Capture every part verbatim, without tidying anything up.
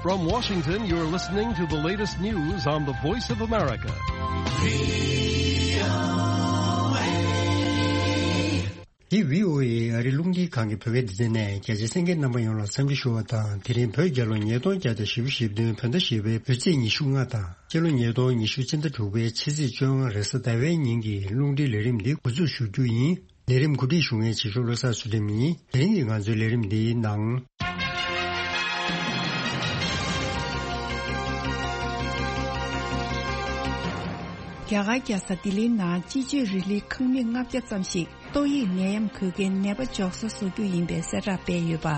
From Washington, you're listening to the latest news on the Voice of America. འདི་བྷི་ཨོ་ཨེ་ཨ་རི་རླུང་འཕྲིན་ཁང་གི་བོད་སྐད་སྡེ་ཚན་ནས། རྒྱ་ཆེ་གསན་མཁན་རྣམ་པ་ཡོངས་ལ་འཚམས་འདྲི་ཞུ་བ་དང་། དེ་རིང་བོད་རྒྱལ་ལོ་ཉིས་སྟོང་བརྒྱ་དང་བཞི་བཅུ་ཞེ་བདུན། བོད་ཟླ་བཞི་པའི་བོད་ཚེས་ཉི་ཤུ་ལྔ་དང་། སྤྱི་ལོ་ཉིས་སྟོང་ཉི་ཤུ་སྤྱི་ཟླ་དྲུག་པའི་ཕྱི་ཚེས་བཅོ་ལྔ་རེས་གཟའ་ཟླ་བའི་ཉིན་གྱི་རླུང་འཕྲིན་ལས་རིམ་འདི་འགོ་འཛུགས་ཞུ་རྒྱུ་ཡིན། ལས་རིམ་གོ་སྒྲིག་ཞུ་མཁན་བྱེད་ཤོག་བློ་བཟང་ཚུལ་ཁྲིམས་ཡིན། དེ་རིང་གི་ང་ཚོའི་ལས་རིམ་འདིའི་ནང་། རྒྱ་གར་རྒྱལ་ས་ལྡི་ལིའི་ནང་སྤྱི་སྤྱོད་རིག་ལས་ཁང་མིག་ལྔ་བརྒྱ་ཙམ་ཞིག་ཏོག་དབྱིབས་ནད་ཡམས་འགོས་མཁན་ནད་པ་འཇོག་ས་བཟོ་རྒྱུ་ཡིན་པའི་གསལ་བསྒྲགས་སྤེལ་ཡོད་པ།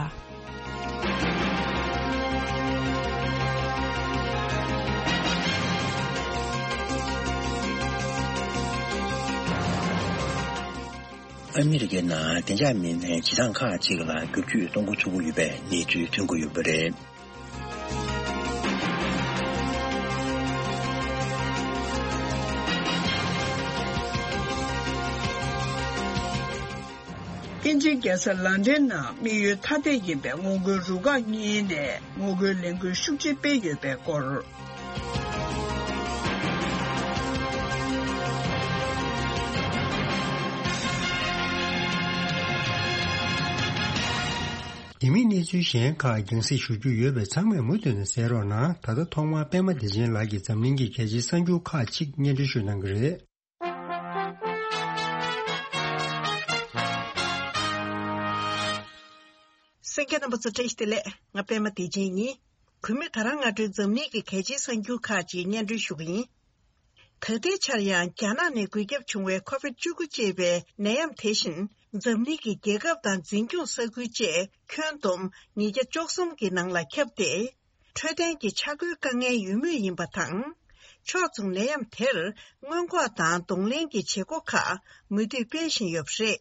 ཨ་མི་རི་ཀའི་ནང་བདེ་འཇགས་མི་སྣས་བྱེད་སྟངས་ཁག་ཅིག་ལ་བསྒྱུར་བཅོས་གཏོང་འགོ་ཚུགས་ཀྱི་ཡོད་པའི་གནས་ཚུལ་ཐོན་གྱི་ཡོད་པ་རེད། དབྱིན་ཇིའི་རྒྱལ་ས་ལན་ཌན་ནང་དམིགས་ཡུལ་ཐ་དད་ཡིན་པའི་ངོ་རྒོལ་རུ་ཁག་གཉིས་ནས་ངོ་རྒོལ་ལས་འགུལ་ཤུགས་ཆེ་སྤེལ་ཡོད་པའི་སྐོར། དེ་མིན་གནས་ཚུལ་གཞན་ཁག་རྒྱང་སྲིང་ཞུ་རྒྱུ་ཡོད་པས། ཚང་མས་མུ་མཐུད་ནས་གསན་རོགས་གནང་། ད་ལྟ་ཐོག་མར་པད་མ་བདེ་ཆེན་ལགས་ཀྱིས་འཛམ་གླིང་གི་གལ་ཆེའི་གསར་འགྱུར་ཁག་ཅིག་སྙན་སྒྲོན་ཞུ་གནང་གི་རེད། གསན་མཁན་རྣམ་པ་ཚོ་བཀྲ་ཤིས་བདེ་ལེགས། ང་པད་མ་བདེ་ཆེན་ཡིན། གུས་མོས་ད་རང་སྔ་དྲོའི་འཛམ་གླིང་གི་གལ་ཆེའི་གསར་འགྱུར་ཁག་ཅིག་སྙན་སྒྲོན་ཞུ་གི་ཡིན། ད་ལྟའི་ཆར་ཡང་རྒྱ་ནག་ནས་འགོས་ཁྱབ་བྱུང་བའི་ཁོ་བིད་བཅུ་དགུ་ཅེས་པའི་ནད་ཡམས་དེ་བཞིན་འཛམ་གླིང་གི་རྒྱལ་ཁབ་དང་འཛིན་སྐྱོང་ས་ཁུལ་བཅས་ཁྱོན་བསྡོམས་ཉིས་བརྒྱ་བཅུ་གསུམ་གྱི་ནང་ལ་ཁྱབ་སྟེ། འཕྲོད་བསྟེན་གྱི་ཆ་བགོས་དཀའ་ངལ་ཡོད་མུས་ཡིན་པ་དང་། ཕྱོགས་མཚུངས་ནད་ཡམས་དེར་སྔོན་འགོག་དང་གདོང་ལེན་གྱི་བྱེད་སྒོ་ཁག་མུ་མཐུད་སྤེལ་བཞིན་ཡོད་པ་རེད།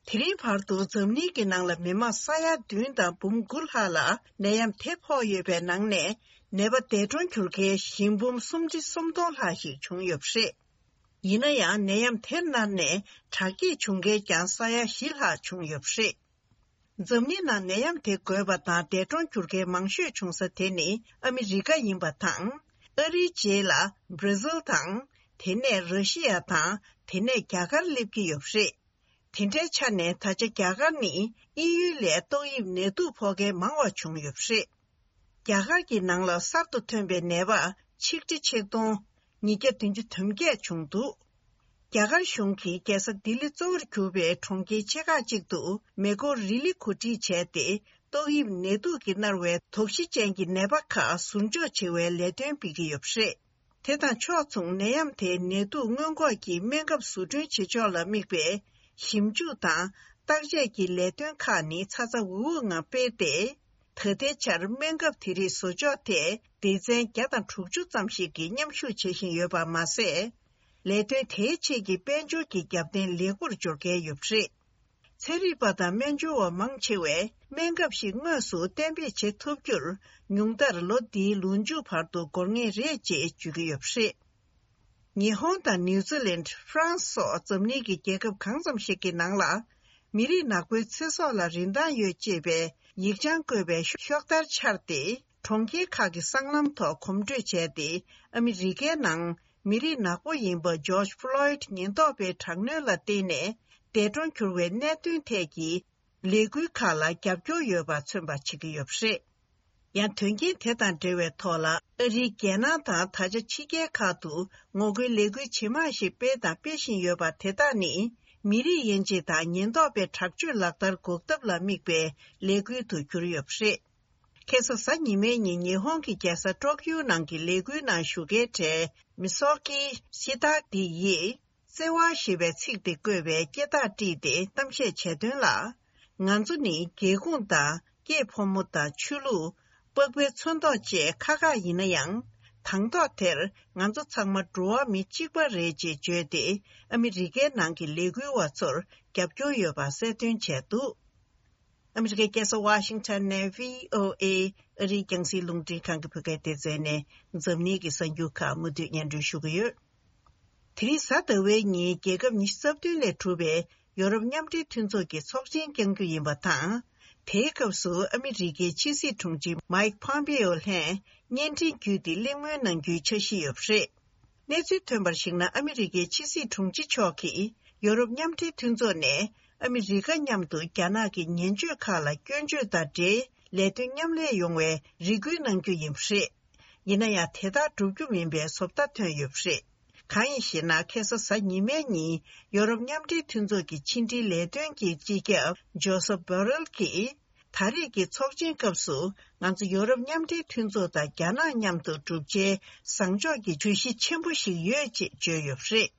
དེ་རིང་བར་དུ་འཛམ་གླིང་གི་ནང་ལ་མི་མང་ས་ཡ་བདུན་དང་འབུམ་དགུ་ལྷག་ལ་ནད་ཡམས་དེ་ཕོག་ཡོད་པའི་ནང་ནས། ནད་པ་འདས་གྲོངས་གྱུར་མཁན་ཞི་འབུམ་སུམ་ཁྲི་སུམ་སྟོང་ལྷག་ཞིག་བྱུང་ཡོད་པ་རེད། ཡིན་ན་ཡང་ནད་ཡམས་དེར་མནར་ནས་དྲག་སྐྱེད་བྱུང་མཁན་ཀྱང་ས་ཡ་བཞི་ལྷག་བྱུང་ཡོད་པ་རེད། འཛམ་གླིང་ནང་ནད་ཡམས་དེ་འགོས་པ་དང་འདས་གྲོངས་གྱུར་མཁན་མང་ཤོས་བྱུང་ས་དེ་ནི་ཨ་མི་རི་ཀ་ཡིན་པ་དང་། ཨ་རིའི་རྗེས་ལ་བྷྲ་ཟིལ་དང་། དེ་ནས་ར་ཤི་ཡ་དང་། དེ་ནས་རྒྱ་གར་སླེབས་ཀྱི་ཡོད་པ་རེད། དེ་འདྲའི་ཆ་ནས་ད་ཆ་རྒྱ་གར་ནི་དབྱིན་ཡུལ་ལས་ཏོག་དབྱིབས་ནད་དུག་ཕོག་མཁན་མང་བ་བྱུང་ཡོད་པ་རེད། རྒྱ་གར་གྱི་ནང་ལ་གསར་དུ་ཐོན་པའི་ནད་པ་ཆིག་ཁྲི་ཆིག་སྟོང་ཉིས་བརྒྱ་བདུན་ཅུ་དོན་བརྒྱད་བྱུང་འདུག་རྒྱ་གར་གཞུང་གིས་རྒྱལ་ས་ལྡི་ལི་གཙོ་བོར་གྱུར་པའི་གྲོང་ཁྱེར་ཆེ་ཁག་ཅིག་ཏུ་མེ་འཁོར་རི་ལི་གོ་སྒྲིག་བྱས་ཏེ། ཏོག་དབྱིབས་ནད་དུག་གིས་མནར་བའི་དོགས་གཞི་ཅན་གྱི་ནད་པ་ཁག་ཟུར་འཇོག་བྱེད་པའི་ལས་དོན་སྤེལ་གྱི་ཡོད་པ་རེད། དེ་དང་ཕྱོགས་མཚུངས་ནད་ཡམས་དེའི་ནད་དུག་སྔོན་འགོག་གི་སྨན་ཁབ་བཟོ་སྐྲུན་བྱེད་ཕྱོགས་ལ་དམིགས་པའི་ཞིབ་འཇུག་དང་བརྟག་དཔྱད་ཀྱི་ལས་དོན་ཁག་ནི་ཚ་ཚ་འུར་འུར་ངང་སྤེལ་ཏེ། ད་ལྟའི་ཆར་སྨན་ཁབ་དེ་རིགས་བཟོ་ཕྱོགས་ཐད་སྡེ་ཚན་བརྒྱ་དང་དྲུག་ཅུ་ཙམ་ཞིག་གིས་མཉམ་ཞུགས་བྱེད་བཞིན་ཡོད་པ་མ་ཟད། ལས་དོན་དེའི་ཆེད་ཀྱི་དཔལ་འབྱོར་གྱི་རྒྱབ་རྟེན་ལེགས་པོར་འབྱོར་གལ་ཡོད་པ་རེད། ཚན་རིག་པ་དང་སྨན་སྦྱོར་བ་མང་ཆེ་བས་སྨན་ཁབ་ཞིག་དངོས་སུ་གཏན་འབེབས་བྱེད་ཐུབ་རྒྱུར་ཉུང་མཐར་ལོ་འདིའི་ལོ་མཇུག་བར་དུ་འགོར་ངེས་རེད་ཅེས་བརྗོད་ཀྱི་ཡོད་པ་རེད། ཉི་ཧོང་དང་ནིའུ་ཛི་ལན། ཧྥ་རན་སི་སོགས་འཛམ་གླིང་གི་རྒྱལ་ཁབ་གང་ཙམ་ཞིག་གི་ནང་ལ། མི་རིགས་ནག་པོའི་ཚེ་སྲོག་ལ་རིན་ཐང་ཡོད་ཅེས་པའི་ཡིག་བྱང་བཀོད་པའི་ཤོག་དར་འཕྱར་ཏེ། གྲོང་ཁྱེར་ཁག་གི་སྲང་ལམ་ཐོག་གོམ་བགྲོད་བྱས་ཏེ། ཨ་མི་རི་ཀའི་ནང་མི་རིགས་ནག་པོ་ཡིན་པ་ཇོརྗ་ཕློའིཌ་ཉེན་རྟོག་པའི་དྲག་གནོན་ལ་བརྟེན་ནས་འདས་གྲོངས་གྱུར་བའི་གནད་དོན་ཐད་ཀྱི་ལས་འགུལ་ཁག་ལ་རྒྱབ་སྐྱོར་ཡོད་པ་མཚོན་པ་བྱེད་ཀྱི་ཡོད་པ་རེད། ཡང་དོན་རྐྱེན་དེ་དང་འབྲེལ་བའི་ཐོག་ལ། ཨ་རིའི་རྒྱལ་ནང་དང་ད་ཆ་ཕྱི་རྒྱལ་ཁག་ཏུ་ངོ་རྒོལ་ལས་འགུལ་ཇེ་མང་ཞིག་སྤེལ་དང་སྤེལ་བཞིན་ཡོད་པ་དེ་དག་ནི། མི་རིགས་དབྱེ་འབྱེད་དང་ཉེན་རྟོག་པའི་དྲག་སྤྱོད་ལག་བསྟར་འགོག་ཐབས་ལ་དམིགས་པའི་ལས་འགུལ་དུ་གྱུར་ཡོད་པ་རེད། ཁ་སང་གཟའ་ཉི་མའི་ཉིན་ཉི་ཧོང་གི་རྒྱལ་ས་ཀྲོག་ཡུ་ནང་གི་ལས་འགུལ་ནང་ཞུགས་མཁན་གྲས་མི་སོ་ཀི་ཤི་ཏཱ་ཏི་ཡིས། བརྩེ་བ་ཞེས་པའི་ཚིག་དེ་བཀོད་པའི་སྐད་བརྡ་བྲིས་ཏེ་གཏམ་བཤད་བྱས་དོན་ལ། ང་ཚོ་ནི་སྒེའུ་ཁུང་དང་སྐྱེས་ཕོ་མོ་དང་ཆོས་ལུགས། པགས་པའི་ཚོན་མདོག་བཅས་ཁག་ཁག་ཡིན་ན་ཡང་། དང་ཐོག་དེར་ང་ཚོ་ཚང་མ་འགྲོ་བ་མི་གཅིག་པ་རེད་ཅེས་བརྗོད་དེ། ཨ་མི་རི་ཀའི་ནང་གི་ལས་འགུལ་བ་ཚོར་རྒྱབ་སྐྱོར་ཡོད་པ་གསལ་སྟོན་བྱས་འདུག་ཨ་མི་རི་ཀའི་རྒྱལ་ས་ཝ་ཤིང་ཊོན་ནས་བྷི་ཨོ་ཨེ་ཨ་རིའི་རྒྱང་སྲིང་རླུང་འཕྲིན་ཁང་གི་བོད་སྐད་སྡེ་ཚན་ནས་འཛམ་གླིང་གི་གསར་འགྱུར་ཁག་མུ་མཐུད་སྙན་སྒྲོན་ཞུ་གི་ཡོད། དེ་རིང་གཟའ་ཟླ་བའི་ཉིན་རྒྱལ་ཁབ་ཉི་ཤུ་རྩ་བདུན་ལས་གྲུབ་པའི་ཡོ་རོབ་མཉམ་འབྲེལ་མཐུན་ཚོགས་ཀྱི་ཚོགས་ཆེན་བསྐྱང་རྒྱུ་ཡིན་པ་དང་། དེའི་སྐབས་སུ་ཨ་མི་རི་ཀའི་ཕྱི་སྲིད་དྲུང་ཆེ་མཱིག་ཕོམ་པེའོ་ལྷན་བརྙན་འཕྲིན་བརྒྱུད་དེ་གླེང་མོལ་གནང་རྒྱུའི་འཆར་གཞི་ཡོད་པ་རེད། གནས་ཚུལ་ཐོན་པར་གཞིགས་ན། ཨ་མི་རི་ཀའི་ཕྱི་སྲིད་དྲུང་ཆེ་མཆོག་གིས་ཡོ་རོབ་མཉམ་འབྲེལ་མཐུན་ཚོགས་ནས་ཨ་མི་རི་ཀ་མཉམ་དུ་རྒྱ་ནག་གི་ཉེན་བཅོལ་ཁག་ལ་སྐྱོན་བརྗོད་དང་འབྲེལ་ལས་དོན་མཉམ་ལས་ཡོང་བའི་རེ་སྐུལ་གནང་རྒྱུ་ཡིན་པ་རེད། ཡིན་ན་ཡང་དེ་ལྟར་འགྲུབ་རྒྱུ་མིན་པའི་བཟོ་ལྟ་ཐོན་ཡོད་པ་རེད། གང་ཡིན་ཞེ་ན། ཁ་སང་གཟའ་ཉི་མའི་ཉིན་ཡོ་རོབ་མཉམ་འབྲེལ་མཐུན་ཚོགས་ཀྱི་ཕྱི་འབྲེལ་ལས་དོན་གྱི་སྤྱི་ཁྱབ་ཇོ་སེབ་བྷོ་རེལ་གྱིས། ད་རེས་ཀྱི་ཚོགས་ཆེན་སྐབས་སུ་ང་ཚོ་ཡོ་རོབ་མཉམ་འབྲེལ་མཐུན་ཚོགས་དང་རྒྱ་ནག་མཉམ་དུ་བསྒྲུབ་བྱའི་བཟང་ཕྱོགས་ཀྱི་བརྗོད་གཞི་ཆེན་པོ་ཞིག་ཡོད་ཅེས་བརྗོད་ཡོད་པ་རེད།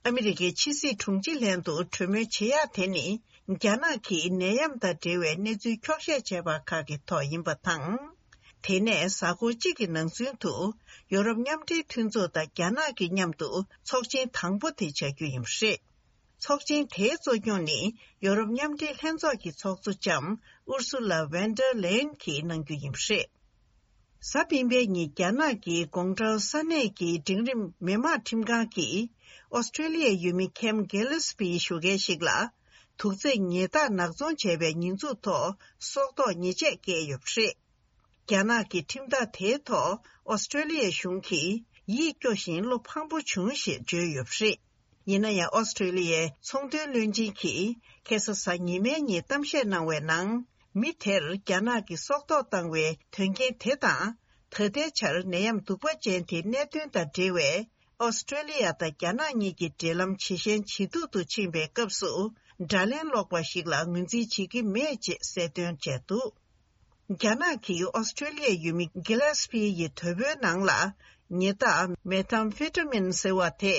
ཨ་མི་རི་ཀའི་ཕྱི་སྲིད་དྲུང་ཆེ་ལྷན་དུ་གྲོས་མོལ་བྱེད་ཡག་དེ་ནི། རྒྱ་ནག་གིས་ནད་ཡམས་དང་འབྲེལ་བའི་གནས་ཚུལ་འཁྱོག་བཤད་བྱས་པ་ཁག་གི་ཐོག་ཡིན་པ་དང་། དེ་ནས་གཟའ་འཁོར་གཅིག་གི་ནང་ཚུན་དུ་ཡོ་རོབ་མཉམ་འབྲེལ་མཐུན་ཚོགས་དང་རྒྱ་ནག་གི་མཉམ་དུ་ཚོགས་ཆེན་དང་པོ་དེ་བྱ་རྒྱུ་ཡིན་པ་རེད། ཚོགས་ཆེན་དེའི་གཙོ་སྐྱོང་ནི་ཡོ་རོབ་མཉམ་འབྲེལ་ལྷན་ཚོགས་ཀྱི་ཚོགས་གཙོ་ལྕམ་ཨུར་སུ་ལ་ཝན་ཌར་ལེ་ཡན་གྱིས་གནང་རྒྱུ་ཡིན་པ་རེད། གཟའ་སྤེན་པའི་ཉིན་རྒྱ་ནག་གི་ཀོང་ཀྲོའུ་ས་གནས་ཀྱི་འབྲིང་རིམ་མི་དམངས་ཁྲིམས་ཁང་གིས་ཨོ་སི་ཀྲེ་ལི་ཡའི་ཡུལ་མི་ཁེམ་གྷི་ལི་སི་པིའི་ཞོགས་ཀས་ཤིག་ལ་དུག་རྫས་ཉེས་རྡུང་ནག་ཚོང་བྱས་པའི་ཉེས་འཛུགས་ཐོག་སྲོག་ཐོག་ཉེས་ཆད་བཀལ་ཡོད་པ་རེད། རྒྱ་ནག་གི་ཁྲིམས་ཐག་དེའི་ཐོག་ཨོ་སི་ཀྲེ་ལི་ཡའི་གཞུང་གིས་ཡིད་སྐྱོ་ཞིང་བློ་ཕངས་པོ་བྱུང་ཞེས་བརྗོད་ཡོད་པ་རེད། ཡིན་ན་ཡང་ཨོ་སི་ཀྲེ་ལི་ཡའི་ཚོང་དོན་བློན་ཆེན་གྱིས་ཁ་སང་གཟའ་ཉི་མའི་ཉིན་གཏམ་བཤད་གནང་བའི་ནང་། མི་དེར་རྒྱ་ནག་གིས་སྲོག་ཐོག་བཏང་བའི་དོན་རྐྱེན་དེ་དང་། ད་ལྟའི་ཆར་ནད་ཡམས་གདུག་པ་ཅན་དེའི་གནད་དོན་དང་འབྲེལ་བའི་ཨོ་སི་ཀྲེ་ལི་ཡ་དང་རྒྱ་ནག་གཉིས་ཀྱི་འབྲེལ་ལམ་ཇེ་ཞན་ཇེ་སྡུག་ཏུ་ཕྱིན་པའི་སྐབས་སུ། དགྲ་ལན་སློག་པ་ཞིག་ལ་ངོས་འཛིན་བྱེད་ཀྱི་མེད་ཅེས་གསལ་སྟོན་བྱས་འདུག་རྒྱ་ནག་གིས་ཨོ་སི་ཀྲེ་ལི་ཡའི་ཡུལ་མི་གྷི་ལེ་སི་པི་ཡི་དོལ་པོའི་ནང་ལ་ཉེས་རྡུང་མེ་ཐམ་ཕེ་ཏྲ་མིན་ཟེར་བ་དེ་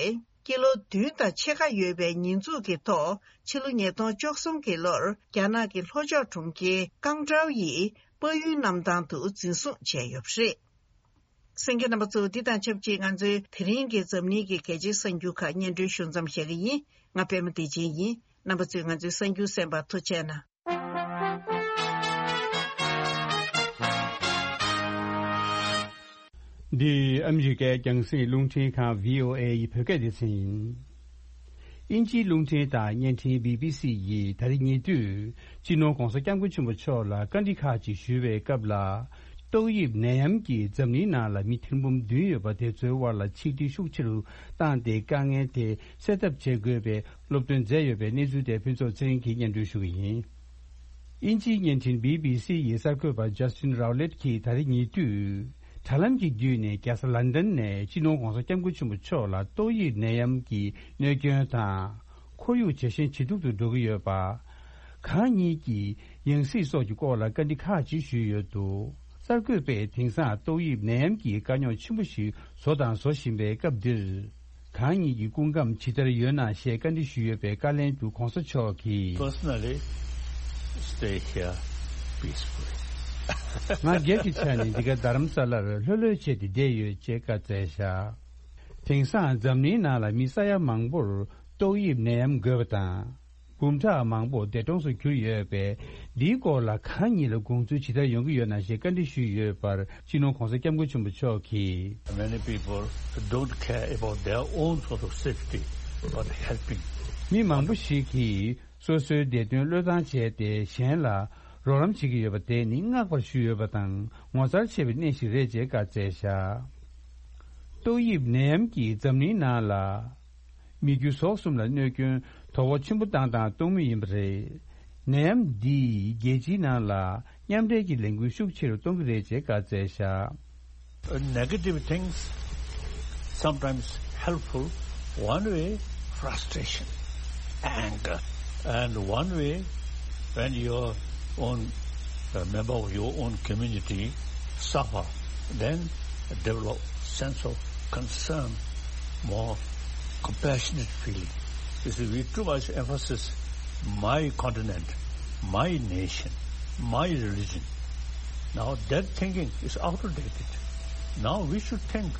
ཀི་ལོ་བདུན་དང་ཕྱེད་ཀ་ཡོད་པའི་ཉེས་འཛུགས་ཀྱི་ཐོག་ཕྱི་ལོ་ཉིས་སྟོང་བཅུ་གསུམ་གྱི་ལོར་རྒྱ་ནག་གི་ལྷོ་ཕྱོགས་གྲོང་ཁྱེར་ཀང་ཀྲའོ་ཡི་དཔལ་ཡོན་གནམ་ཐང་དུ་འཛིན་བཟུང་བྱས་ཡོད་པ་རེད། གསན་མཁན་རྣམ་པ་ཚོ། འདི་དང་ཆབས་ཅིག་ང་ཚོའི་དེ་རིང་གི་འཛམ་གླིང་གི་གལ་ཆེའི་གསར་འགྱུར་ཁག་སྙན་སྒྲོན་ཞུ་མཚམས་བཞག་གི་ཡིན། ང་པད་མ་བདེ་ཆེན་ཡིན། རྣམ་པ་ཚོས་ང་ཚོའི་གསར་འགྱུར་གསན་པར་ཐུགས་རྗེ་གནང་། འདི་ཨ་མི་རི་ཀའི་རྒྱང་སྲིང་རླུང་འཕྲིན་ཁང་བྷི་ཨོ་ཨེ་ཡི་བོད་སྐད་སྡེ་ཚན་ཡིན། དབྱིན་ཇིའི་རླུང་འཕྲིན་དང་བརྙན་འཕྲིན་བྷི་བྷི་སི་ཡིས་ད་རེས་ཉེ་དུས་སྤྱི་ནོར་༧གོང་ས་༧སྐྱབས་མགོན་ཆེན་པོ་མཆོག་ལ་བཀའ་འདྲི་ཁག་ཅིག་ཞུས་པའི་སྐབས་ལ། ཏོག་དབྱིབས་ནད་ཡམས་ཀྱིས་འཛམ་གླིང་ནང་ལ་མི་ཐེར་འབུམ་བདུན་ཡོད་པ་དེ་ཚོའི་དབར་ལ་ཆིག་སྒྲིལ་ཤུགས་ཆེ་རུ་བཏང་སྟེ། དཀའ་ངལ་དེ་སེལ་ཐབས་བྱེད་དགོས་པའི་སློབ་སྟོན་མཛད་ཡོད་པའི་གནས་ཚུལ་དེ་ཕུན་ཚོགས་ཚེ་རིང་གིས་སྙན་སྒྲོན་ཞུ་གི་ཡིན། དབྱིན་ཇིའི་བརྙན་འཕྲིན་བྷི་བྷི་སི་ཡི་གསར་འགོད་པ་ཇ་སི་ཊིན་རའོ་ལེཊ་གྱིས་ད་རེས་ཉེ་དུས་དྲ་ལམ་གྱི་བརྒྱུད་ནས་རྒྱལ་ས་ལན་ཌན་ནས་སྤྱི་ནོར་༧གོང་ས་༧སྐྱབས་མགོན་ཆེན་པོ་མཆོག་ལ་ཏོག་དབྱིབས་ནད་ཡམས་ཀྱི་གནོད་སྐྱོན་དང་། ཁོར་ཡུག་ཇེ་ཞན་ཇེ་སྡུག་ཏུ་འགྲོ་གི་ཡོད་པ། གང་ཉིད་ཀྱི་ཡང་སྲིད་སོགས་ཀྱི་སྐོར་ལ་བཀའ་འདྲི་ཁག་ཅིག་ཞུས་ཡོད་འདུག་གསར་འགོད་པས་དེང་སང་ཏོག་དབྱིབས་ནད་ཡམས་ཀྱི་དཀའ་རྙོག་ཆེན་པོ་ཞིག་བཟོ་དང་བཟོ་བཞིན་པའི་སྐབས་འདིར། གང་ཉིད་ཀྱི་སྐུ་ཁམས་ཇི་ལྟར་ཡོད་ན་ཞེས་བཀའ་འདྲི་ཞུས་ཡོད་པའི་བཀའ་ལན་དུ་༧གོང་ས་མཆོག་གིས། Personally, stay here peacefully. ང་སྒེར་གྱི་ཆ་ནས་འདི་ག་རྡ་རམ་ས་ལར་ལྷོད་ལྷོད་བྱས་ཏེ་བསྡད་ཡོད་ཅེས་བཀའ་སྩལ་བཞག་དེང་སང་འཛམ་གླིང་ནང་ལ་མི་ས་ཡ་མང་པོར་ཏོག་དབྱིབས་ནད་ཡམས་འགོས་པ་དང་། འབུམ་ཕྲག་མང་པོ་འདས་གྲོངས་སུ་གྱུར་ཡོད་པས། འདིའི་སྐོར་ལ་གང་ཉིད་ལ་དགོངས་ཚུལ་ཇི་ལྟར་ཡོང་གི་ཡོད་ན་ཞེས་བཀའ་འདྲི་ཞུས་ཡོད་པར། སྤྱི་ནོར་༧གོང་ས་༧སྐྱབས་མགོན་ཆེན་པོ་མཆོག་གིས། Many people don't care about their own sort of safety, but helping. མི་མང་པོ་ཞིག་གིས་སོ་སོའི་བདེ་དོན་བློས་བཏང་བྱས་ཏེ། གཞན་ལ་རོགས་རམ་བྱེད་ཀྱི་ཡོད་པ་དེ་ནི་བསྔགས་པར་ཞུ་འོས་པ་དང་། ངོ་མཚར་ཆེ་བའི་གནས་ཤིག་རེད་ཅེས་བཀའ་སྩལ་བཞག་ཏོག་དབྱིབས་ནད་ཡམས་ཀྱིས་འཛམ་གླིང་ནང་ལ། མི་རྒྱུ་ཟོག་གསུམ་ལ་གནོད་སྐྱོན་དོ་ཕོག་ཆེན་པོ་བཏང་དང་གཏོང་མུས་ཡིན་པ་རེད། ནད་ཡམས་འདིས་རྒྱལ་སྤྱིའི་ནང་ལ་མཉམ་འབྲེལ་གྱི་ལས་འགུལ་ཤུགས་ཆེ་རུ་གཏོང་གི་རེད་ཅེས་བཀའ་སྩལ་བཞག Negative things sometimes helpful, one way frustration, anger, and one way when your own a member of your own community suffer, then develop sense of concern, more compassionate feeling. You see, we too much emphasis my continent, my nation, my religion. Now that thinking is outdated. Now we should think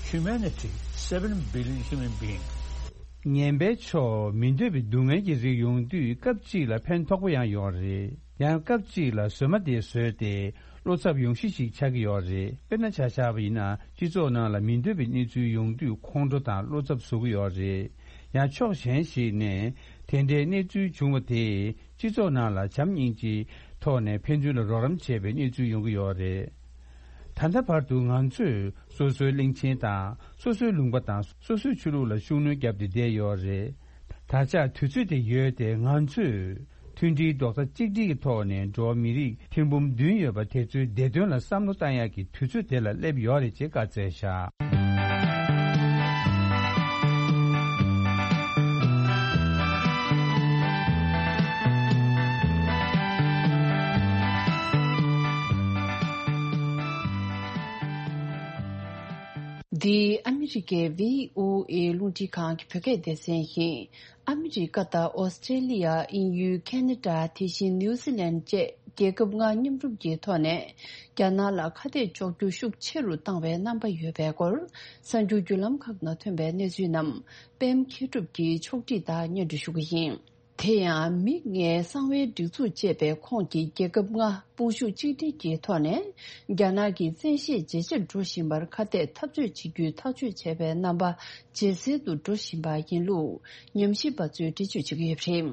humanity, seven billion human beings. ངན་པའི་ཕྱོགས་མི་འདོད་པའི་སྡུག་བསྔལ་གྱི་རིགས་ཡོང་དུས་སྐབས་གཅིག་ལ་ཕན་ཐོགས་པོ་ཡང་ཡོད་རེད། ཡང་སྐབས་གཅིག་ལ་བཟོད་མ་དེ་བཟོས་ཏེ་བློ་འཚབ་ཡོང་གཞི་ཞིག་ཆགས་ཀྱི་ཡོད་རེད། དཔེར་ན་ཆ་བཞག་པ་ཡིན་ན་སྤྱི་ཚོགས་ནང་ལ་མི་འདོད་པའི་གནས་ཚུལ་ཡོང་དུས་ཁོང་ཁྲོ་དང་བློ་འཚབ་བཟོ་གི་ཡོད་རེད། ཡང་ཕྱོགས་གཞན་ཞིག་ནས་དེ་འདྲའི་གནས་ཚུལ་བྱུང་བ་དེས་སྤྱི་ཚོགས་ནང་ལ་བྱམས་སྙིང་རྗེ། ཐོག་ནས་ཕན་ཚུན་ལ་རོགས་རམ་བྱས་པའི་གནས་ཚུལ་ཡོང་གི་ཡོད་རེད། ད་ལྟ་བར་དུ་ང་ཚོས་སོ་སོའི་གླིང་ཆེན་དང་སོ་སོའི་ལུང་པ་དང་སོ་སོའི་ཆོས་ལུགས་ལ་ཤུགས་སྣོན་བརྒྱབ་སྟེ་བསྡད་ཡོད་རེད། ད་ཆ་དུས་ཚོད་དེ་ཡོལ་ཏེ་ང་ཚོས་མཐུན་སྒྲིལ་རྡོག་རྩ་གཅིག་སྒྲིལ་གྱི་ཐོག་ནས་འགྲོ་བ་མི་རིགས་ཐེར་འབུམ་བདུན་ཡོད་པ་དེ་ཚོའི་བདེ་དོན་ལ་བསམ་བློ་བཏང་ཡག་གི་དུས་ཚོད་དེ་ལ་སླེབས་ཡོད་རེད་ཅེས་བཀའ་སྩལ་བཞག། འདི་ཨ་མི་རི་ཀའི་བྷི་ཨོ་ཨེ་རླུང་འཕྲིན་ཁང་གི་བོད་སྐད་སྡེ་ཚན་ཡིན། ཨ་མི་རི་ཀ་དང་ཨོ་སི་ཀྲེ་ལི་ཡ། དབྱིན་ཡུལ། ཁེ་ན་ཌ། དེ་བཞིན་ནིའུ་ཛི་ལན་བཅས་རྒྱལ་ཁབ་ལྔ་མཉམ་རུབ་ཀྱི་ཐོག་ནས་རྒྱ་ནག་ལ་ཁ་གཏད་གཅོག་རྒྱུ་ཤུགས་ཆེ་རུ་བཏང་བའི་རྣམ་པ་ཡོད་པའི་སྐོར། གསར་འགྱུར་བརྒྱུད་ལམ་ཁག་ནང་ཐོན་པའི་གནས་ཚུལ་རྣམས་པད་མ་མཁས་གྲུབ་ཀྱིས་ཕྱོགས་སྒྲིག་དང་སྙན་སྒྲོན་ཞུ་གི་ཡིན། དེ་ཡང་མིག་སྔའི་གསང་བའི་སྒྲིག་འཛུགས་ཅེས་པའི་ཁོངས་ཀྱི་རྒྱལ་ཁབ་ལྔ་དཔུང་ཤུགས་གཅིག་སྒྲིལ་གྱི་ཐོག་ནས་རྒྱ་ནག་གི་བཙན་ཤེད་ཇེ་ཆེར་འགྲོ་བཞིན་པར་ཁ་གཏད་འཐབ་རྩོད་བྱེད་རྒྱུའི་ཐག་གཅོད་བྱས་པའི་རྣམ་པ་ཇེ་གསལ་དུ་འགྲོ་བཞིན་པ་ཡིན་ལུགས་ཉམས་ཞིབ་པ་ཚོས་འགྲེལ་བརྗོད་བྱེད་ཀྱི་ཡོད་པ་རེད།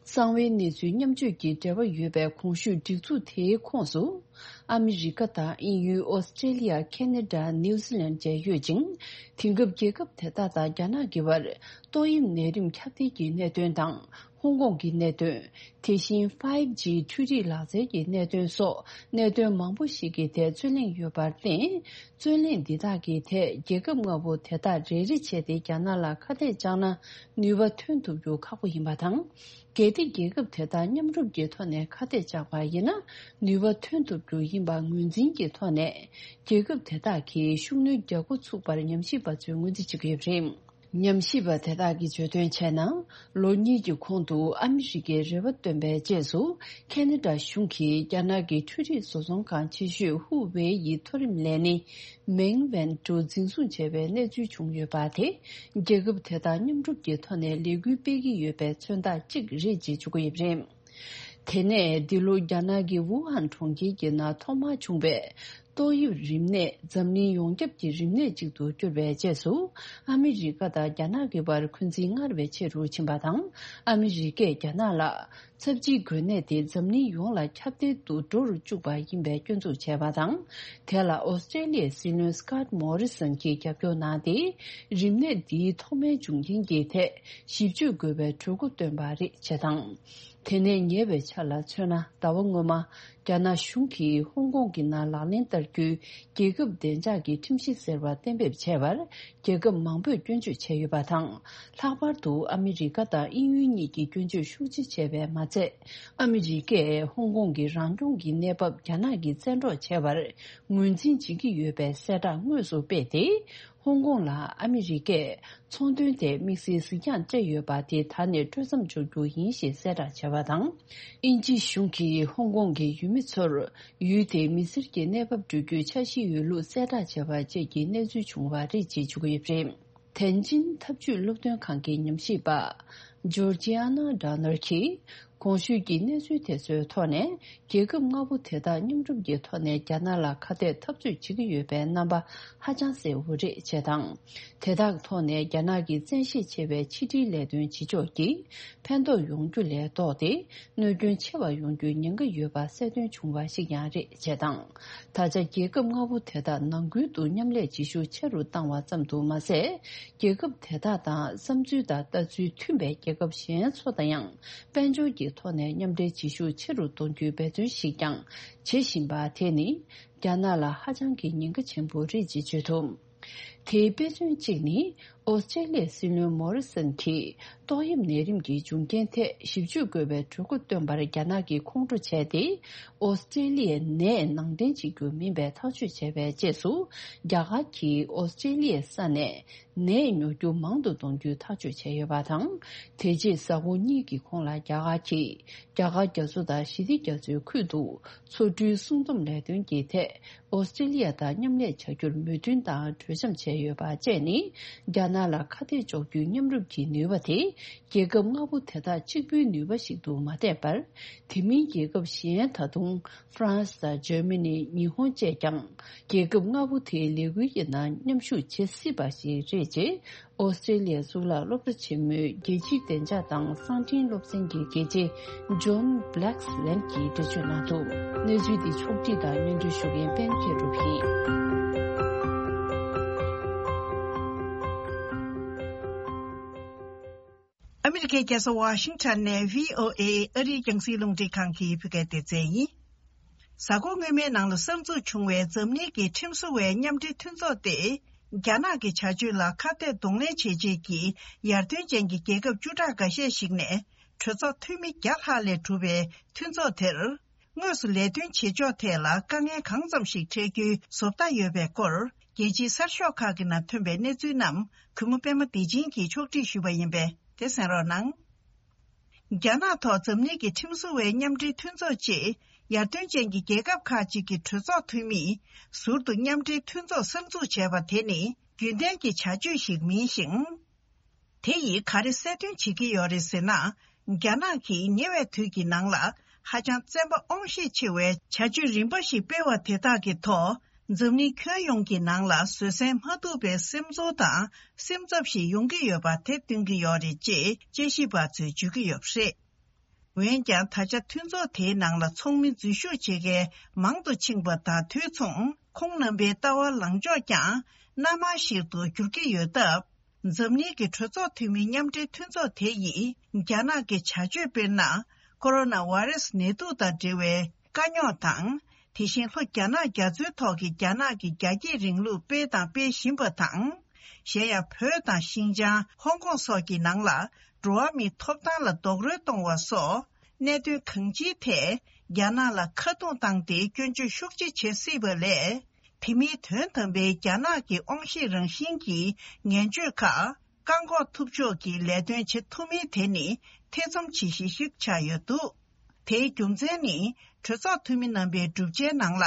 གསང་བའི་གནས་ཚུལ་མཉམ་སྤྱོད་ཀྱི་འབྲེལ་བ་ཡོད་པའི་གོང་ཞུས་སྒྲིག་འཛུགས་དེའི་ཁོངས་སུ། ཨ་མི་རི་ཀ་དང་དབྱིན་ཡུལ། ཨོ་སི་ཀྲེ་ལི་ཡ། ཁེ་ན་ཌ། ནིའུ་ཛི་ལན་བཅས་ཡོད་ཅིང་། དེང་སྐབས་རྒྱལ་ཁབ་དེ་དག་དང་རྒྱ་ནག་གི་བར་ཏོག་དབྱིབས་ནད་རིམས་ཁྱབ་གདལ་གྱི་གནད་དོན་དང་ཧོང་ཀོང་གི་གནད་དོན། དེ་བཞིན་ཕའིབ་ཇི་འཕྲུལ་རིག་ལག་རྩལ་གྱི་གནད་དོན་སོགས་གནད་དོན་མང་པོ་ཞིག་གི་ཐད་རྩོད་གླེང་ཡོད་པར་བརྟེན། རྩོད་གླེང་འདི་དག་གི་ཐད་རྒྱལ་ཁབ་ལྔ་པོ་དེ་དག་རེ་རེ་བྱས་ཏེ་རྒྱ་ནག་ལ་ཁ་གཏད་བཅག་ན་ནུས་པ་ཐོན་ཐུབ་རྒྱུ་ཁག་པོ་ཡིན་པ་དང་། གལ་ཏེ་རྒྱལ་ཁབ་དེ་དག་མཉམ་རུབ་ཀྱི་ཐོག་ནས་ཁ་གཏད་བཅག་པ་ཡིན་ན་ནུས་པ་ཐོན་ཐུབ་རྒྱུ་ཡིན་པ་ངོས་འཛིན་གྱི་ཐོག་ནས་རྒྱལ་ཁབ་དེ་དག་གིས་ཤུགས་སྣོན་རྒྱག་འགོ་ཚུགས་པར་ཉམས་ཞིབ་པ་ཚོས་ངོས་འཛིན་བྱེད་ཀྱི་ཡོད་པ་རེད། ཉམས་ཞིབ་པ་དེ་དག་གིས་བརྗོད་དོན་བྱས་ན། ལོ་གཉིས་ཀྱི་གོང་དུ་ཨ་མི་རི་ཀས་རེ་བ་བཏོན་པའི་རྗེས་སུ་ཁེ་ན་ཌ་གཞུང་གིས་རྒྱ་ནག་གི་འཕྲུལ་རིག་བཟོ་ཚོང་ཁང་ཆེ་ཤོས་ཧུ་ཝེ་ཡི་མཐོ་རིམ་ལས་སྣེ་མེང་ཝན་ཀྲོ་འཛིན་བཟུང་བྱས་པའི་གནས་ཚུལ་བྱུང་ཡོད་པ་དེ། རྒྱལ་ཁབ་དེ་དག་མཉམ་རུབ་ཀྱི་ཐོག་ནས་ལས་འགུལ་སྤེལ་གྱི་ཡོད་པའི་མཚོན་རྟགས་གཅིག་རེད་ཅེས་བརྗོད་ཀྱི་ཡོད་པ་རེད། དེ་ནས་འདི་ལོ་རྒྱ་ནག་གི་ཝུ་ཧན་གྲོང་ཁྱེར་གྱི་ནང་ཐོག་མར་བྱུང་བའི་ཏོག་དབྱིབས་རིམས་ནད་འཛམ་གླིང་ཡོངས་ཁྱབ་ཀྱི་རིམས་ནད་ཅིག་ཏུ་གྱུར་བའི་རྗེས་སུ། ཨ་མི་རི་ཀ་དང་རྒྱ་ནག་གི་བར་འཁོན་འཛིན་སྔར་བས་ཆེ་རུ་ཕྱིན་པ་དང་། ཨ་མི་རི་ཀས་རྒྱ་ནག་ལ་ཚབས་ཆེའི་འགོས་ནད་དེ་འཛམ་གླིང་ཡོངས་ལ་ཁྱབ་གདལ་དུ་འགྲོ་རུ་བཅུག་པ་ཡིན་པའི་སྐྱོན་འཛུགས་བྱས་པ་དང་། དེ་ལ་ཨོ་སི་ཀྲེ་ལི་ཡའི་སྲིད་བློན་སི་ཀོཊ་མོ་རི་སན་གྱིས་རྒྱབ་སྐྱོར་གནང་སྟེ། རིམས་ནད་འདིའི་ཐོག་མའི་འབྱུང་རྐྱེན་གྱི་ཐད་ཞིབ་དཔྱོད་དགོས་པའི་གྲོས་འགོ་བཏོན་པ་རེད་ཅེས་དང་། དེ་ནས་ཉེ་བའི་ཆར་ལ་མཚོན་ན། ཟླ་བ་སྔོན་མ་རྒྱ་ནག་གཞུང་གིས་ཧོང་ཀོང་གི་ནང་ལག་ལེན་བསྟར་རྒྱུའི་རྒྱལ་ཁབ་བདེ་འཇགས་ཀྱི་ཁྲིམས་གཞི་ཟེར་བ་གཏན་འབེབས་བྱས་པར་རྒྱལ་ཁབ་མང་པོས་སྐྱོན་བརྗོད་བྱས་ཡོད་པ་དང་། ལྷག་པར་དུ་ཨ་མི་རི་ཀ་དང་དབྱིན་ཡུལ་གཉིས་ཀྱིས་སྐྱོན་བརྗོད་ཤུགས་ཆེ་བྱས་པས་མ་ཚད། ཨ་མི་རི་ཀས་ཧོང་ཀོང་གི་རང་སྐྱོང་གི་གནས་བབ་རྒྱ་ནག་གིས་བཙན་འཕྲོག་བྱས་པར་ངོས་འཛིན་བྱེད་ཀྱི་ཡོད་པའི་གསལ་བསྒྲགས་དངོས་སུ་སྤེལ་ཏེ། ཧོང་ཀོང་ལ་ཨ་མི་རི་ཀས་ཚོང་དོན་ཐད་དམིགས་བསལ་གཟིགས་རྒྱང་སྤྲད་ཡོད་པ་དེ་ད་ནས་སྤྲོ་མཚམས་འཇོག་རྒྱུ་ཡིན་ཞེས་གསལ་བསྒྲགས་བྱས་པ་དང་། དབྱིན་ཇིའི་གཞུང་གིས་ཧོང་ཀོང་གི་ཡུལ་མི་ཚོར་ཡུལ་དེའི་མི་སེར་གྱི་གནས་བབ་སྒྲུབ་རྒྱུའི་འཆར་གཞི་ཡོད་ལུགས་གསལ་བསྒྲགས་བྱས་པ་བཅས་ཀྱི་གནས་ཚུལ་བྱུང་བ་རེད་ཅེས་བརྗོད་ཀྱི་ཡོད་པ་རེད། ཐེན་ཅིན་འཐབ་ཇུས་སློབ་སྟོན་ཁང་གི་ཉམས་ཞིབ་པ་ཇོར་ཇི་ཨ་ན་ཌ་ནར་གྱིས། གོང་ཞུས་ཀྱི་གནས་ཚུལ་དེ་ཚོའི་ཐོག་ནས་རྒྱལ་ཁབ་ལྔ་པོ་དེ་དག་མཉམ་རུབ་ཀྱི་ཐོག་ནས་རྒྱ་ནག་ལ་ཁ་གཏད་འཐབ་རྩོད་བྱེད་ཀྱི་ཡོད་པའི་རྣམ་པ་ཧ་ཅང་གསལ་བོ་རེད་ཅེས་དང་། དེ་དག་ཐོག་ནས་རྒྱ་ནག་གི་བཙན་ཤེད་ཆེ་བའི་ཕྱི་འབྲེལ་ལས་དོན་བྱེད་ཕྱོགས་ཀྱིས་ཕན་ཐོགས་ཡོང་རྒྱུ་ལས་ལྡོག་སྟེ། གནོད་སྐྱོན་ཆེ་བ་ཡོང་རྒྱུའི་ཉེན་ཁ་ཡོད་པ་གསལ་སྟོན་བྱུང་བ་ཞིག་ཀྱང་རེད་ཅེས་དང་། ད་ཆ་རྒྱལ་ཁབ་ལྔ་པོ་དེ་དག་ནང་ཁུལ་དུ་མཉམ་ལས་བྱེད་ཤུགས་ཆེ་རུ་བཏང་བ་ཙམ་དུ་མ་ཟད། རྒྱལ་ཁབ་དེ་དག་དང་བསམ་ཚུལ་དང་ལྟ་ཚུལ་མཐུན་པའི་རྒྱལ་ཁབ་གཞན་ཚོ་དང་ཡང་། དཔལ་འབྱོར་གྱི་ཐོག་ནས་མཉམ་འབྲེལ་བྱེད་ཤུགས་ཆེ་རུ་གཏོང་རྒྱུའི་འབད་བརྩོན་ཞིག་ཀྱང་བྱེད་བཞིན་པ་དེ་ནི་རྒྱ་ནག་ལ་ཧ་ཅང་གི་ཉེན་ཁ་ཆེན་པོ་རེད་ཅེས་བརྗོད་ཐུབ། དེའི་དཔེ་མཚོན་གཅིག་ནི་ཨོ་སི་ཀྲེ་ལི་ཡའི་སྲིད་བློན་མོ་རི་སན་གྱིས་ཏོག་དབྱིབས་ནད་རིམས་ཀྱི་འབྱུང་རྐྱེན་ཐད་ཞིབ་དཔྱོད་དགོས་པའི་གྲོས་འགོ་བཏོན་པར་རྒྱ་ནག་གིས་ཁོང་ཁྲོ་བྱས་ཏེ། ཨོ་སི་ཀྲེ་ལི་ཡའི་ནད་ནང་འདྲེན་བྱེད་རྒྱུ་མིན་པའི་ཐག་གཅོད་བྱས་པའི་རྗེས་སུ། རྒྱ་གར་གྱིས་ཨོ་སི་ཀྲེ་ལི་ཡའི་ས་ནས། ནད་ཉོ་རྒྱུ་མང་དུ་གཏོང་རྒྱུའི་ཐག་གཅོད་བྱས་ཡོད་པ་དང་། དེ་རྗེས་གཟའ་འཁོར་གཉིས་ཀྱི་གོང་ལ་རྒྱ་གར་གྱིས་རྒྱ་གར་རྒྱ་མཚོ་དང་ཞི་བདེ་རྒྱ་མཚོའི་ཁུལ་དུ་མཚོ་གྲུའི་སྲུང་སྡོམ་ལས་དོན་གྱི་ཐད་ཨོ་སི་ཀྲི་ལི་ཡ་དང་མཉམ་ལས་བྱ་རྒྱུར་མོས་མཐུན་དང་གྲོས་འཆམ་བྱས་ཡོད་པ་བཅས་ནི་རྒྱ་ ནག་ལ་ཁ་གཏད་གཅོག་རྒྱུའི་མཉམ་རུབ་ཀྱི་ནུས་པ་དེ། རྒྱལ་ཁབ་ལྔ་པོ་དེ་དག་གཅིག་པུའི་ནུས་པ་ཞིག་ཏུ་མ་བལྟས་པར། དེ་མིན་རྒྱལ་ཁབ་གཞན་ད་དུང་ཧྥ་རན་སི་དང་འཇར་མ་ནི། ཉི་ཧོང་བཅས་ཀྱང་རྒྱལ་ཁབ་ལྔ་པོ་དེའི་ལས་འགུལ་གྱི་ནང་མཉམ་ཞུགས་བྱེད་སྲིད་པ་ཞིག་རེད་ཅེས། ཨོ་སི་ཀྲེ་ལི་ཡའི་གཙུག་ལག་སློབ་གྲྭ་ཆེན་མོའི་རྒྱལ་སྤྱིའི་བདེ་འཇགས་དང་གསང་འཕྲིན་སློབ་ཚན་གྱི་དགེ་ཆེ་ཇོན་བྷི་ལེག་སི་ལན་གྱིས་འགྲེལ་བརྗོད་གནང་འདུག་གནས་ཚུལ་འདི་ཕྱོགས་བསྒྲིགས་དང་སྙན་སྒྲོན་ཞུ་མཁན་པད་མ་མཁས་གྲུབ་ཡིན། ཨ་མི་རི་ཀའི་རྒྱལ་ས་ཝ་ཤིང་ཊོན་ནས་བྷི་ཨོ་ཨེ་ཨ་རིའི་རྒྱང་སྲིང་རླུང་འཕྲིན་ཁང་གི་བོད་སྐད་སྡེ་ཚན་ཡིན། གཟའ་འཁོར་སྔོན་མའི་ནང་ལ་གསར་འཛུགས་བྱུང་བའི་འཛམ་གླིང་གི་ཁྲིམས་བཟོ་བའི་མཉམ་འབྲེལ་མཐུན་ཚོགས་དེ། རྒྱ་ནག་གི་བྱ་སྤྱོད་ལ་ཁ་གཏད་གདོང་ལེན་བྱེད་ཆེད་ཀྱི་ཡར་ཐོན་ཅན་གྱི་རྒྱལ་ཁབ་བཅུ་ཕྲག་འགའ་ཤས་ཤིག་ནས་གྲོས་ཚོགས་འཐུས་མི་བརྒྱ་ལྷག་ལས་གྲུབ་པའི་མཐུན་ཚོགས་དེར། དངོས་སུ་ལས་དོན་བྱེད་ཕྱོགས་ཐད་ལ་དཀའ་ངལ་གང་ཙམ་ཞིག་འཕྲད་རྒྱུའི་བཟོ་ལྟ་ཡོད་པའི་སྐོར། རྒྱལ་སྤྱིའི་གསར་ཤོག་ཁག་གི་ནང་ཐོན་པའི་གནས་ཚུལ་རྣམས་གུས་མོ་པད་མ་བདེ་ཆེན་གྱིས་ཕྱོགས་སྒྲིག་ཞུས་པ་ཡིན་པས་དེ་གསན་རོགས་གནང་། རྒྱ་ནག་ཐོག་འཛམ་གླིང་གི་ཁྲིམས་བཟོ་བའི་མཉམ་འབྲེལ་མཐུན་ཚོགས་ཅེས་ཡར་ཐོན་ཅན་གྱི་རྒྱལ་ཁབ་ཁག་ཅིག་གི་གྲོས་ཚོགས་འཐུས་མིས་ཟུར་དུ་མཉམ་འབྲེལ་མཐུན་ཚོགས་གསར་འཛུགས་བྱས་པ་དེ་ནི་རྒྱུན་ལྡན་གྱི་བྱ་སྤྱོད་ཞིག་མིན་ཞིང་། དེ་ཡིས་ག་རེ་གསལ་སྟོན་བྱེད་ཀྱི་ཡོད་རེད་ཟེར་ན། རྒྱ་ནག་གིས་ཉེ་བའི་དུས་ཀྱི་ནང་ལ་ཧ་ཅང་བཙན་པ་དབང་ཤེད་ཆེ་བའི་བྱ་སྤྱོད་རིམ་པ་ཞིག་སྤེལ་བ་དེ་དག་གི་ཐོག་འཛམ་གླིང་ཁྱོན་ཡོངས་ཀྱི་ནང་ལ་བཟོད་བསྲན་མ་ཐུབ་པའི་སེམས་ཚོར་དང་སེམས་འཚབ་ཞིག་ཡོང་གི་ཡོད་པ་དེ་སྟོན་གྱི་ཡོད་རེད་ཅེས་དཔྱད་ཞིབ་པ་ཚོས་བརྗོད་ཀྱི་ཡོད་པ་རེད། འོན་ཀྱང་ད་ཆ་མཐུན་ཚོགས་དེའི་ནང་ལ་ཚོགས་མི་འཛུལ་ཞུགས་བྱེད་མཁན་མང་དུ་ཕྱིན་པ་དང་དུས་མཚུངས་ཁོང་རྣམ་པའི་ལྟ་བ་ལངས་ཕྱོགས་ཀྱང་སྣ་མང་ཞིག་ཏུ་འགྱུར་གྱི་ཡོད་སྟབས། འཛམ་གླིང་གི་གྲོས་ཚོགས་འཐུས་མི་མཉམ་འབྲེལ་མཐུན་ཚོགས་དེ་ཡིས་རྒྱ་ནག་གི་བྱ་སྤྱོད་དཔེར་ན། ཀོ་རོ་ན་བྷ་རེ་སི་ནད་དུག་དང་འབྲེལ་བའི་དཀའ་རྙོག་དང་། དེ་བཞིན་ལྷོ་རྒྱ་ནག་རྒྱ་མཚོའི་ཐོག་གི་རྒྱ་ནག་གི་རྒྱ་སྐྱེད་རིང་ལུགས་སྤེལ་དང་སྤེལ་བཞིན་པ་དང་། གཞན་ཡང་བོད་དང་ཤིན་ཅང་ཧོང་ཀོང་སོགས་ཀྱི་ནང་ལ་འགྲོ་བ་མིའི་ཐོབ་ཐང་ལ་རྡོག་རོལ་གཏོང་བ་སོགས་གནད་དོན་གང་ཅིའི་ཐད་རྒྱ་ནག་ལ་ཁ་རྡུང་བཏང་སྟེ་སྐྱོན་བརྗོད་ཤུགས་ཆེ་བྱེད་སྲིད་པ་ལས། དེ་མིན་དོན་དམ་པའི་རྒྱ་ནག་གི་དབང་ཤེད་རང་བཞིན་གྱི་ངན་སྤྱོད་ཁག་བཀག་འགོག་ཐུབ་ཕྱོགས་ཀྱི་ལས་དོན་བྱེད་ཐུབ་མིན་དེ་ནི་ཐེ་ཚོམ་བྱེད་གཞི་ཞིག་ཆགས་ཡོད་འདུག་དེའི་རྒྱུ་མཚན་ནི་གྲོས་ཚོགས་འཐུས་མི་རྣམ་པའི་གྲུབ་ཆའི་ནང་ལ།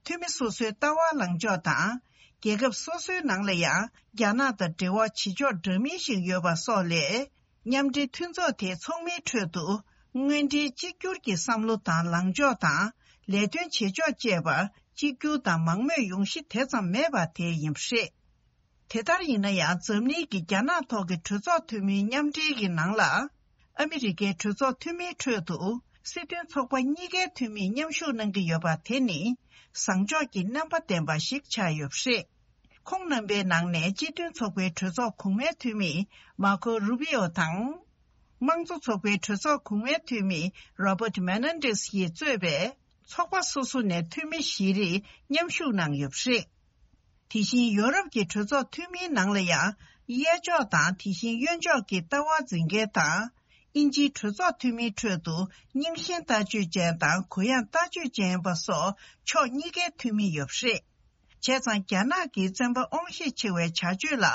འཐུས་མི་སོ་སོའི་ལྟ་བ་ལངས་ཕྱོགས་དང་། རྒྱལ་ཁབ་སོ་སོའི་ནང་ལ་ཡང་རྒྱ་ནག་དང་འབྲེལ་བ་བྱེད་ཕྱོགས་འདྲ་མིན་ཞིག་ཡོད་པ་སོགས་ལས། མཉམ་འབྲེལ་མཐུན་ཚོགས་དེའི་ཚོགས་མིའི་ཁྲོད་དུ་དངོས་འབྲེལ་གཅིག་གྱུར་གྱི་བསམ་བློ་དང་ལངས་ཕྱོགས་དང་ལས་དོན་བྱེད་ཕྱོགས་བཅས་པ་གཅིག་གྱུར་དང་མང་མོས་ཡོང་གཞི་དེ་ཙམ་མེད་པ་དེ་ཡིན་པ་རེད། དེ་ལྟར་ཡིན་ན་ཡང་འཛམ་གླིང་གི་རྒྱ་ནག་ཐོག་གི་གྲོས་ཚོགས་འཐུས་མིའི་མཉམ་འབྲེལ་གྱི་ནང་ལ། ཨ་མི་རི་ཀའི་གྲོས་ཚོགས་འཐུས་མིའི་ཁྲོད་དུ་སྲིད་དོན་ཚོགས་པ་གཉིས་ཀའི་འཐུས་མིས་མཉམ་ཞུགས་གནང་གི་ཡོད་པ་དེ་ནི་བཟང་ཕྱོགས་ཀྱི་རྣམ་པ་ལྡན་པ་ཞིག་ཆགས་ཡོད་པ་རེད། ཁོང་རྣམ་པའི་ནང་ནས་སྤྱི་མཐུན་ཚོགས་པའི་གྲོས་ཚོགས་གོང་མའི་འཐུས་མི་མར་ཁོ་རུ་པི་ཨོ་དང་། དམངས་གཙོ་ཚོགས་པའི་གྲོས་ཚོགས་གོང་མའི་འཐུས་མི་རོ་བྷར་ཊི་མེ་ནན་ཌེ་སི་ཡིས་གཙོས་པའི་ཚོགས་པ་སོ་སོ་ནས་འཐུས་མི་བཞི་རེ་མཉམ་ཞུགས་གནང་ཡོད་པ་རེད། དེ་བཞིན་ཡོ་རོབ་ཀྱི་གྲོས་ཚོགས་འཐུས་མིའི་ནང་ལ་ཡང་གཡས་ཕྱོགས་དང་དེ་བཞིན་གཡོན་ཕྱོགས་ཀྱི་ལྟ་བ་འཛིན་མཁན་དང་། དབྱིན་ཇིའི་གྲོས་ཚོགས་འཐུས་མིའི་ཁྲོད་དུ་རྙིང་ཞེན་ལྟ་སྤྱོད་ཅན་དང་གུ་ཡངས་ལྟ་སྤྱོད་ཅན་པ་སོགས་ཕྱོགས་གཉིས་ཀའི་འཐུས་མི་ཡོད་པ་རེད། བྱས་ཙང་རྒྱ་ནག་གི་བཙན་པ་དབང་ཤེད་ཆེ་བའི་བྱ་སྤྱོད་ལ་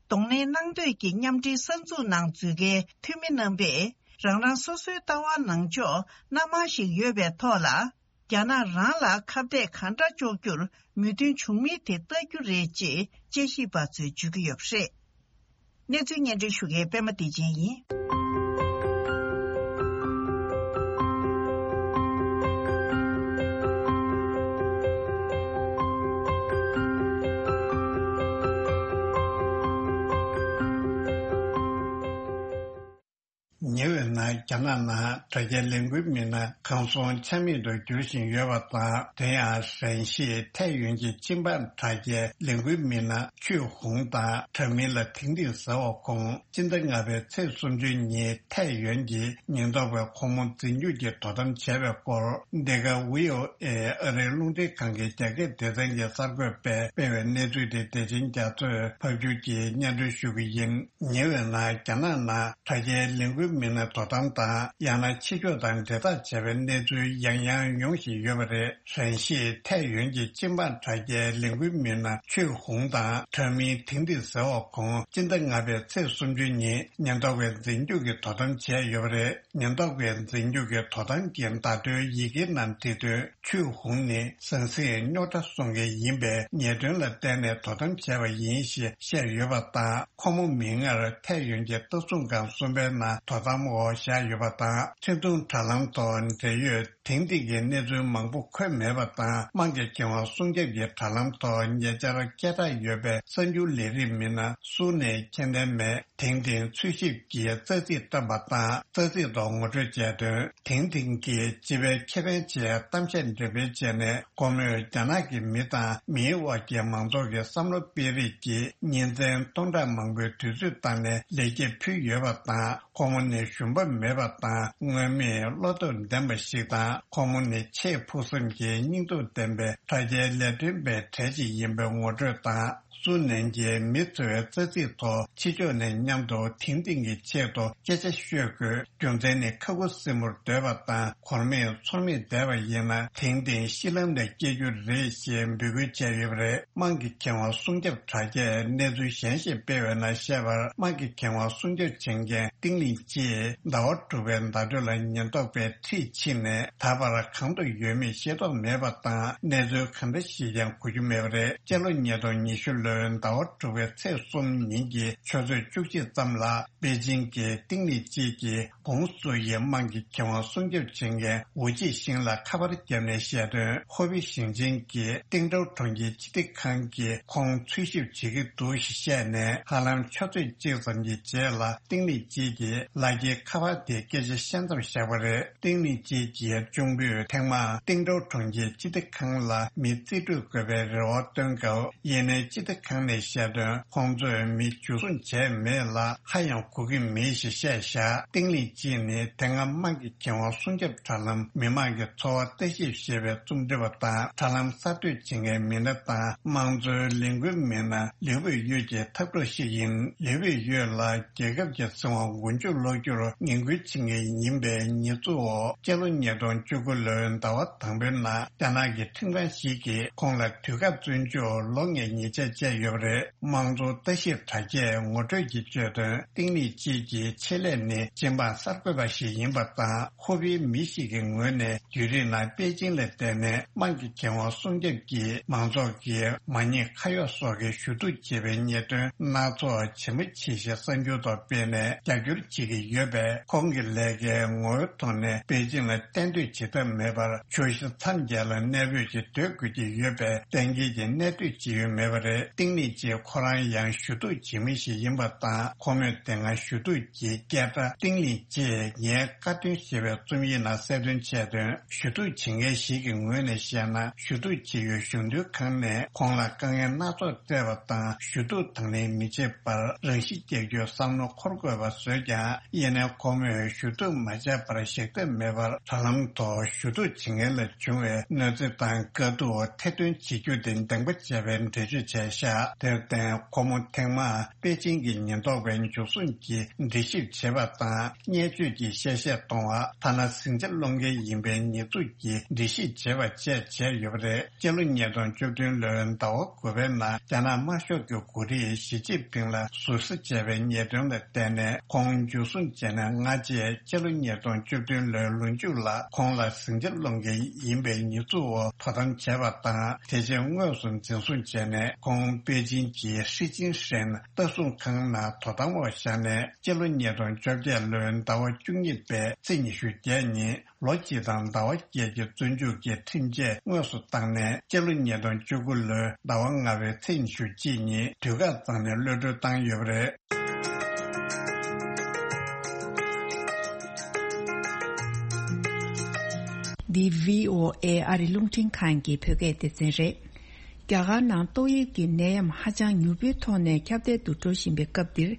གདོང་ལེན་གནང་འདོད་ཀྱི་མཉམ་འབྲེལ་གསར་འཛུགས་ནང་འཛུལ་མཁན་འཐུས་མི་རྣམ་པས་རང་རང་སོ་སོའི་ལྟ་བ་ནང་ཕྱོགས་སྣ་མང་ཞིག་ཡོད་པའི་ཐོག་ལ། རྒྱ་ནག་རང་ལ་ཁ་གཏད་གང་འདྲ་གཅོག་རྒྱུར་མོས་མཐུན་བྱུང་མིན་དེ་ལྟ་རྒྱུ་རེད་ཅེས་དཔྱད་ཞིབ་པ་ཚོས་བརྗོད་ཀྱི་ཡོད་པ་རེད། གནས་ཚུལ་སྙན་སྒྲོན་ཞུ་མཁན་པད་མ་བདེ་ཆེན་ཡིན། ཉེ་བའི་ནང་རྒྱ་ནག་ནང་དྲ་རྒྱའི་ལས་འགུལ་མི་སྣ་གང་སོང་ཆ་མེད་དུ་འགྱུར་བཞིན་ཡོད་པ་དང་། དེ་ཡང་ཧྲན་ཞི་ཐའེ་ཡོན་གྱི་ཅིན་པན་དྲ་རྒྱའི་ལས་འགུལ་མི་སྣ་ཆུས་ཧུང་དང་དྲ་མིང་ལ་ཐིང་ཐིང་ཟེར་བ་ཁོང་སྤྱི་ཟླ་ལྔ་པའི་ཚེས་སུམ་ཅུ་ཉིན་ཐའེ་ཡོན་གྱི་ཉེན་རྟོག་པས་ཁོང་མོ་འཛིན་སྐྱོང་གི་དོ་དམ་བྱས་པའི་སྐོར། འདི་ག་ཝི་ཨོ་ཨེ་ཨ་རིའི་རླུང་འཕྲིན་ཁང་གི་རྒྱ་སྐད་སྡེ་ཚན་གྱི་གསར་འགོད་པས་སྤེལ་བའི་གནས་ཚུལ་དེ་བདེ་ཆེན་རྒྱ་མཚོས་ཕབ་སྒྱུར་གྱིས་སྙན་སྒྲོན་ཞུ་གི་ཡིན། ཉེ་བའི་ནང་རྒྱ་ནག་ནང་དྲ་རྒྱའི་ལས་འགུལ། མི་སྣ་དོ་དམ་དང་། ཡང་ན་ཕྱི་ཕྱོགས་དང་འབྲེལ་ཐག་བྱས་པའི་གནས་ཚུལ་ཡང་ཡང་ཡོང་བཞིན་ཡོད་པ་རེད། ཧྲན་ཤིས་ཐའེ་ཡོན་གྱི་སྤྱི་འབངས་དྲ་རྒྱའི་ལས་འགུལ་མི་སྣ་ཆུས་ཧུང་དང་དྲག་མིན་ཐིང་ཐིང་ཟེར་བ་ཁོང་སྤྱི་ཟླ་ལྔ་པའི་ཚེས་སུམ་ཅུ་ཉིན་ཉེན་རྟོག་པས་འཛིན་སྐྱོང་གི་དོ་དམ་བྱས་ཡོད་པ་རེད། ཉེན་རྟོག་པས་འཛིན་སྐྱོང་གི་དོ་དམ་གྱི་བརྡ་ཐོའི་ཡི་གེ་ནང་བྲིས་དོན། ཆུས་ཧུང་ནི་ཟང་ཟིང་རྙོག་དྲ་སྲུང་མཁན་ཡིན་པས། ཉེས་དོན་ལ་བརྟེན་ནས་དོ་དམ་བྱས་པ་ཡིན་ཞེས་བཤད་ཡོད་པ་དང་། ཁོ་མོ་མིག་སྔར་ཐའེ་ཡོན་གྱི་ལྟ་སྲུང་ཁང་གསུམ་པའི་ནང་དོ་དམ་འོག་བཞག་ཡོད་པ་དང་། འཕྲིན་ཐུང་དྲ་ལམ་ཐོག་འབྲེལ་ཡོད་དེང་དེང་གི་གནས་ཚུལ་མང་པོ་འཁོད་མེད་པ་དང་། དམངས་ཀྱི་ཁེ་དབང་སྲུང་སྐྱོབ་ཀྱི་དྲ་ལམ་ཐོག་ཉེ་ཆར་སྐད་གྲགས་ཡོད་པའི་གསར་འགྱུར་ལས་རིགས་མི་སྣ་སུའུ་ནན་མཁྱེན་ལྡན་མས། དེང་དེང་འཚོལ་ཞིབ་ཀྱིས་རྩ་ཚིག་བཏོན་པ་དང་། རྩ་ཚིག་ཐོག་ངོ་སྤྲོད་བྱས་དོན། དེང་དེང་གི་སྤྱི་པའི་ཁེ་ཕན་ཆེད་གཏམ་བཤད་འགྲེམས་སྤེལ་བྱས་ནས། ཁོ་མོས་རྒྱ་ནག་གི་མི་དང་མིའི་དབར་གྱི་མང་ཚོགས་ཀྱི་བསམ་བློ་སྤེལ་རེས་ཀྱིས་ཉིན་མཚན་སྟོང་ཕྲག་མང་པོའི་དུས་ཚོད་བཏང་ནས་ལེགས་སྐྱེས་ཕུལ་ཡོད་པ་དང་། ཁོ་མོ་ནི་ཞུམ་པ་མེད་པ་དང་། མངོན་མེད་བློ་སྟོབས་ལྡན་པ་ཞིག་དང་། ཁོ་མོ་ནི་ཆེས་ཕུགས་བསམ་གྱི་སྙིང་སྟོབས་ལྡན་པའི་དྲ་རྒྱའི་ལས་དོན་པའི་གྲས་ཤིག་ཡིན་པའི་ངོ་སྤྲོད་དང་། སུའུ་ནན་གྱིས་མི་འཚོལ་བའི་རྩ་ཚིག་ཐོག་ཕྱི་ཕྱོགས་ནས་མཉམ་དུ་དེང་དེང་གི་ཆེད་དུ་སྐད་ཆ་ཤོད་དགོས། རྒྱུ་མཚན་ནི་ཁ་ཁུ་སིམ་པོར་སྡོད་པ་དང་། གོར་མིག་ཚོར་མིག་བསྡད་པ་ཡིན་ན་དེང་དེང་གཞི་ལམ་ནས་སྐྱེ་རྒྱུ་རེད་ཞེས་འབོད་སྐུལ་བྱས་ཡོད་པ་རེད། དམངས་ཀྱི་ཁེ་དབང་སྲུང་སྐྱོབ་དྲ་རྒྱས་གནས་ཚུལ་གཞན་ཞིག་སྤེལ་བའི་ནང་བཤད་པར། དམངས་ཀྱི་ཁེ་དབང་སྲུང་སྐྱོབ་བྱེད་མཁན་ཏིང་ལིང་ཅིས་ཟླ་བ་དྲུག་པའི་ཟླ་སྒྲོན་ལ་ཉེན་རྟོག་པས་འཁྲིད་ཕྱིན་ནས་ད་བར་གང་དུ་ཡོད་མེད་ཤེས་རྟོགས་མེད་པ་དང་། གནས་ཚུལ་གང་འདྲ་ཞིག་ཀྱང་གོ་རྒྱུ་མེད་པ་རེད། སྤྱི་ལོ་ཉིས་སྟོང་ཉི་ཤུ་ལོའི་ཟླ་བ་དྲུག་པའི་ཚེས་གསུམ་ཉིན་གྱི་ཆུ་ཚོད་བཅུ་གཅིག་ཙམ་ལ། པེ་ཅིང་གི་ཏིང་ལིང་ཅིས་ཀྱིས་ཀོང་སུའུ་ཡི་དམངས་ཀྱི་ཁེ་དབང་སྲུང་སྐྱོབ་བྱེད་མཁན་ཝུ་ཅི་ཤིང་ལ་ཁ་པར་བརྒྱབ་ནས་བཤད་དོན། ཧོ་པེ་ཞིང་ཆེན་གྱི་ཏིང་ཀྲོའུ་གྲོང་ཁྱེར་སྤྱི་བདེ་ཁང་གིས་ཁོང་འཚོལ་ཞིབ་བྱེད་ཀྱི་འདུག་ཞེས་བཤད་ནས། ཧ་ལམ་ཆུ་ཚོད་གཅིག་ཙམ་གྱི་རྗེས་ལ་ཏིང་ལིང་ཅིས་ཀྱིས་ལག་འཁྱེར་ཁ་པར་དེའི་སྐད་ཆ་བཤད་མཚམས་བཞག་པ་རེད། ཏིང་ལིང་ཅིས་ཀྱི་གཅུང་པོས་ཐེངས་མང་ཏིང་ཀྲོའུ་གྲོང་ཁྱེར་སྤྱི་བདེ་ཁང་ལ་མི་རྩིས་སྤྲོད་དགོས་པའི་རེ་བ་བཏོན་སྐབས། ཡིན་ནའི་སྤྱི་བདེ་ཁང་ནས་བཤད་དོན། ཁོང་ཚོས་མི་འཇུ་བཟུང་བྱས་མེད་ལ། ཧ་ཡང་གོ་གི་མེད་ཞེས་བཤད་བཞག་ཏིང་ལིང་ཅིས་ནི་དེ་སྔ་དམངས་ཀྱི་ཁེ་དབང་སྲུང་སྐྱོབ་དྲ་ལམ་མི་དམངས་ཀྱི་འཚོ་བ་ལྟ་ཞིབ་ཞེས་པའི་རྩོམ་སྒྲིག་པ་དང་། དྲ་ལམ་གསར་གཏོད་བྱེད་མཁན་མི་སྣ་དང་། དམངས་གཙོའི་ལས་འགུལ་མི་སྣ་ལིའུ་ཝེ་ཡོད་ཀྱི་འཐབ་གྲོགས་ཤིག་ཡིན། ལིའུ་ཝེ་ཡོད་ལ་རྒྱལ་ཁབ་ཀྱི་སྲིད་དབང་མགོ་མཇུག་སློག་རྒྱུར་ངན་སྐུལ་བྱེད་མཁན་ཡིན་པའི་ཉེས་འཛུགས་འོག་སྤྱི་ལོ་ཉིས་སྟོང་བཅུ་དགུ་ལོའི་ཟླ་བ་དང་པོའི་ནང་རྒྱ་ནག་གི་ཁྲིམས་ཁང་ཞིག་གིས་ཁོང་ལ་དུས་བཀག་བཙོན་འཇུག་ལོ་ལྔའི་ཉེས་ཆད་བཅད་ཡོད་པ་རེད། དམངས་གཙོ་ལྟ་ཞིབ་དྲ་རྒྱས་ངོ་སྤྲོད་ཀྱིས་བརྗོད་དོན། ཏིང་ལིང་ཅིས་ཀྱི་ཆེད་ལས་ནི་སྤྱི་འབངས་གསར་འགོད་པ་ཞིག་ཡིན་པ་དང་། ཧོ་པེའི་མི་ཞིག་གི་ངོས་ནས་བརྒྱུད་རིམ་ནང་པེ་ཅིང་ལ་བསྡད་ནས་དམངས་ཀྱི་ཁེ་དབང་སྲུང་སྐྱོབ་ཀྱིས་མང་ཚོགས་ཀྱི་མ་ཉེས་ཁ་གཡོག་སོགས་ཀྱི་ཞུ་གཏུག་བྱེད་པའི་ཉེས་དོན་སྣ་ཚོགས་ཇེ་མང་ཇེ་ཞན་གསར་འགྱུར་ཐོག་སྤེལ་ནས་རྒྱབ་སྐྱོར་བྱེད་ཀྱི་ཡོད་པས། ཁོང་གི་ལས་ཀའི་ངོ་བོའི་ཐོག་ནས་པེ་ཅིང་ལ་གཏན་སྡོད་བྱེད་ཐབས་མེད་པར། ཆུ་བཞི་མཚམས་བརྒྱད་ལ་གནས་སྤོས་ཀྱིས་སྡོད་དགོས་ཀྱི་ཡོད་པས། གཏན་འཁེལ་གྱི་གནས་སྡོད་བྱེད་ཡུལ་མེད་པ་རེད། ཏིང་ལིང་ཅིས་ཁོ་རང་ཡང་ཞུ་གཏུག་བྱེད་མི་ཞིག་ཡིན་པ་དང་། ཁོ་མོས་དེ་སྔ་ཞུ་གཏུག་གི་སྐད་སྒྲ་ཏིང་ལིང་ཅིས་ངའི་བཀའ་བཀྱོན་ཞེས་པའི་རྩོམ་ཡིག་ནང་གསལ་སྟོན་བྱས་དོན། ཞུ་གཏུག་བྱེད་མཁན་ཞིག་གི་ངོས་ནས་བཤད་ན། ཞུ་གཏུག་བྱེད་ཡུལ་གཞུང་དོན་ཁང་ནས་ཁོང་ལ་དཀའ་ངལ་སྣ་ཚོགས་སྤྲད་པ་དང་། ཞུ་གཏུག་དང་ལེན་མི་བྱེད་པར་རང་ཤི་བསྐྱལ་རྒྱུའི་བསམ་བློ་འཁོར་དགོས་པ་བཟོས་ཀྱང་། ཡིན་ནའི་ཁོ་མོས་ཞུ་གཏུག་མ་བྱས་པར་ཞིག་ཐབས་མེད་པར་དྲ་ལམ་ཐོག་ཞུ་གཏུག་བྱེད་མཁན་ལ་བྱུང་བའི་གནོད་འཚེ་དང་དཀའ་སྡུག་ཐེར་འདོན་བྱེད་རྒྱུ་དེ་འདང་པ་བྱས་པའི་འགྲེལ་བརྗོད་བྱས་བཞག་དེར་བརྟེན་ཁོ་མོ་ཐེངས་མང་པེ་ཅིང་གི་ཉེན་རྟོག་པའི་འཇུ་བཟུང་གིས་འདྲི་ཞིབ་བྱེད་པ་དང་། བརྙས་བཅོས་ཀྱི་གཤེ་གཤེ་གཏོང་བ། ཐ་ན་ཟིང་ཆ་སློང་མཁན་ཡིན་པའི་ཉེས་འཛུགས་ཀྱིས་འདྲི་ཞིབ་བྱེད་པ་བཅས་བྱས་ཡོད་པ་རེད། སྤྱི་ལོ་ཉིས་སྟོང་བཅུ་བདུན་ལོའི་ཟླ་བ་དགུ་པའི་ནང་རྒྱ་ནག་དམར་ཤོག་གི་འགོ་ཁྲིད་ཞི་ཅིན་ཕིང་ལ་ཟུར་ཟ་བྱས་པའི་ཉེས་དོན་ལ་བརྟེན་ནས་ཁོང་འཇུ་བཟུང་བྱས་ནས་སྔ་རྗེས་སྤྱི་ལོ་ཉིས་སྟོང་བཅུ་བདུན་ལོའི་ལོ་མཇུག་ལ་ཁོང་ལ་ཟིང་ཆ་སློང་མཁན་ཡིན་པའི་ཉེས་འཛུགས་འོག་དོ་དམ་བྱས་པ་དང་། དེ་རྗེས་དངོས་སུ་འཛིན་བཟུང་བྱས་ནས་ཁོང་པེ་ཅིང་གི་ཧྲི་ཅིན་ཧྲེན་ལྟ་སྲུང་ཁང་ནང་དོ་དམ་འོག་བཞག་ནས་སྤྱི་ལོ་ཉིས་སྟོང་བཅོ་བརྒྱད་ལོའི་ཟླ་བ་བཅུ་གཉིས་པའི་ཚེས་ཉི་ཤུ་བརྒྱད་ཉིན། ལོ་གཅིག་དང་ཟླ་བ་བརྒྱད་ཀྱི་བཙོན་འཇུག་གི་ཁྲིམས་ཆད་དངོས་སུ་བཏང་ནས། སྤྱི་ལོ་ཉིས་སྟོང་བཅུ་དགུ་ལོའི་ཟླ་བ་ལྔ་པའི་ཚེས་ཉི་ཤུ་གཅིག་ཉིན་དུས་བཀག་བཏང་ནས་གློད་གྲོལ་བཏང་ཡོད་པ་རེད། འདི་བྷི་ཨོ་ཨེ་ཨ་རི་རླུང་འཕྲིན་ཁང་གི་བོད་སྐད་སྡེ་ཚན་རེད། རྒྱ་གར་ནང་ཏོག་དབྱིབས་ཀྱི་ནད་ཡམས་ཧ་ཅང་མྱུར་པོའི་ཐོག་ནས་ཁྱབ་གདལ་དུ་འགྲོ་བཞིན་པའི་སྐབས་འདིར།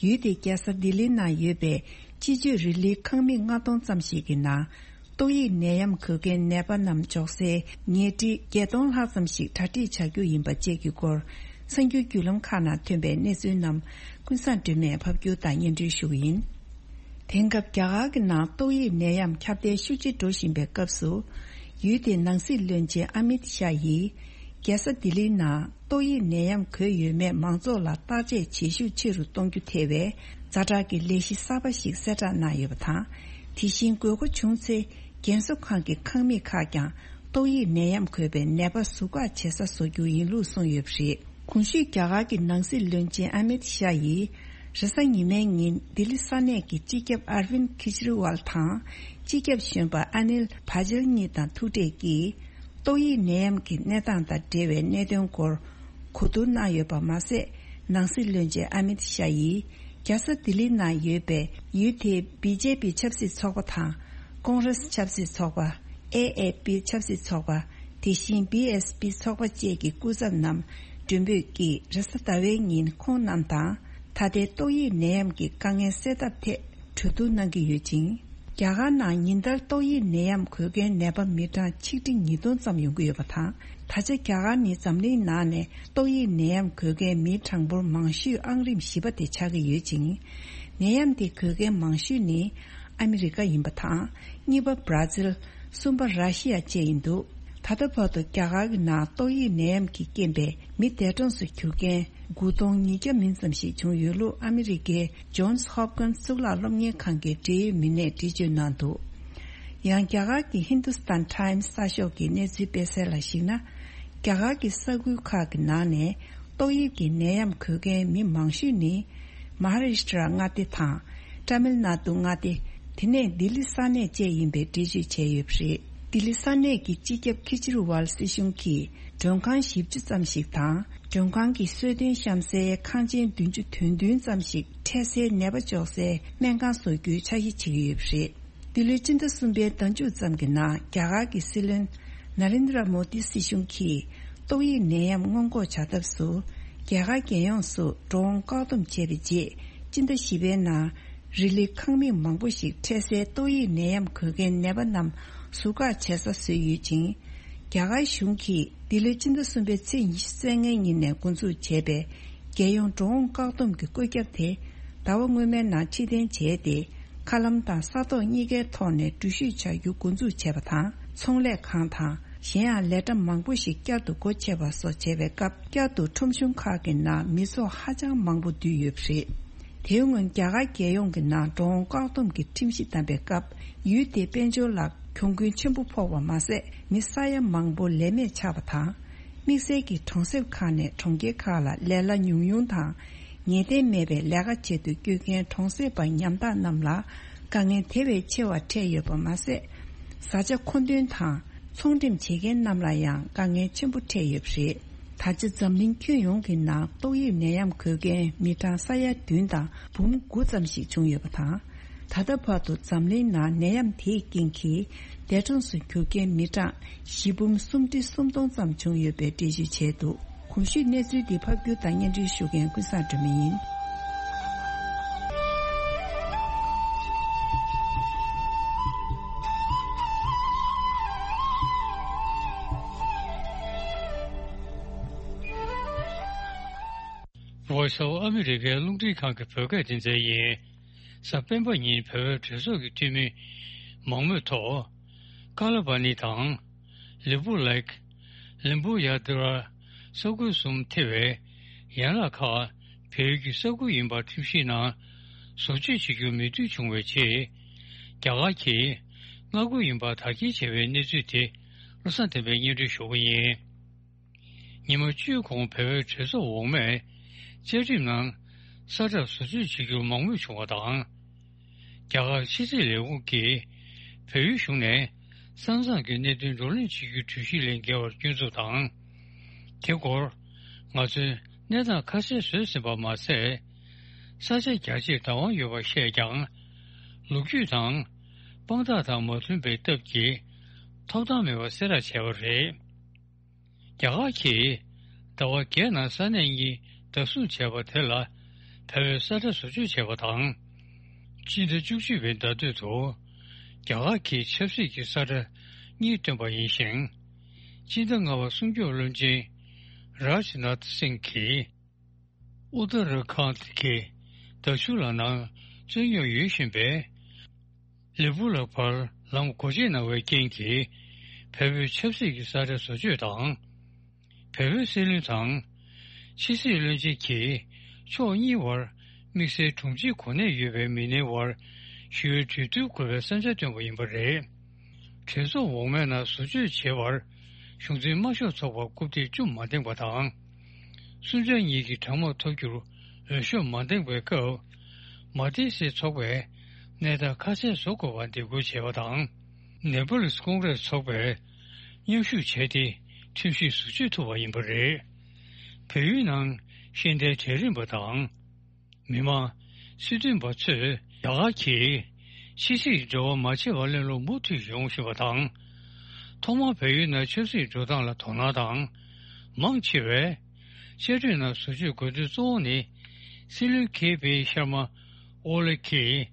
ཡུལ་དེའི་རྒྱལ་ས་ལྡི་ལིའི་ནང་ཡོད་པའི་སྤྱི་སྤྱོད་རི་ལིའི་ཁང་མིག་ལྔ་སྟོང་ཙམ་ཞིག་གི་ནང་། ཏོག་དབྱིབས་ནད་ཡམས་འགོས་མཁན་ནད་པ་རྣམས་འཇོག་སའི་ཉལ་ཁྲི་བརྒྱད་སྟོང་ལྷག་ཙམ་ཞིག་གྲ་སྒྲིག་བྱ་རྒྱུ་ཡིན་པ་བཅས་ཀྱི་སྐོར། གསར་འགྱུར་བརྒྱུད་ལམ་ཁག་ནང་ཐོན་པའི་གནས་ཚུལ་རྣམས་ཀུན་བཟང་སྒྲོལ་མས་ཕབ་སྒྱུར་དང་སྙན་སྒྲོན་ཞུ་གི་ཡིན། དེང་སྐབས་རྒྱ་གར་གྱི་ནང་ཏོག་དབྱིབས་ནད་ཡམས་ཁྱབ་གདལ་ཤུགས་ཆེ་འགྲོ་བཞིན་པའི་སྐབས་སུ། ཡུལ་དེའི་ནང་སྲིད་བློན་ཆེན་ཨ་མིད་ཤཱ་ཡིས། རྒྱལ་ས་ལྡི་ལིའི་ནང་ཏོག་དབྱིབས་ནད་ཡམས་འགོས་ཡོད་མེད་མང་ཚོགས་ལ་བརྟག་དཔྱད་བྱེད་ཤུགས་ཆེ་རུ་གཏོང་རྒྱུ་ཐེ་བའི་ཛ་དྲག་གི་ལས་གཞི་གསར་པ་ཞིག་གསལ་བསྒྲགས་གནང་ཡོད་པ་དང་། དེ་བཞིན་དགོས་མཁོ་བྱུང་ཚེ། རྒན་གསོ་ཁང་གི་ཁང་མིག་ཁག་ཀྱང་ཏོག་དབྱིབས་ནད་ཡམས་འགོས་པའི་ནད་པ་ཟུར་བཀག་བྱེད་ས་བཟོ་རྒྱུ་ཡིན་ལུགས་གསུངས་ཡོད་པ་རེད། གོང་ཞུས་རྒྱ་གར་གྱི་ནང་སྲིད་བློན་ཆེན་ཨ་མིད་ཤཱ་ཡིས། རེས་གཟའ་ཉི་མའི་ཉིན་ལྡི་ལི་ས་གནས་ཀྱི་སྤྱི་ཁྱབ་ཨར་ཝིན་ཁེ་ཇི་རི་ཝལ་དང་། སྤྱི་ཁྱབ་གཞོན་པ་ཨ་ནིལ་བྷ་ཇལ་གཉིས་དང་ཐུག་འཕྲད་ཀྱིས། ཏོག་དབྱིབས་ནད་ཡམས་ཀྱི་གནས་སྟངས་དང་འབྲེལ་བའི་གནད་དོན་སྐོར་གོ་བསྡུར་གནང་ཡོད་པ་མ་ཟད། ནང་སྲིད་བློན་ཆེན་ཨ་མིད་ཤཱ་ཡིས། རྒྱལ་ས་ལྡི་ལི་ནང་ཡོད་པའི་ཡུལ་དེའི་བི་ཇེ་པི་ཆབ་སྲིད་ཚོགས་པ་དང་། ཀོང་རེས་ཆབ་སྲིད་ཚོགས་པ། ཨེ་ཨེ་པི་ཆབ་སྲིད་ཚོགས་པ། དེ་བཞིན་བི་ཨེས་པི་ཚོགས་པ་བཅས་ཀྱི་སྐུ་ཚབ་རྣམས་མགྲོན་འབོད་ཀྱིས་རེས་གཟའ་ཟླ་བའི་ཉིན་ཁོང་རྣམས་དང་། ད་ལྟའི་ཏོག་དབྱིབས་ནད་ཡམས་ཀྱི་དཀའ་ངལ་སེལ་ཐབས་ཐད་གྲོས་བསྡུར་གནང་གི་ཡོད་ཅིང་། རྒྱ་གར་ནང་ཉིན་ལྟར་ཏོག་དབྱིབས་ནད་ཡམས་འགོས་མཁན་ནད་པ་མི་གྲངས་ཆིག་ཁྲི་ཉིས་སྟོང་ཙམ་ཡོང་གི་ཡོད་པ་དང་། ད་ཆ་རྒྱ་གར་ནི་འཛམ་གླིང་ནང་ནས་ཏོག་དབྱིབས་ནད་ཡམས་འགོས་མཁན་མིའི་གྲངས་འབོར་མང་ཤོས་ཨང་རིམ་བཞི་པ་དེ་ཆགས་ཀྱི་ཡོད་ཅིང་། ནད་ཡམས་དེ་འགོས་མཁན་མང་ཤོས་ནི་ཨ་མི་རི་ཀ་ཡིན་པ་དང་། གཉིས་པ་བར་ཛིལ། གསུམ་པ་ར་ཤི་ཡ་བཅས་ཡིན་འདུག་ད་ལྟ་བར་དུ་རྒྱ་གར་གྱི་ནང་ཏོག་དབྱིབས་ནད་ཡམས་ཀྱི་རྐྱེན་པས་མི་འདས་གྲོངས་སུ་གྱུར་མཁན་དགུ་སྟོང་ཉིས་བརྒྱ་མིན་ཙམ་ཞིག་བྱུང་ཡོད་ལུགས་ཨ་མི་རི་ཀའི་ཇོན་སི་ཧོབ་ཀིན་སི་གཙུག་ལག་སློབ་གཉེར་ཁང་གི་འབྲེལ་ཡོད་མི་སྣས་འགྲེལ་བརྗོད་གནང་འདུག་ཡང་རྒྱ་གར་གྱི་ཧིན་དུ་སི་ཐན་ཊའིམ་སི་གསར་ཤོག་གི་གནས་ཚུལ་སྤེལ་གསལ་ལ་གཞིགས་ན། རྒྱ་གར་གྱི་ས་ཁུལ་ཁག་གི་ནང་ནས་ཏོག་དབྱིབས་ཀྱི་ནད་ཡམས་འགོས་མཁན་མི་མང་ཤོས་ནི། མ་ཧཱ་རཱ་ཤི་ཏྲ་མངའ་སྡེ་དང་། ཏཱ་མིལ་ནཱ་ཏུ་མངའ་སྡེ། དེ་ནས་ལྡི་ལི་ས་གནས་བཅས་ཡིན་པའི་འགྲེལ་བརྗོད་བྱས་ཡོད་པ་རེད། ལྡི་ལི་ས་གནས་ཀྱི་སྤྱི་ཁྱབ་ཁི་ཅི་རུ་ཝལ་སྲིད་གཞུང་གིས་མགྲོན་ཁང་བཞི་བཅུ་ཙམ་ཞིག་དང་། མགྲོན་ཁང་གི་གསོལ་སྟོན་བཤམས་སའི་ཁང་ཆེན་བདུན་ཅུ་དོན་བདུན་ཙམ་ཞིག་འཕྲལ་སེལ་ནད་པ་འཇོག་སའི་སྨན་ཁང་བཟོ་རྒྱུའི་འཆར་གཞི་བྱེད་ཀྱི་ཡོད་པ་རེད། འདི་ལོའི་སྤྱི་ཟླ་གསུམ་པའི་ཟླ་མཇུག་ཙམ་གྱི་ནང་རྒྱ་གར་གྱི་སྲིད་བློན་ན་རེན་དྲ་མོ་དི་སྲིད་གཞུང་གིས་ཏོག་དབྱིབས་ནད་ཡམས་སྔོན་འགོག་བྱ་ཐབས་སུ་རྒྱ་གར་རྒྱལ་ཡོངས་སུ་འགྲོ་འོང་བཀག་སྡོམ་བྱས་པའི་རྗེས་སྤྱི་ཟླ་བཞི་པའི་ནང་རི་ལི་ཁང་མིག་མང་པོ་ཞིག་འཕྲལ་སེལ་ཏོག་དབྱིབས་ནད་ཡམས་འགོས་མཁན་ནད་པ་རྣམས་ཟུར་བཀག་བྱེད་ས་བཟོས་ཡོད་ཅིང་། རྒྱ་གར་གཞུང་གིས་འདི་ལོའི་སྤྱི་ཟླ་གསུམ་པའི་ཚེས་ཉི་ཤུ་རྩ་ལྔའི་ཉིན་ནས་འགོ་འཛུགས་བྱས་པའི་རྒྱལ་ཡོངས་འགྲོ་འོང་བཀག་སྡོམ་གྱི་བཀོད་ཁྱབ་དེ་ཟླ་བ་སྔོན་མའི་ནང་ཕྱིར་འཐེན་བྱས་ཏེ། མཁའ་ལམ་དང་ས་ཐོག་གཉིས་ཀའི་ཐོག་ནས་འགྲུལ་བཞུད་བྱ་རྒྱུ་འགོ་འཛུགས་བྱས་པ་དང་། ཚོང་ལས་ཁང་དང་གཞན་ཡང་ལས་གྲྭ་མང་པོ་ཞིག་བསྐྱར་དུ་སྒོ་ཕྱེ་བ་སོགས་བྱས་པའི་སྐབས་བསྐྱར་དུ་ཁྲོམ་གཞུང་ཁག་གི་ནང་མི་ཚོགས་ཧ་ཅང་མང་པོ་འདུས་ཡོད་པ་རེད། དེའི་སྔོན་རྒྱ་གར་རྒྱལ་ཡོངས་ཀྱི་ནང་འགྲོ་འོང་བཀག་སྡོམ་གྱི་ཁྲིམས་གཞི་བསྡམས་པའི་སྐབས་ཡུལ་དེའི་དཔལ་འབྱོར་ལ་གྱོང་གུན་ཆེན་པོ་ཕོག་པ་མ་ཟད་མི་ས་ཡ་མང་པོ་ལས་མེད་ཆགས་པ་དང་། དམིགས་བསལ་གྱིས་གྲོང་གསེབ་ཁག་ནས་གྲོང་ཁྱེར་ཁག་ལ་ལས་གླ་ཉུང་ཉུང་དང་། ངེས་གཏན་མེད་པའི་ལས་ཀ་བྱེད་དུ་བསྐྱོད་མཁན་གྲོང་གསེབ་པ་ཉམ་ཐག་རྣམས་ལ་དཀའ་ངལ་དེ་བས་ཆེ་བ་འཕྲད་ཡོད་པ་མ་ཟད། བཟའ་བཅའ་མཁོ་འདོན་དང་ཚོང་འགྲེམས་བྱེད་མཁན་རྣམས་ལ་ཡང་དཀའ་ངལ་ཆེན་པོ་འཕྲད་ཡོད་པ་རེད། ད་ཆ་འཛམ་གླིང་ཁྱོན་ཡོངས་ཀྱི་ནང་ཏོག་དབྱིབས་ནད་ཡམས་འགོས་མཁན་མི་གྲངས་ས་ཡ་བདུན་དང་འབུམ་དགུ་ཙམ་ཞིག་བྱུང་ཡོད་པ་དང་། ད་ལྟ་བར་དུ་འཛམ་གླིང་ནང་ནད་ཡམས་དེའི་རྐྱེན་གྱིས་འདས་གྲོངས་སུ་གྱུར་མཁན་མི་གྲངས་བཞི་འབུམ་སུམ་ཁྲི་སུམ་སྟོང་ཙམ་བྱུང་ཡོད་པའི་འགྲེལ་བརྗོད་བྱས་འདུག་གོང་ཞུས་གནས་ཚུལ་འདི་ཕབ་སྒྱུར་དང་སྙན་སྒྲོན་ཞུ་མཁན་ཀུན་བཟང་སྒྲོལ་མ་ཡིན། Voice of America རླུང་འཕྲིན་ཁང་གི་བོད་སྐད་སྡེ་ཚན་ཡིན། གཟའ་སྤེན་པ་ཉིན་བོད་པའི་གྲོས་ཚོགས་ཀྱི་འཐུས་མི་མང་མོས་ཐོག་ཀ་ལ་པ་ནི་དང་། ལིམ་པོ་ལེག་ལིམ་པོ་ཡ་དི་ར་ས་ཁུལ་གསུམ་ཐེ་བའི་ཡན་ལག་ཁག་བལ་ཡུལ་གྱི་ས་ཁུལ་ཡིན་པ་ཁྲིམས་ཞིབ་ནང་བཟོ་བཅོས་བྱེད་རྒྱུར་མོས་མཐུན་བྱུང་བའི་རྗེས། རྒྱ་གར་གྱིས་མངའ་ཁུལ་ཡིན་པ་དག་སྐྱེལ་བྱས་པའི་གནས་ཚུལ་དེ་བློ་བཟང་བསྟན་པས་སྙན་སྒྲོན་ཞུ་གི་ཡིན། ཉི་མ་བཅུའི་གོང་བལ་པོའི་གྲོས་ཚོགས་འོག་མས་བཅའ་ཁྲིམས་ནང་ས་ཁྲ་བཟོ་བཅོས་བྱེད་རྒྱུར་མང་མོས་བྱུང་བ་དང་། རྒྱ་གར་ཕྱི་སྲིད་ལས་ཁུངས་ཀྱིས་བལ་ཡུལ་གཞུང་ནས་ས་མཚམས་ཀྱི་གནད་དོན་བགྲོ་གླེང་བྱེད་རྒྱུའི་གྲོས་གཞི་ལས་འགལ་བར་སྐྱོན་འཛུགས་དང་། དེ་སྐོར་ང་ཚོས་གནས་སྟངས་ཁ་གསལ་བཟོས་ཟིན་པ་མ་ཟད། ས་ཆ་རྒྱ་ཆེར་བདག་དབང་ཡོད་པ་བཤད་ཀྱང་། ལོ་རྒྱུས་དང་དཔང་རྟགས་དང་མ་མཐུན་པའི་སྟབས་ཀྱིས་ཐོབ་ཐང་མེད་པ་གསལ་བསྒྲགས་བྱས་པ་རེད། རྒྱ་གར་གྱིས་ཟླ་བ་བརྒྱད་ནང་ས་གནས་གཉིས་བདག་བཟུང་བྱས་པ་དེ་ལ་བལ་པོས་ས་ཁྲ་བཟོ་བཅོས་བྱས་པ་དང་། སྤྱི་ཟླ་བཅུ་གཅིག་པའི་ཟླ་སྟོད་དུ་རྒྱ་གར་གྱིས་ཆབ་སྲིད་ཀྱི་ས་ཁྲ་གཉིས་བཏོན་པ་ཡིན་ཞིང་། སྤྱི་ཟླ་ལྔ་པར་སྲུང་སྐྱོབ་བློན་ཆེན་རཱཇ་ནཱཐ་སིང་གིས་ཨུ་ཏ་ར་ཁཱན་གྱི་ཟླ་མཇུག་ལ་ནང་རྩོད་རྙོག་ཡོད་བཞིན་པའི་ ལེ་པུ་ལ་བར་ལམ་སྒོ་འབྱེད་གནང་བའི་རྐྱེན་གྱིས། བལ་པོའི་ཆབ་སྲིད་ཀྱི་ས་ཆ་བཟོ་བཅོས་དང་། བལ་པོའི་སྲིད་བློན་དང་། ཕྱི་སྲིད་བློན་ཆེན་གྱིས་ཕྱོགས་གཉིས་བར་དམིགས་བསལ་དྲུང་ཆེའི་གོ་གནས་ཡོད་པའི་མི་སྣའི་བར་ཞི་བའི་གྲོས་བསྡུར་དགོས་པའི་བསམ་འཆར་བཏོན་པ་ཡིན་པ་རེད། གྲོས་ཚོགས་འོག་མའི་ནང་བཟོ་བཅོས་བྱེད་པར་གཞུང་འཛིན་དམར་ཤོག་ཚོགས་པར་རྐུབ་སྟེགས་བཅུ་མ་འདེངས་པ་དང་། སུན་ཅང་གཉིས་ཀྱི་གྲོས་མོལ་ཐོབ་རྒྱུར་འོས་ཤོག་མ་འདེངས་པའི་སྐབས། མ་ཏི་སེ་ཚོགས་པས་གནས་སྟངས་ཁ་གསལ་བཟོ་དགོས་པར་འདེད་སྐུལ་བྱས་པ་དང་། ནེ་པོ་ལིས་ཀོང་གྲས་ཚོགས་པས་མཉམ་ཞུགས་བྱས་ཏེ་ཁྲིམས་གཞི་བཟོ་བཅོས་ཐུབ་པ་ཡིན་པ་རེད། བལ་ཡུལ་ནང་ཤེས་ལྡན་གྲལ་རིམ་པ་དང་། མི་མང་། སྲིད་དོན་པ་ཚོས་རྒྱ་གར་གྱིས་ཕྱི་སྲིད་འབྲེལ་བ་མ་བྱས་པར་གླེང་སློང་མུ་མཐུད་ཡོང་བཞིན་པ་དང་། ཐོག་མར་བལ་ཡུལ་ནང་ཆབ་སྲིད་འགྲོ་སྟངས་ལ་དོ་སྣང་དང་། མང་ཆེ་བས་བཅའ་ཁྲིམས་ནང་བཟོ་བཅོས་དགོས་དོན་གཙོ་བོ་ནི། སྲིད་བློན་ཁེ་པི་ཤར་མ་ཨོ་ལེ་གིས་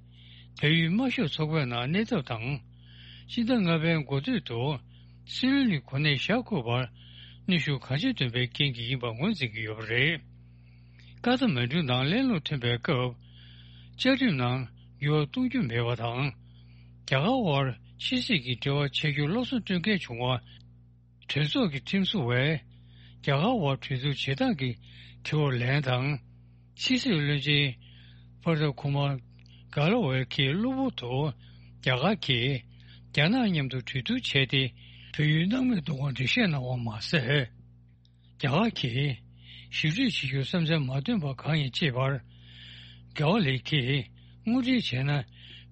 བལ་ཡུལ་དམར་ཤོག་ཚོགས་པའི་ནང་གནས་ཐབས་དང་། སྤྱི་ཟླ་ལྔ་པའི་འགོ་སྟོད་དུ་སྲིད་བློན་གྱི་གོ་གནས་བཞག་དགོས་པར་གནོན་ཤུགས་གང་ཆེ་བཏོན་པའི་རྐྱེན་གྱིས་ཡིན་པ་ངོས་འཛིན་གྱི་ཡོད་པ་རེད། ཀ་ཐ་མན་གྲུ་ནང་གླེང་སློང་ཐོན་པའི་སྐབས། བཅའ་ཁྲིམས་ནང་འགྱུར་བ་གཏོང་རྒྱུ་མེད་པ་དང་། རྒྱ་གར་དབར་ཕྱི་སྲིད་ཀྱི་འབྲེལ་བ་བྱེད་རྒྱུར་བློ་བཟང་སྤྲོད་མཁན་བྱུང་བ། གྲོས་ཚོགས་ཀྱི་ཁྲིམས་བཟོ་བས་རྒྱ་གར་དབར་གྲོས་བསྡུར་བྱེད་སྟངས་ཀྱི་དྲི་བར་ལན་དང་། ཕྱི་སྲིད་བློན་ཆེན་པར་ད་ཁུ་མར་གྷ་ལོ་ཝེ་གིས་གློ་བུར་དུ་རྒྱ་གར་གྱིས་རྒྱ་ནག་མཉམ་དུ་གྲོས་བསྡུར་བྱས་ཏེ་བལ་ཡུལ་སྣང་མེད་གཏོང་བར་འགྲེལ་བཤད་གནང་བ་མ་ཟད། རྒྱ་གར་གྱིས་ཞི་གྲོས་བྱེད་རྒྱུར་བསམ་འཆར་མ་བཏོན་པ་གང་ཡིན་དཔྱད་པར། རྒྱ་བ་ལི་གིས་དངོས་འབྲེལ་བྱས་ན་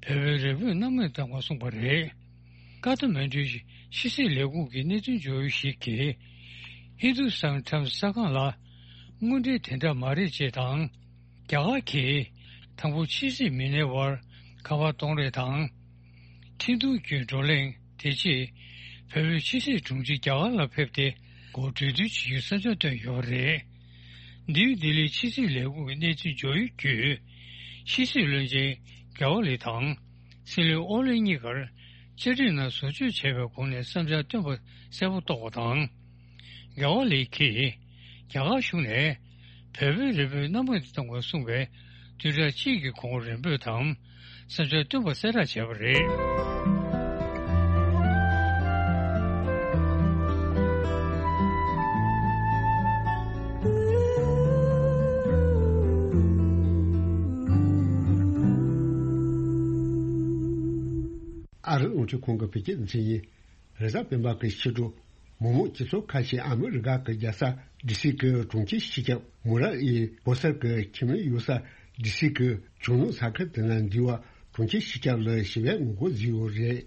བལ་པོའི་རེ་འབོད་སྣང་མེད་བཏང་བར་གསུངས་པ་རེད། ཀ་ཐ་མན་གྲུའི་ཕྱི་སྲིད་ལས་ཁུངས་ཀྱི་གནད་དོན་བརྗོད་ཡུལ་ཞིག་གིས། ཧིན་དུ་སྟན་ཊའེམ་སི་གསར་ཁང་ལ། དངོས་འབྲེལ་དེ་འདྲ་མ་རེད་ཅེས་དང་། རྒྱ་གར་གྱིས་དང་པོ་ཕྱི་སྲིད་མི་སྣའི་དབར་ཁ་པར་གཏོང་རེས་དང་། འཕྲིན་ཐུང་བརྒྱུད་བགྲོ་གླེང་། དེ་རྗེས་བལ་པོའི་ཕྱི་སྲིད་དྲུང་ཆེ་རྒྱ་གར་ལ་ཕེབས་ཏེ་སྒོ་གྲོས་བསྡུར་བྱེད་རྒྱུའི་བསམ་འཆར་བཏོན་ཡོད་པ་རེད། ནིའུ་ལྡི་ལིའི་ཕྱི་སྲིད་ལས་ཁུངས་ཀྱི་གནས་ཚུལ་བརྗོད་ཡིག་བརྒྱུད། ཕྱི་སྲིད་བློན་ཆེན་རྒྱ་བ་ལི་དང་སྲིད་བློན་ཨོ་ལེ་གཉིས་ཀར་བཅའ་ཁྲིམས་ནང་བཟོ་བཅོས་བྱས་པའི་སྒོ་ནས་བསམ་འཆར་བཏོན་པ་གསལ་པོ་རྟོགས་པ་དང་། རྒྱ་བ་ལི་གིས་རྒྱ་གར་གཞུང་ནས་བལ་པོའི་རེ་འབོད་སྣང་མེད་དུ་གཏོང་དགོས་གསུངས་པའི་བདུན་ཕྲག་གཅིག་གི་གོང་རེ་འབོད་དམ་བསམ་འཆར་བཏོན་པ་གསལ་བསྒྲགས་བྱས་པ་རེད། ཨ་རི་རླུང་འཕྲིན་ཁང་གི་བོད་སྐད་སྡེ་ཚན་ཡིན། རེས་གཟའ་སྤེན་པ་གི་ཕྱི་དྲོ། མོག་མོག་སྤྱི་ཚོགས་ཁ་ཤས་ཨ་མི་རི་ཀ་གི་རྒྱལ་ས་ཌི་སི་གི་གྲོང་ཁྱེར་སྤྱི་ཁྱབ་མུ་ར་ཨི་བོ་སར་གྱི་ཁྱིམ་མི་ཡོད་ས་ཌི་སི་གི་ཆུ་ནུབ་ས་ཁུལ་དེ་ན་འདུས་པ་གྲོང་ཁྱེར་སྤྱི་ཁྱབ་ལ་ཞི་བའི་ངོ་རྒོལ་བཟོས་ཡོད་རེད།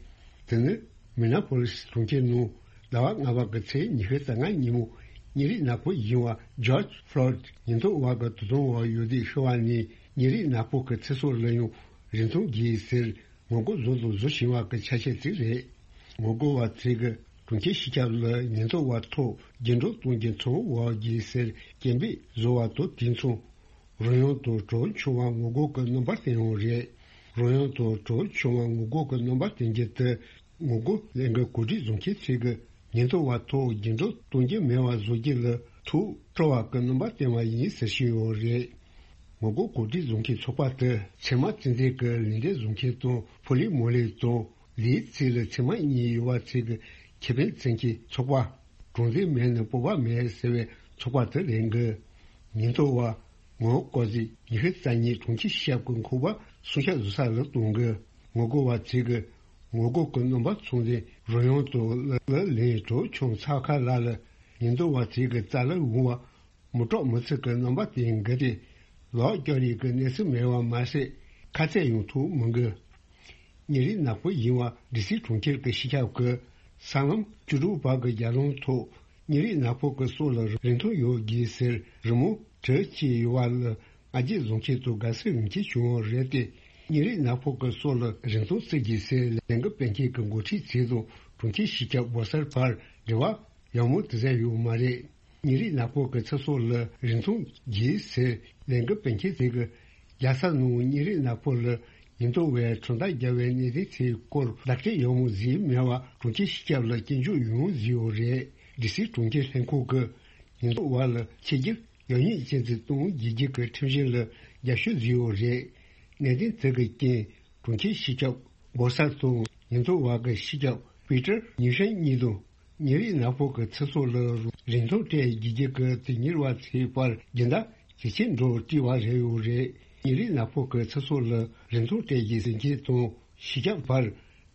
དེ་ནི་མི་ནེ་པོ་ལིས་གྲོང་ཁྱེར་ནང་ཟླ་བ་ལྔ་པ་གི་ཚེས་ཉི་ཤུ་རྩ་ལྔ་ཉིན་མོ་ཉིན་རེའི་ནག་པོ་ཡིན་པ་ཇོརྗ་ཕློའིཌ་ཉེན་རྟོག་པ་གི་དུག་སྦྲང་བ་ཡོད་དུས་ཤི་བ་ནི་ཉིན་རེའི་ནག་པོ་གི་ཚེ་སྲོག་ལ་ཡང་རིན་ཐང་གྱིས་ཟེར། ངོ་རྒོལ་བཟོ་དང་བཟོ་བཞིན་པ་གི་ཆ་ཤས་ཅིག་རེད། ངོ་རྒོལ་བ་ཚོས་ཀྱི་གྲོང་ཁྱེར་སྤྱི་ཁྱབ་ལ་ཉེན་རྟོག་པ་ཐོག་རྒྱུན་སྒྲོག་གཏོང་རྒྱུ་མཚམས་འཇོག་རྒྱུ་ཟེར་སྐད་འབོད་བཟོ་བ་དང་དུས་མཚུངས། རོལ་དབྱངས་དང་བྲོ་བོ་འཁྱོངས་པ་ངོ་རྒོལ་གྱི་རྣམ་པར་བསྟན་ཡོད་རེད། རོལ་དབྱངས་དང་བྲོ་བོ་འཁྱོངས་པ་ངོ་རྒོལ་གྱི་རྣམ་པར་བསྟན་རྒྱུ་དེ། ངོ་རྒོལ་ལས་འགུལ་གོ་སྒྲིག་བཟོ་མཁན་ཚོས་ཀྱི་ཉེན་རྟོག་པ་ཐོག་རྒྱུན་སྒྲོག་གཏོང་རྒྱུ་མེད་པ་བཟོ་རྒྱུ་ལ་ཐུགས་སྤྲོ་བ་གི་རྣམ་པ་བསྟན་པ་ཡིན་ཟེར་བཞིན་ཡོད་རེད། ངོ་རྒོལ་གོ་སྒྲིག་བཟོ་མཁན་ཚོགས་པ་དེ་ཚེར་མ་རྩེད་འགྲན་གྱི་ལེན་འདེད་བཟོ་མཁན་དང་ཕོ་ལི་མོ་ལི་དང་ལིའི་རྩེ་ལ་ཚེར་མ་གཉིས་ཡོད་པ་ཚོས་ཀྱི་ཁེ་ཕན་བཙལ་མཁན་ཚོགས་པ། གྲངས་འཛིན་མེད་ན་སྤོབས་པ་མེད་ཟེར་བའི་ཚོགས་པ་དེ་རེད་འགི། ཉེན་རྟོག་པ། ངོ་རྒོལ་ཟིག་ཉི་ཤུ་རྩ་གཉིས་གྲོང་ཁྱེར་ཤར་གྱི་འཁོར་བ་སྲུང་སྐྱོབ་བཟོ་ས་ལ་གཏོང་གི། ངོ་རྒོལ་བ་ཚོས་ཀྱི་ངོ་རྒོལ་གྱི་རྣམ་པ་མཚོན་ཏེ་རོལ་དབྱངས་དང་ལ་ལ་ལེན་གྲོགས་ཆུང་ཚགས་ཁ་ལ་ལ་ཉེན་རྟོག་པ་ཚོས་ཀྱི་རྩ་ལ་འོང་བ་མི་སྐྲག་མི་ཚིག་གི་རྣམ་པ་དེ་འགི་སྟེ་ལག་སྐྱོར་ཡས་ཀྱི་གནས་ཚུལ་མེད་པ་མ་ཟད་ཁ་གཏད་ཡང་ཐུབ་མི་འགི། ཉིན་རེའི་ནག་པོ་ཡིན་པ་ཌི་སི་གྲོང་ཁྱེར་གྱི་སྤྱི་ཁྱབ་ཀྱི་སྲང་ལམ་བཅུ་དྲུག་པ་གི་རྒྱ་ལམ་ཐོག་ཉིན་རེའི་ནག་པོ་གི་སྲོག་ལ་རིན་ཐང་ཡོད་དགོས་ཟེར་རི་མོ་བྲིས་བྱས་ཡོད་པ་ལ་ང་རྒྱལ་བཟུང་མཁན་དང་དགའ་བསུ་ཡོང་མཁན་བྱུང་བ་རེད་དེ། ཉིན་རེའི་ནག་པོ་གི་སྲོག་ལ་རིན་ཐང་བརྩི་དགོས་ཟེར་ལས་འགུལ་སྤེལ་མཁན་གྱི་འགོ་ཁྲིད་ཚོ་དང་གྲོང་ཁྱེར་སྤྱི་ཁྱབ་བོ་སར་བར་འབྲེལ་བ་ཡག་མོ་དེ་ཙམ་ཡོད་མ་རེད། ཉིན་རེའི་ནག་པོ་གི་ཚེ་སྲོག་ལ་རིན་ཐང་དགོས་ཟེར་ལས་འགུལ་སྤེལ་མཁན་ཚོས་ཀྱི་རྒྱལ་ས་ནང་ཉིན་རེའི་ནག་པོ་ལ་ཉེན་རྟོག་པས་གྲོན་ཐག་བརྒྱབ་པའི་གནད་དོན་དེའི་སྐོར་བརྡ་སྤྲོད་ཡག་མོ་བཟོས་མེད་པ་གྲོང་ཁྱེར་སྤྱི་ཁྱབ་ལ་སྐྱོན་བརྗོད་ཡང་བཟོས་ཡོད་རེད། ཌི་སི་གྲོང་ཁྱེར་ལྷན་ཁང་གིས་ཉེན་རྟོག་པ་ལ་ཆིག་སྒྱུར་ཡག་ཉེས་སྐྱོན་ཚིག་གཏོང་རྒྱུ་གི་ཁྲིམས་གཞི་ལ་རྒྱབ་སྐྱོར་བཟོས་ཡོད་རེད། གནད་དོན་དེ་གི་རྐྱེན་གྲོང་ཁྱེར་སྤྱི་ཁྱབ་ སྦོ་སར་དང་ཉེན་རྟོག་པ་གི་སྤྱི་ཁྱབ་པི་ཏར་ཉི་ཧྲན་གཉིས་དང་། ཉིན་རེའི་ནག་པོ་གི་ཚེ་སྲོག་ལ་རིན་ཐང་སྤྲད་རྒྱུ་རྒྱུ་གི་དེ་ཉེར་བ་ཚེའི་བར་སྦྱིན་བདག་ཇེ་ཆེར་འགྲོ་བྲིས་པ་རེད་ཡོད་རེད། ཉིན་རེའི་ནག་པོ་གི་ཚེ་སྲོག་ལ་རིན་ཐང་སྤྲད་རྒྱུ་ཟིན་སྐྱེས་དང་སྤྱི་ཁྱབ་བར་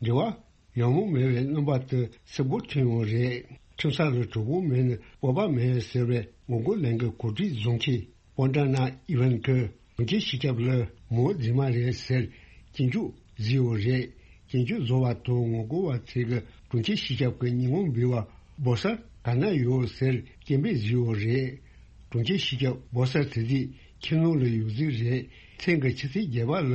འབྲེལ་བ་ཡང་མོ་མེད་པའི་རྣམ་པ་དེ་སེར་པོ་ཐོན་ཡོད་རེད། ཁྲིམས་ས་ལ་གྲོགས་པོ་མེད་ན་སྤོབས་པ་མེད་ཟེར་བའི་ངོ་རྒོལ་ལན་གྱི་གོ་སྒྲིག་བཟུང་མཁན་པོན་ཏྲ་ན་ཨི་ཝན་གྱི་གྲོང་ཁྱེར་སྤྱི་ཁྱབ་ལ་མོ་རྫུན་མ་རེད་ཟེར་སྐྱོན་བརྗོད་བཟོས་ཡོད་རེད། སྐྱོན་བརྗོད་བཟོ་བ་དང་ངོ་རྒོལ་བ་ཚོས་ཀྱི་གྲོང་ཁྱེར་སྤྱི་ཁྱབ་ཀྱི་ཉིན་མོ་འབུལ་བ་སྦོ་སར་ག་ན་ཡོད་ཟེར་སྐད་འབོད་བཟོས་ཡོད་རེད། གྲོང་ཁྱེར་སྤྱི་ཁྱབ་སྦོ་སར་དེ་དུས་ཁྱིམ་ནང་ལ་ཡོད་རྩིས་རེད། མཚན་གྱི་ཕྱི་ཚེས་བརྒྱད་པ་ལ་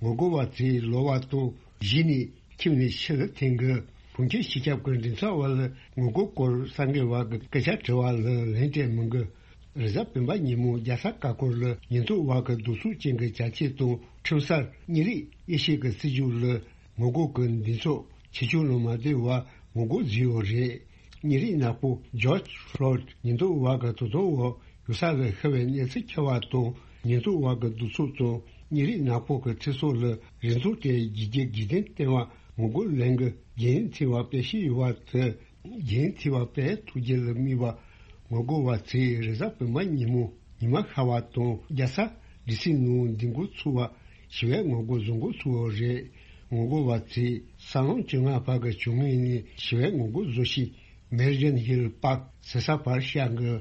ངོ་རྒོལ་བ་ཚོས་ལོ་བ་དང་གཞི་ནས་ཁྱིམ་ནས་ཕྱི་ལ་འཐེན་གི་གྲོང་ཁྱེར་སྤྱི་ཁྱབ་ཀྱི་མགྲིན་ཚབ་པ་ལ་ངོ་རྒོལ་སྐོར་གསར་འགོད་པ་གི་སྐད་ཆ་དྲི་བ་ལ་ལན་སྤྲད་མི་འདུག་རེས་གཟའ་སྤེན་པ་ཉིན་མོ་རྒྱལ་ས་ཀ་ཀོར་ལ་ཉེན་རྟོག་པ་གི་གདུག་རྩུབ་ཅན་གྱི་བྱ་སྤྱོད་དང་ཁྲིམས་སར་གཉིས་རིགས་དབྱེ་ཞིབ་ཀྱི་སྲིད་ཇུས་ལ་ངོ་རྒོལ་གྱི་འདུ་ཚོགས་ཆེ་ཆུང་ལ་མ་བསྡད་པར་ངོ་རྒོལ་བཟོས་ཡོད་རེད། ཉིན་རེའི་ནག་པོ་ཇོརྗ་ཕློའིཌ་ཉེན་རྟོག་པ་གི་དོ་དམ་འོག་ཡོད་ས་ལ་ཤི་བའི་གནས་ཚུལ་ཁྱབ་པ་དང་ཉེན་རྟོག་པ་གི་གདུག་རྩུབ་དང་ཉིན་རེའི་ནག་པོ་གི་ཚེ་སྲོག་ལ་རིན་ཐང་སྤྲད་རྒྱུ་རྒྱུ་དགོས་འདུན་བསྟན་པ་ངོ་རྒོལ་ལན་གྱི་རྒྱུན་མཐུད་པ་སྤེལ་བཞིན་ཡོད་པ་དེ། རྒྱུན་མཐུད་པ་སྤེལ་ཐུབ་རྒྱུ་ལ་དམིགས་པ་ངོ་རྒོལ་བ་ཚོས་རེས་གཟའ་སྤེན་པ་ཉིན་མོ་ཉི་མ་ཤར་བ་དང་རྒྱལ་ས་ཌི་སི་ནང་འདུ་འགོད་ཚུགས་པ་ཞི་བའི་ངོ་རྒོལ་བཟོ་འགོ་ཚུགས་པ་རེད། ངོ་རྒོལ་བ་ཚོས་ས་ལམ་བཅོ་ལྔ་བར་གྱི་བྱུང་ངེས་ནས་ཞི་བའི་ངོ་རྒོལ་བཟོ་ཞིང་མེ་རི་ཇན་ཧིལ་པཱརྐ་ཟེར་ས་བར་བཤལ་འགོ།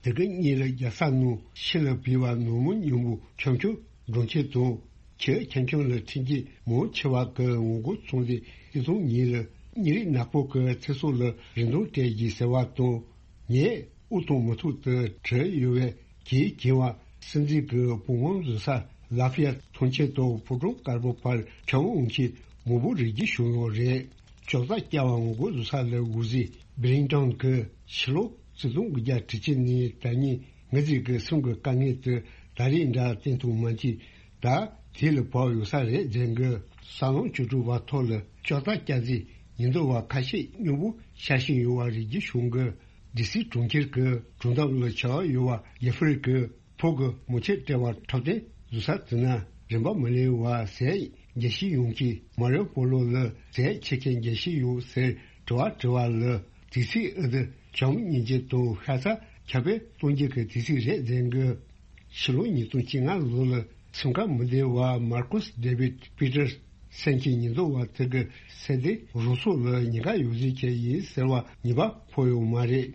དེ་གི་གཉིས་ལ་རྒྱལ་ས་ནང་ཕྱི་ལ་བུད་པ་ནོར་མི་ཉུང་པོ་ཁྱོམ་ཁྱོམ་འགྲོ་མཁན་དང་། ཁྱེད་ཁྱེད་ཁྱོད་ལ་འཕྲིན་སྐྱེལ་མང་ཆེ་བ་གི་ངོ་རྒོལ་ཚོགས་འདུའི་སྟེང་དུ་ཉིན་ལ་ཉིན་རེའི་ནག་པོ་གི་ཚེ་སྲོག་ལ་རིན་ཐང་སྤྲད་ཀྱི་ཟེར་བ་དང་། ངས་དབུ་གཏོང་མི་ཐུབ་དུ་བྲིས་ཡོད་པའི་གྱིས་གྱིས་བ་སྲིད་འཛིན་གྱི་བུ་ངོམ་བཟོ་ས་ལ་ཧྥི་ཡ་ཐོན་ཆེད་དུ་ཕོ་བྲང་དཀར་པོ་བར་ཁྱབ་འོང་གི་མང་པོ་རིག་རྒྱུ་བྱུང་ཡོད་རེད། ཅོག་ཙག་བཀྱག་པ་ངོ་རྒོལ་བཟོ་ས་ལ་འོད་ཟེར་བྷི་ལིང་ཊོན་གྱི་ཕྱི་ལོ་ཆིག་སྟོང་དགུ་བརྒྱ་དྲུག་ཅུ་ནས་ད་ཉིན་ངེད་ཚོའི་གི་སེམས་ཀྱི་དཀའ་ངལ་དེ་ད་རེས་འདྲ་བསྟན་ཐུབ་མ་མཆིས། ད་དེ་ལ་བབས་ཡོད་ས་རེད་ཟེར་གི། ས་ལམ་བཅུ་དྲུག་པ་ཐོག་ལ་ཅོག་ཙག་བཀྱག་རྩིས་ཉེན་རྟོག་པ་ཁ་ཤས་སྙོམས་པོ་བཞག་བཞིན་ཡོད་པ་རིག་རྒྱུ་བྱུང་གི། ཌི་སི་གྲོང་ཁྱེར་གྱི་གྲོང་འདབས་ལ་བྱ་བ་ཡོད་པ་ཡེ་ཧྥེ་རི་ཀི་ཕོ་གི་མོ་ཆེ་སྤྲད་པ་འཁྲབ་སྟོན་བཟོ་ས་དེ་ན་རིན་པ་མི་ལེན་པ་ཟས་རྒྱལ་སྤྱི་ཡོངས་ཀྱི་མ་རི་ཡོ་པོ་ལོ་ལ་ཟས་ཁྱེར་མཁན་རྒྱལ་སྤྱི་ཡོད་ཟེར་དྲི་བ་དྲི་བ་ལ་དུས་ཚིགས་ཨ་དུ་བྱམས་སྙིང་རྗེ་དང་ཤ་ཚ་ཁྱབ་སྤེལ་གཏོང་རྒྱུ་གི་དུས་ཚིགས་རེད་ཟེར་གི། ཕྱི་ལོ་ཉིས་སྟོང་བཅོ་ལྔ་ལོ་ལ་སེམས་ཁམས་མི་བདེ་བ་མར་ཀོས་ཌེ་བིད་པི་ཏར་སན་གྱི་ཉེན་རྟོག་པ་དེ་གི་སེ་འབྲས་རུ་སོགས་ལ་ཉེན་ཁ་ཡོད་ཟེར་གྱི་ཡིན་ཟེར་བ་ཉེས་པ་ཕོག་ཡོད་མ་རེད།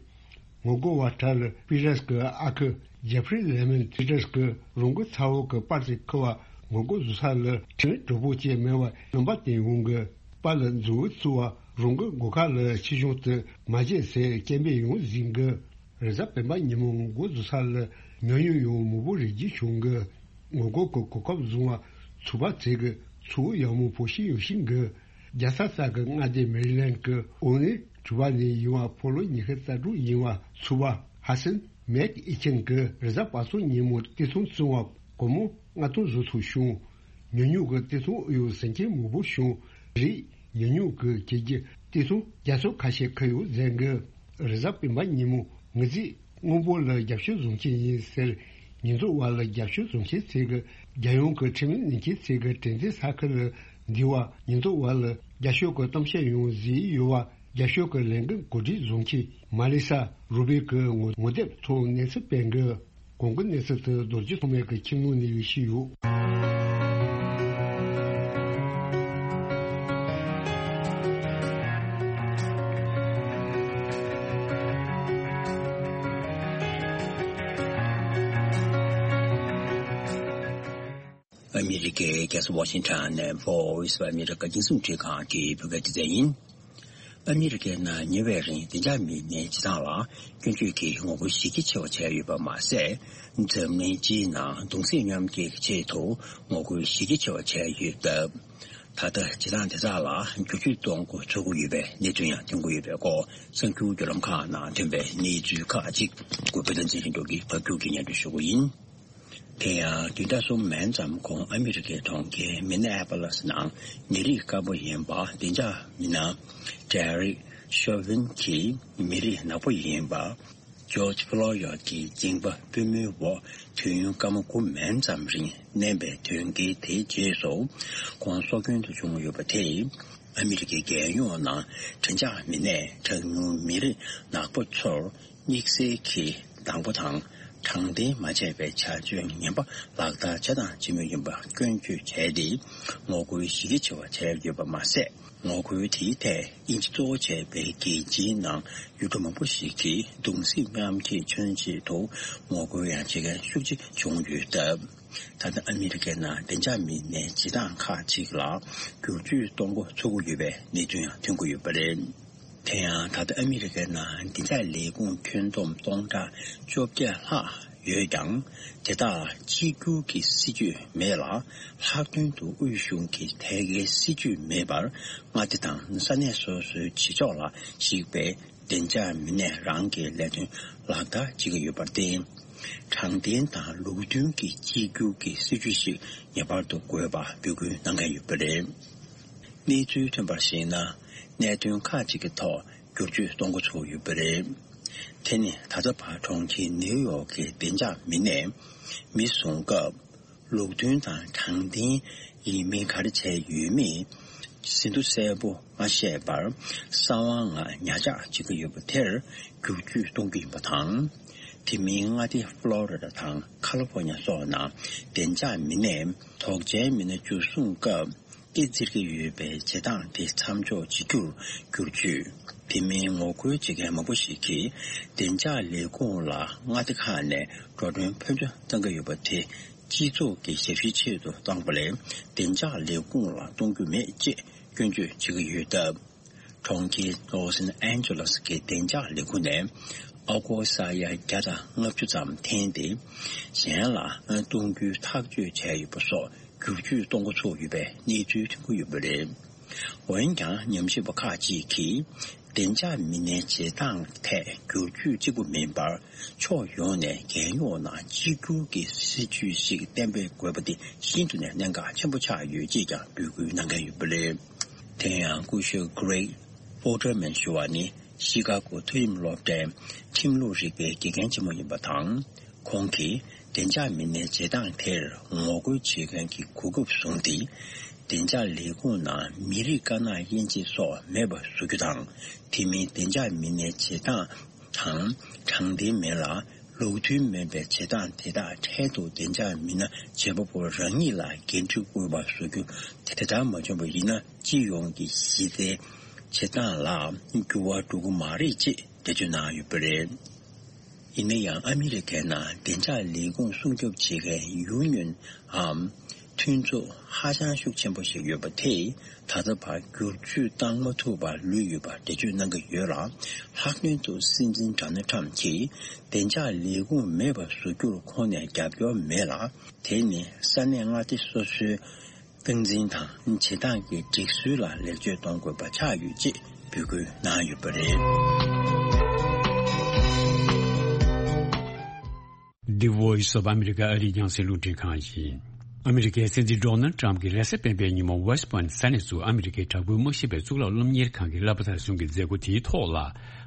ངོ་རྒོལ་བ་དག་ལ་པི་ཏར་སི་གི་ཨ་ཁུ་ཇེ་ཕི་རི་ལེ་མན་པི་ཏར་སི་གི་རང་གི་ཚ་བོ་གི་པར་ཅིག་ཁུར་བ་ངོ་རྒོལ་བཟོ་ས་ལ་ཁྲིམས་གྲོགས་པོ་བཅས་མེད་པར་རྣམ་པ་བསྟན་ཡོང་གི། པར་ལ་མཛུབ་བུ་བཙུགས་པ་རང་གི་སྒོ་ཁ་ལ་ཕྱི་ཤུན་དུ་མ་བྱེད་ཟེར་སྐད་འབོད་ཡང་ཟིན་གི། རེས་གཟའ་སྤེན་པ་ཉིན་མོ་ངོ་རྒོལ་བཟོ་ས་ལ་ཉུང་ཉུང་ཡང་མང་པོ་རིག་རྒྱུ་བྱུང་གི། ངོ་རྒོལ་གྱི་གོ་སྐབས་བཟུང་བ་ཚོགས་པ་ཚོས་ཀྱི་ཚོགས་ཡག་མོ་བོ་ཤིང་ཡོད་ཤིང་གི། རྒྱལ་ས་ས་གི་མངའ་སྡེ་མེ་རི་ལན་གྱི་ཨོ་ནི་གྲུ་པ་ནས་ཡིན་བ་ཕོ་ལོ་ཉི་ཤུ་རྩ་དྲུག་ཡིན་བ་ཚོགས་པ་ཧ་སན་མེག་ཨི་ཆན་གྱི་རེས་གཟའ་པ་སངས་ཉིན་མོ་བདེ་སྲུང་བཙོན་པ་སྒོར་མོ་ལྔ་སྟོང་བཟོ་ཐུབ་བྱུང་། ཉུང་ཉུང་གི་བདེ་སྲུང་ཨུ་ཡོན་ཟིན་མཁན་མང་པོ་བྱུང་། རིགས་ཉུང་ཉུང་གི་གྱོད་ཀྱི་བདེ་སྲུང་རྒྱ་མཚོ་ཁ་ཤས་ཁུར་ཡོད་ཟེར་གི། རེས་གཟའ་སྤེན་པ་ཉིན་མོ་ངེད་ཚོས་དངོས་པོ་ལ་རྒྱབ་སྐྱོར་བཟུང་གི་ཡིན་ཟེར། ཉེན་རྟོག་པ་ལ་རྒྱབ་སྐྱོར་བཟུང་མཁན་ཚོས་ཀྱི་རྒྱལ་ཡོངས་ཀྱི་ཁྲིམས་ལུགས་ནན་མཁན་ཚོས་ཀྱི་དྲན་རྟེན་ས་ཁུལ་ལ་འདུས་པ་ཉེན་རྟོག་པ་ལ་རྒྱབ་སྐྱོར་གྱི་གཏམ་བཤད་ཡང་བཟོས་ཡོད་པ་རྒྱབ་སྐྱོར་གྱི་ལས་འགུལ་གོ་སྒྲིག་བཟུང་མཁན་མ་ལི་ས་རུ་བི་གི་ངོ་ངོ་དེབ་ཐོག་གནས་ཚུལ་སྤེལ་གི། གོང་གི་གནས་ཚུལ་དེ་རྡོ་རྗེ་ཐོགས་མེད་ཀྱི་ཁྱིམ་ནང་ནས་ཡོད་ཤི་ཡོད། ཨ་མི་རི་ཀའི་རྒྱལ་ས་ཝ་ཤིང་ཊོན་ནས་Voice of America རྒྱང་སྲིང་འཕྲིན་ཁང་གི་བོད་སྐད་སྡེ་ཚན་ཡིན། ཨ་མི་རི་ཀའི་ནང་ཉེ་བའི་རིང་བདེ་འཇགས་མི་སྣའི་བྱེད་སྟངས་ལ་སྐྱོན་བརྗོད་ཀྱིས་ངོ་རྒོལ་གཞི་རྒྱ་ཆེ་བ་བྱས་ཡོད་པ་མ་ཟད། འཛམ་གླིང་སྤྱིའི་ནང་གདུང་སེམས་མཉམ་སྐྱེད་ཀྱི་ཆེད་དུ་ངོ་རྒོལ་གཞི་རྒྱ་ཆེ་བ་བྱས་ཡོད་སྟབས། ད་ལྟ་བྱེད་སྟངས་དེ་དག་ལ་བསྒྱུར་བཅོས་གཏོང་འགོ་ཚུགས་ཀྱི་ཡོད་པའི་གནས་ཚུལ་ཡང་ཐོན་གྱི་ཡོད་པའི་སྐོར་གསར་འགྱུར་བརྒྱུད་ལམ་ཁག་ནང་ཐོན་པའི་གནས་ཚུལ་ཁག་ཅིག་གུས་པ་བསྟན་འཛིན་ལྷན་རྒྱས་ཀྱིས་ཕབ་སྒྱུར་གྱིས་སྙན་སྒྲོན་ཞུ་གི་ཡིན། དེ་ཡང་བདུན་ཕྲག་གསུམ་མན་ཙམ་གོང་ཨ་མི་རི་ཀའི་གྲོང་ཁྱེར་མི་ནེ་ཨ་པོ་ལིས་ནང་མི་རིགས་དཀར་པོ་ཡིན་པ་བདེ་འཇགས་མི་སྣ་ཌེ་རིག་ཤོ་ཝིན་གྱིས་མི་རིགས་ནག་པོ་ཡིན་པ་ ཇོརྗ་ཕློ་ཡོད་ཀྱི་འགྱིང་བ་པུས་མོའི་འོག་དུས་ཡུན་སྐར་མ་དགུ་མན་ཙམ་རིང་མནན་པའི་དོན་རྐྱེན་དེའི་རྗེས་སུ་ཁོང་སྲོག་སྐྱོན་དུ་བྱུང་ཡོད་པ་དེས། ཨ་མི་རི་ཀའི་རྒྱལ་ཡོངས་ནང་འདྲེན་འཇགས་མི་སྣས་གྲངས་ཉུང་མི་རིགས་ནག་པོ་ཚོར་དམིགས་བསལ་གྱི་སྡང་པོ་དང་དྲང་བདེན་མ་བྱས་པའི་བྱ་སྤྱོད་ངན་པ་ལག་བསྟར་བྱེད་དང་བྱེད་མུས་ཡིན་པ་སྐྱོན་བརྗོད་བྱས་ཏེ། ངོ་རྒོལ་གཞི་རྒྱ་ཆེ་བ་བྱས་ཡོད་པ་མ་ཟད། ངོ་རྒོལ་དེའི་ཐད་དབྱིན་ཇི་གཙོ་བོ་བྱས་པའི་རྒྱལ་སྤྱིའི་ནང་ཡུལ་གྲུ་མང་པོ་ཞིག་གིས་གདུང་སེམས་མཉམ་སྐྱེད་མཚོན་ཆེད་དུ་ངོ་རྒོལ་ཡང་བྱེད་མཁན་ཤུགས་ཆེ་བྱུང་ཡོད་སྟབས། ད་ལྟ་ཨ་མི་རི་ཀའི་ནང་བདེ་འཇགས་མི་སྣའི་བྱེད་སྟངས་ཁག་ཅིག་ལ་བསྒྱུར་བཅོས་གཏོང་འགོ་ཚུགས་ཀྱི་ཡོད་པའི་གནས་ཚུལ་ཡང་ཐོན་གྱི་ཡོད་པ་རེད། དེ་ཡང་ད་ལྟ་ཨ་མི་རི་ཀའི་ནང་བདེ་འཇགས་ལས་ཁུངས་ཁྱོན་བསྡོམས་སྟོང་ཕྲག་བཅོ་བརྒྱད་ལྷག་ཡོད་ཀྱང་། དེ་དག་ལ་གཅིག་གྱུར་གྱི་སྲིད་ཇུས་མེད་ལ། ལྷག་དོན་དུ་དབུས་གཞུང་གི་ཐད་ཀའི་སྲིད་ཇུས་མེད་པར། མངའ་སྡེ་དང་ས་གནས་སོ་སོའི་བྱེད་ཕྱོགས་ལ་གཞིགས་པའི་བདེ་འཇགས་མི་སྣས་རང་གི་ལས་དོན་ལག་བསྟར་བྱེད་ཀྱི་ཡོད་པར་བརྟེན། དྲང་བདེན་དང་ལུགས་མཐུན་གྱི་གཅིག་གྱུར་གྱི་སྲིད་ཇུས་ཤིག་ངེས་པར་དུ་དགོས་པ་འབོད་སྐུལ་གནང་མཁན་ཡོད་པ་རེད། གནས་ཚུལ་ཐོན་པར་གཞིགས་ན། གནད་དོན་ཁག་ཅིག་གི་ཐོག་བསྒྱུར་བཅོས་གཏོང་འགོ་ཚུགས་ཡོད་པ་རེད། དེ་ནི་ད་ལྟ་བར་གྲོང་ཁྱེར་ནེའུ་ཡོག་གི་བདེ་འཇགས་མི་སྣས་མི་བཟུང་སྐབས། ལུགས་མཐུན་དང་དྲང་བདེན་ཡིན་མིན་ག་རེ་བྱས་ཡོད་མེད་ཟིན་ཐོ་གསལ་པོ་མ་བཤད་པར། གསང་བ་ངང་ཉར་ཆག་བྱེད་ཀྱི་ཡོད་པ་དེར་བསྒྱུར་བཅོས་གཏོང་གི་ཡིན་པ་དང་། དེ་མིན་མངའ་སྡེ་ཕློ་རི་ཌ་དང་ཁ་ལི་ཕོར་ཉ་སོགས་ནང་བདེ་འཇགས་མི་སྣས་དོགས་ཅན་མི་སྣ་འཇུ་བཟུང་སྐབས། ཨེ་འཛིར་གྱི་ཡོད་པའི་བྱེད་སྟངས་དེ་མཚམས་འཇོག་བྱེད་རྒྱུར་བསྒྱུར་བཅོས། དེ་མིན་ངོ་རྒོལ་བྱེད་མཁན་མང་པོ་ཞིག་གིས་བདེ་འཇགས་ལས་ཁུངས་ལ་མངའ་སྡེ་ཁག་ནས་འགྲོ་གྲོན་ཕོན་ཆེ་གཏང་གི་ཡོད་པ་དེ་སྤྱི་ཚོགས་ཀྱི་ཞབས་ཞུའི་ཆེད་དུ་བཏང་པ་ལས་བདེ་འཇགས་ལས་ཁུངས་ལ་གཏོང་རྒྱུ་མེད་ཅེས་སྐྱོན་བརྗོད་བྱེད་ཀྱི་ཡོད་སྟབས། གྲོང་ཁྱེར་ལོ་སན་ཨན་ཇེ་ལེ་སི་གི་བདེ་འཇགས་ལས་ཁུངས་ནས་ཨ་སྒོར་ས་ཡ་བརྒྱ་དང་ལྔ་བཅུ་ཙམ་འཐེན་ཏེ། གཞན་ལ་གཏོང་རྒྱུའི་ཐག་གཅོད་བྱས་ཡོད་པ་སོགས། བསྒྱུར་བཅོས་གཏོང་འགོ་ཚུགས་ཡོད་པའི་གནས་ཚུལ་ཐོན་གྱི་ཡོད་པ་རེད། འོན་ཀྱང་ཉམས་ཞིབ་པ་ཁག་ཅིག་གིས། བདེ་འཇགས་མི་སྣའི་བྱེད་སྟངས་ཐད་བསྒྱུར་བཅོས་གཅིག་པུ་མིན་པར། ཕྱོགས་ཡོངས་ནས་རྒྱལ་ཡོངས་ནང་གཅིག་གྱུར་གྱི་སྲིད་ཇུས་ཤིག་གཏན་འབེབས་དགོས་པ་དེ་ཤིན་ཏུ་ནས་གནད་འགག་ཆེན་པོ་ཆགས་ཡོད་ཅེས་ཀྱང་འབོད་སྐུལ་གནང་མཁན་ཡོད་པ་རེད། དེ་ཡང་སྐུ་ཞབས་Greg Boerterman ཞུ་བ་ནི། ཤི་ཀ་གོ་མཐོ་རིམ་སློབ་གྲྭའི་ཁྲིམས་ལུགས་རིག་པའི་དགེ་རྒན་ཆེན་མོ་ཡིན་པ་དང་། ཁོང་གིས་བདེ་འཇགས་མི་སྣའི་བྱེད་སྟངས་དེར་ངོ་རྒོལ་བྱེད་མཁན་གྱི་གོ་སྐབས་བཟུང་སྟེ། བདེ་འཇགས་ལས་ཁུངས་ནང་མི་རིགས་དཀར་ནག་དབྱེ་འབྱེད་སོགས་མེད་པ་བཟོ་རྒྱུ་དང་། དེ་མིན་བདེ་འཇགས་མི་སྣའི་བྱེད་སྟངས་དང་དྲང་བདེན་མིན་ལ། ལུགས་མཐུན་མིན་པའི་བྱེད་སྟངས་དེ་དག་འཕྲལ་དུ་བདེ་འཇགས་མི་སྣ་བྱེད་པ་པོ་རང་ཉིད་ལ་འགན་འཁྲི་དགོས་པ་བཟོ་རྒྱུ། དེ་ལྟར་མ་བྱུང་བ་ཡིན་ན། སྤྱི་ཡོངས་ཀྱི་གཞི་རྩའི་བྱེད་སྟངས་ལ་འགྱུར་བ་འགྲོ་གི་མ་རེད་ཅེས་འགྲེལ་བརྗོད་གནང་ཡོད་པ་རེད། ཡིན་ན་ཡང་ཨ་མི་རི་ཀའི་ནང་བདེ་འཇགས་ལས་ཁུངས་སྲུང་སྐྱོབ་བྱེད་མཁན་ཡུ་ནི་ཡོན་འམ་མཐུན་ཚོགས་ཧ་ཅང་ཤུགས་ཆེན་པོ་ཞིག་ཡོད་པ་དེས། ད་ལྟ་བར་བསྒྱུར་བཅོས་བཏང་མ་ཐུབ་པར་ལུས་ཡོད་པ་འགྲེལ་བརྗོད་གནང་གི་ཡོད་ལ། ལྷག་དོན་དུ་སྲིད་འཛིན་ཌོ་ནལ་ཊམ་གྱིས་བདེ་འཇགས་ལས་ཁུངས་མེད་པར་བཟོ་རྒྱུར་ཁོང་ནས་རྒྱབ་སྐྱོར་མེད་ལ། དེ་ནི་ས་གནས་མངའ་སྡེ་སོ་སོའི་སྟངས་འཛིན་དང་བྱེད་སྟངས་ཀྱི་སྒྲིག་སྲོལ་ལ་ལེགས་བཅོས་གཏོང་དགོས་པ་ཆགས་ཡོད་ཅེས་འབོད་སྐུལ་གནང་ཡོད་པ་རེད། The Voice of America ཨ་རིའི་རྒྱང་སྲིང་རླུང་འཕྲིན་ཁང་ཡིན། ཨ་མི་རི་ཀའི་སྲིད་འཛིན་ཌོ་ནལ་ཊམ་གྱིས་རེས་གཟའ་སྤེན་པའི་ཉིན་མོ་West Point ས་གནས་སུ་ཨ་མི་རི་ཀའི་དྲག་པོའི་དམག་ཞིབ་པའི་གཙུག་ལག་སློབ་གཉེར་ཁང་གི་སློབ་མ་དར་གསུམ་གྱི་མཛད་སྒོ་དེའི་ཐོག་ལ།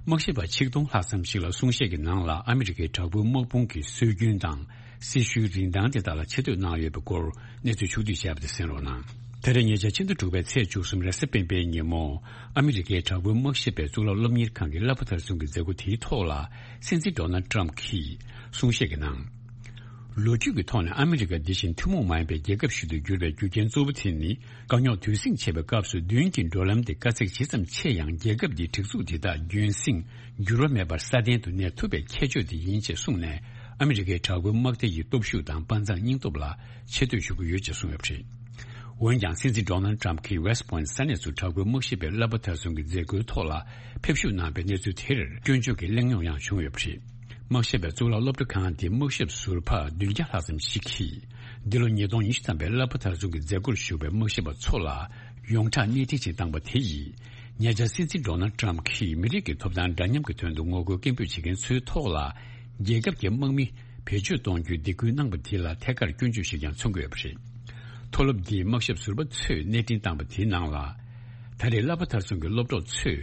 དམག་ཞིབ་པ་ཆིག་སྟོང་ལྷག་ཙམ་ཞིག་ལ་གསུང་བཤད་ཀྱི་ནང་ལ་ཨ་མི་རི་ཀའི་དྲག་པོའི་དམག་དཔུང་གི་སྲོལ་རྒྱུན་དང་། སྲི་ཞུའི་རིན་ཐང་དེ་དག་ལ་ཆེ་བསྟོད་གནང་ཡོད་པའི་སྐོར་གནས་ཚུལ་ཕྱོགས་བསྡུས་བྱས་པ་དེ་གསན་རོགས་གནང་། ད་རེས་ཉེ་ཆར་ཕྱི་ཟླ་དྲུག་པའི་ཚེས་བཅུ་གསུམ་རེས་གཟའ་སྤེན་པའི་ཉིན་མོ། ཨ་མི་རི་ཀའི་དྲག་པོའི་དམག་ཞིབ་པའི་གཙུག་ལག་སློབ་གཉེར་ཁང་གི་སློབ་མ་དར་གསུམ་གྱི་མཛད་སྒོ་དེའི་ཐོག་ལ། སྲིད་འཛིན་ཌོ་ནལ་ཊམ་གྱིས་གསུང་བཤད་ཀྱི་ནང་། ལོ་རྒྱུས་ཀྱི་ཐོག་ནས་ཨ་མི་རི་ཀ་འདི་བཞིན་ཐུན་མོང་མ་ཡིན་པའི་རྒྱལ་ཁབ་ཞིག་ཏུ་གྱུར་པའི་རྒྱུ་རྐྱེན་གཙོ་བོ་དེ་ནི། དཀའ་རྙོག་དུས་ཟིང་ཆེ་བའི་སྐབས་སུ་མདུན་གྱི་འགྲོ་ལམ་དེ་དཀའ་ཚེགས་ཇི་ཙམ་ཆེ་ཡང་། རྒྱལ་ཁབ་འདིའི་སྒྲིག་འཛུགས་འདི་དག་རྒྱུན་སྲིང་འགྱུར་བ་མེད་པར་སྲ་བརྟན་དུ་གནས་ཐུབ་པའི་ཁྱད་ཆོས་དེ་ཡིན་ཅེས་གསུངས་ནས། ཨ་མི་རི་ཀའི་དྲག་པོའི་དམག་སྡེ་ཡི་སྟོབས་ཤུགས་དང་དཔའ་མཛངས་སྙིང་སྟོབས་ལ་ཆེ་བསྟོད་ཞུ་གི་ཡོད་ཅེས་གསུངས་ཡོད་པ་རེད། འོན་ཀྱང་སྲིད་འཛིན་ཌོ་ནལ་ཊམ་གྱིས་West Point ས་གནས་སུ་དྲག་པོའི་དམག་ཞིབ་པའི་སློབ་མ་དར་གསུམ་གྱི་མཛད་སྒོའི་ཐོག་ལ་ཕེབས་ཞུགས་གནང་པའི་གནས་ཚུལ་དེར་སྐྱོན་བརྗོད་ཀྱི་གླེང་རྙོག་ཡང་བྱུང་ཡོད་པ་རེད། དམག་ཞིབ་པའི་གཙུག་ལག་སློབ་གྲྭ་ཁང་དེའི་དམག་ཞབས་ཟུར་པ་བདུན་བརྒྱ་ལྷག་ཙམ་ཞིག་གིས། འདི་ལོ་ཉིས་སྟོང་ཉི་ཤུ་ཐམ་པའི་སློབ་མ་དར་གསུམ་གྱི་མཛད་སྒོར་ཞུགས་པའི་དམག་ཞིབ་པ་ཚོ་ལ་ཡོངས་གྲགས་གནས་འཕྲིན་ཅིག་བཏང་པ་དེ་ཡིས། ཉེ་ཆར་སྲིད་འཛིན་ཌོ་ནལ་ཊམ་གྱིས་མི་རིགས་ཀྱི་ཐོབ་ཐང་འདྲ་མཉམ་གྱི་དོན་དུ་ངོ་རྒོལ་སྐད་འབོད་བྱེད་མཁན་ཚོའི་ཐོག་ལ། རྒྱལ་ཁབ་ཀྱི་དམག་མི་བེད་སྤྱོད་གཏོང་རྒྱུའི་སྡིགས་སྐུལ་གནང་པ་དེ་ལ་ཐད་ཀར་སྐྱོན་བརྗོད་ཞིག་ཀྱང་མཚོན་གྱི་ཡོད་པ་རེད། མཐོ་སློབ་འདིའི་དམག་ཞབས་ཟུར་པ་ཚོས་གནས་འཕྲིན་བཏང་པ་དེའི་ནང་ལ། ད་རེས་བསླབ་པ་མཐར་སོན་གྱི་སློབ་གྲོགས་ཚོས་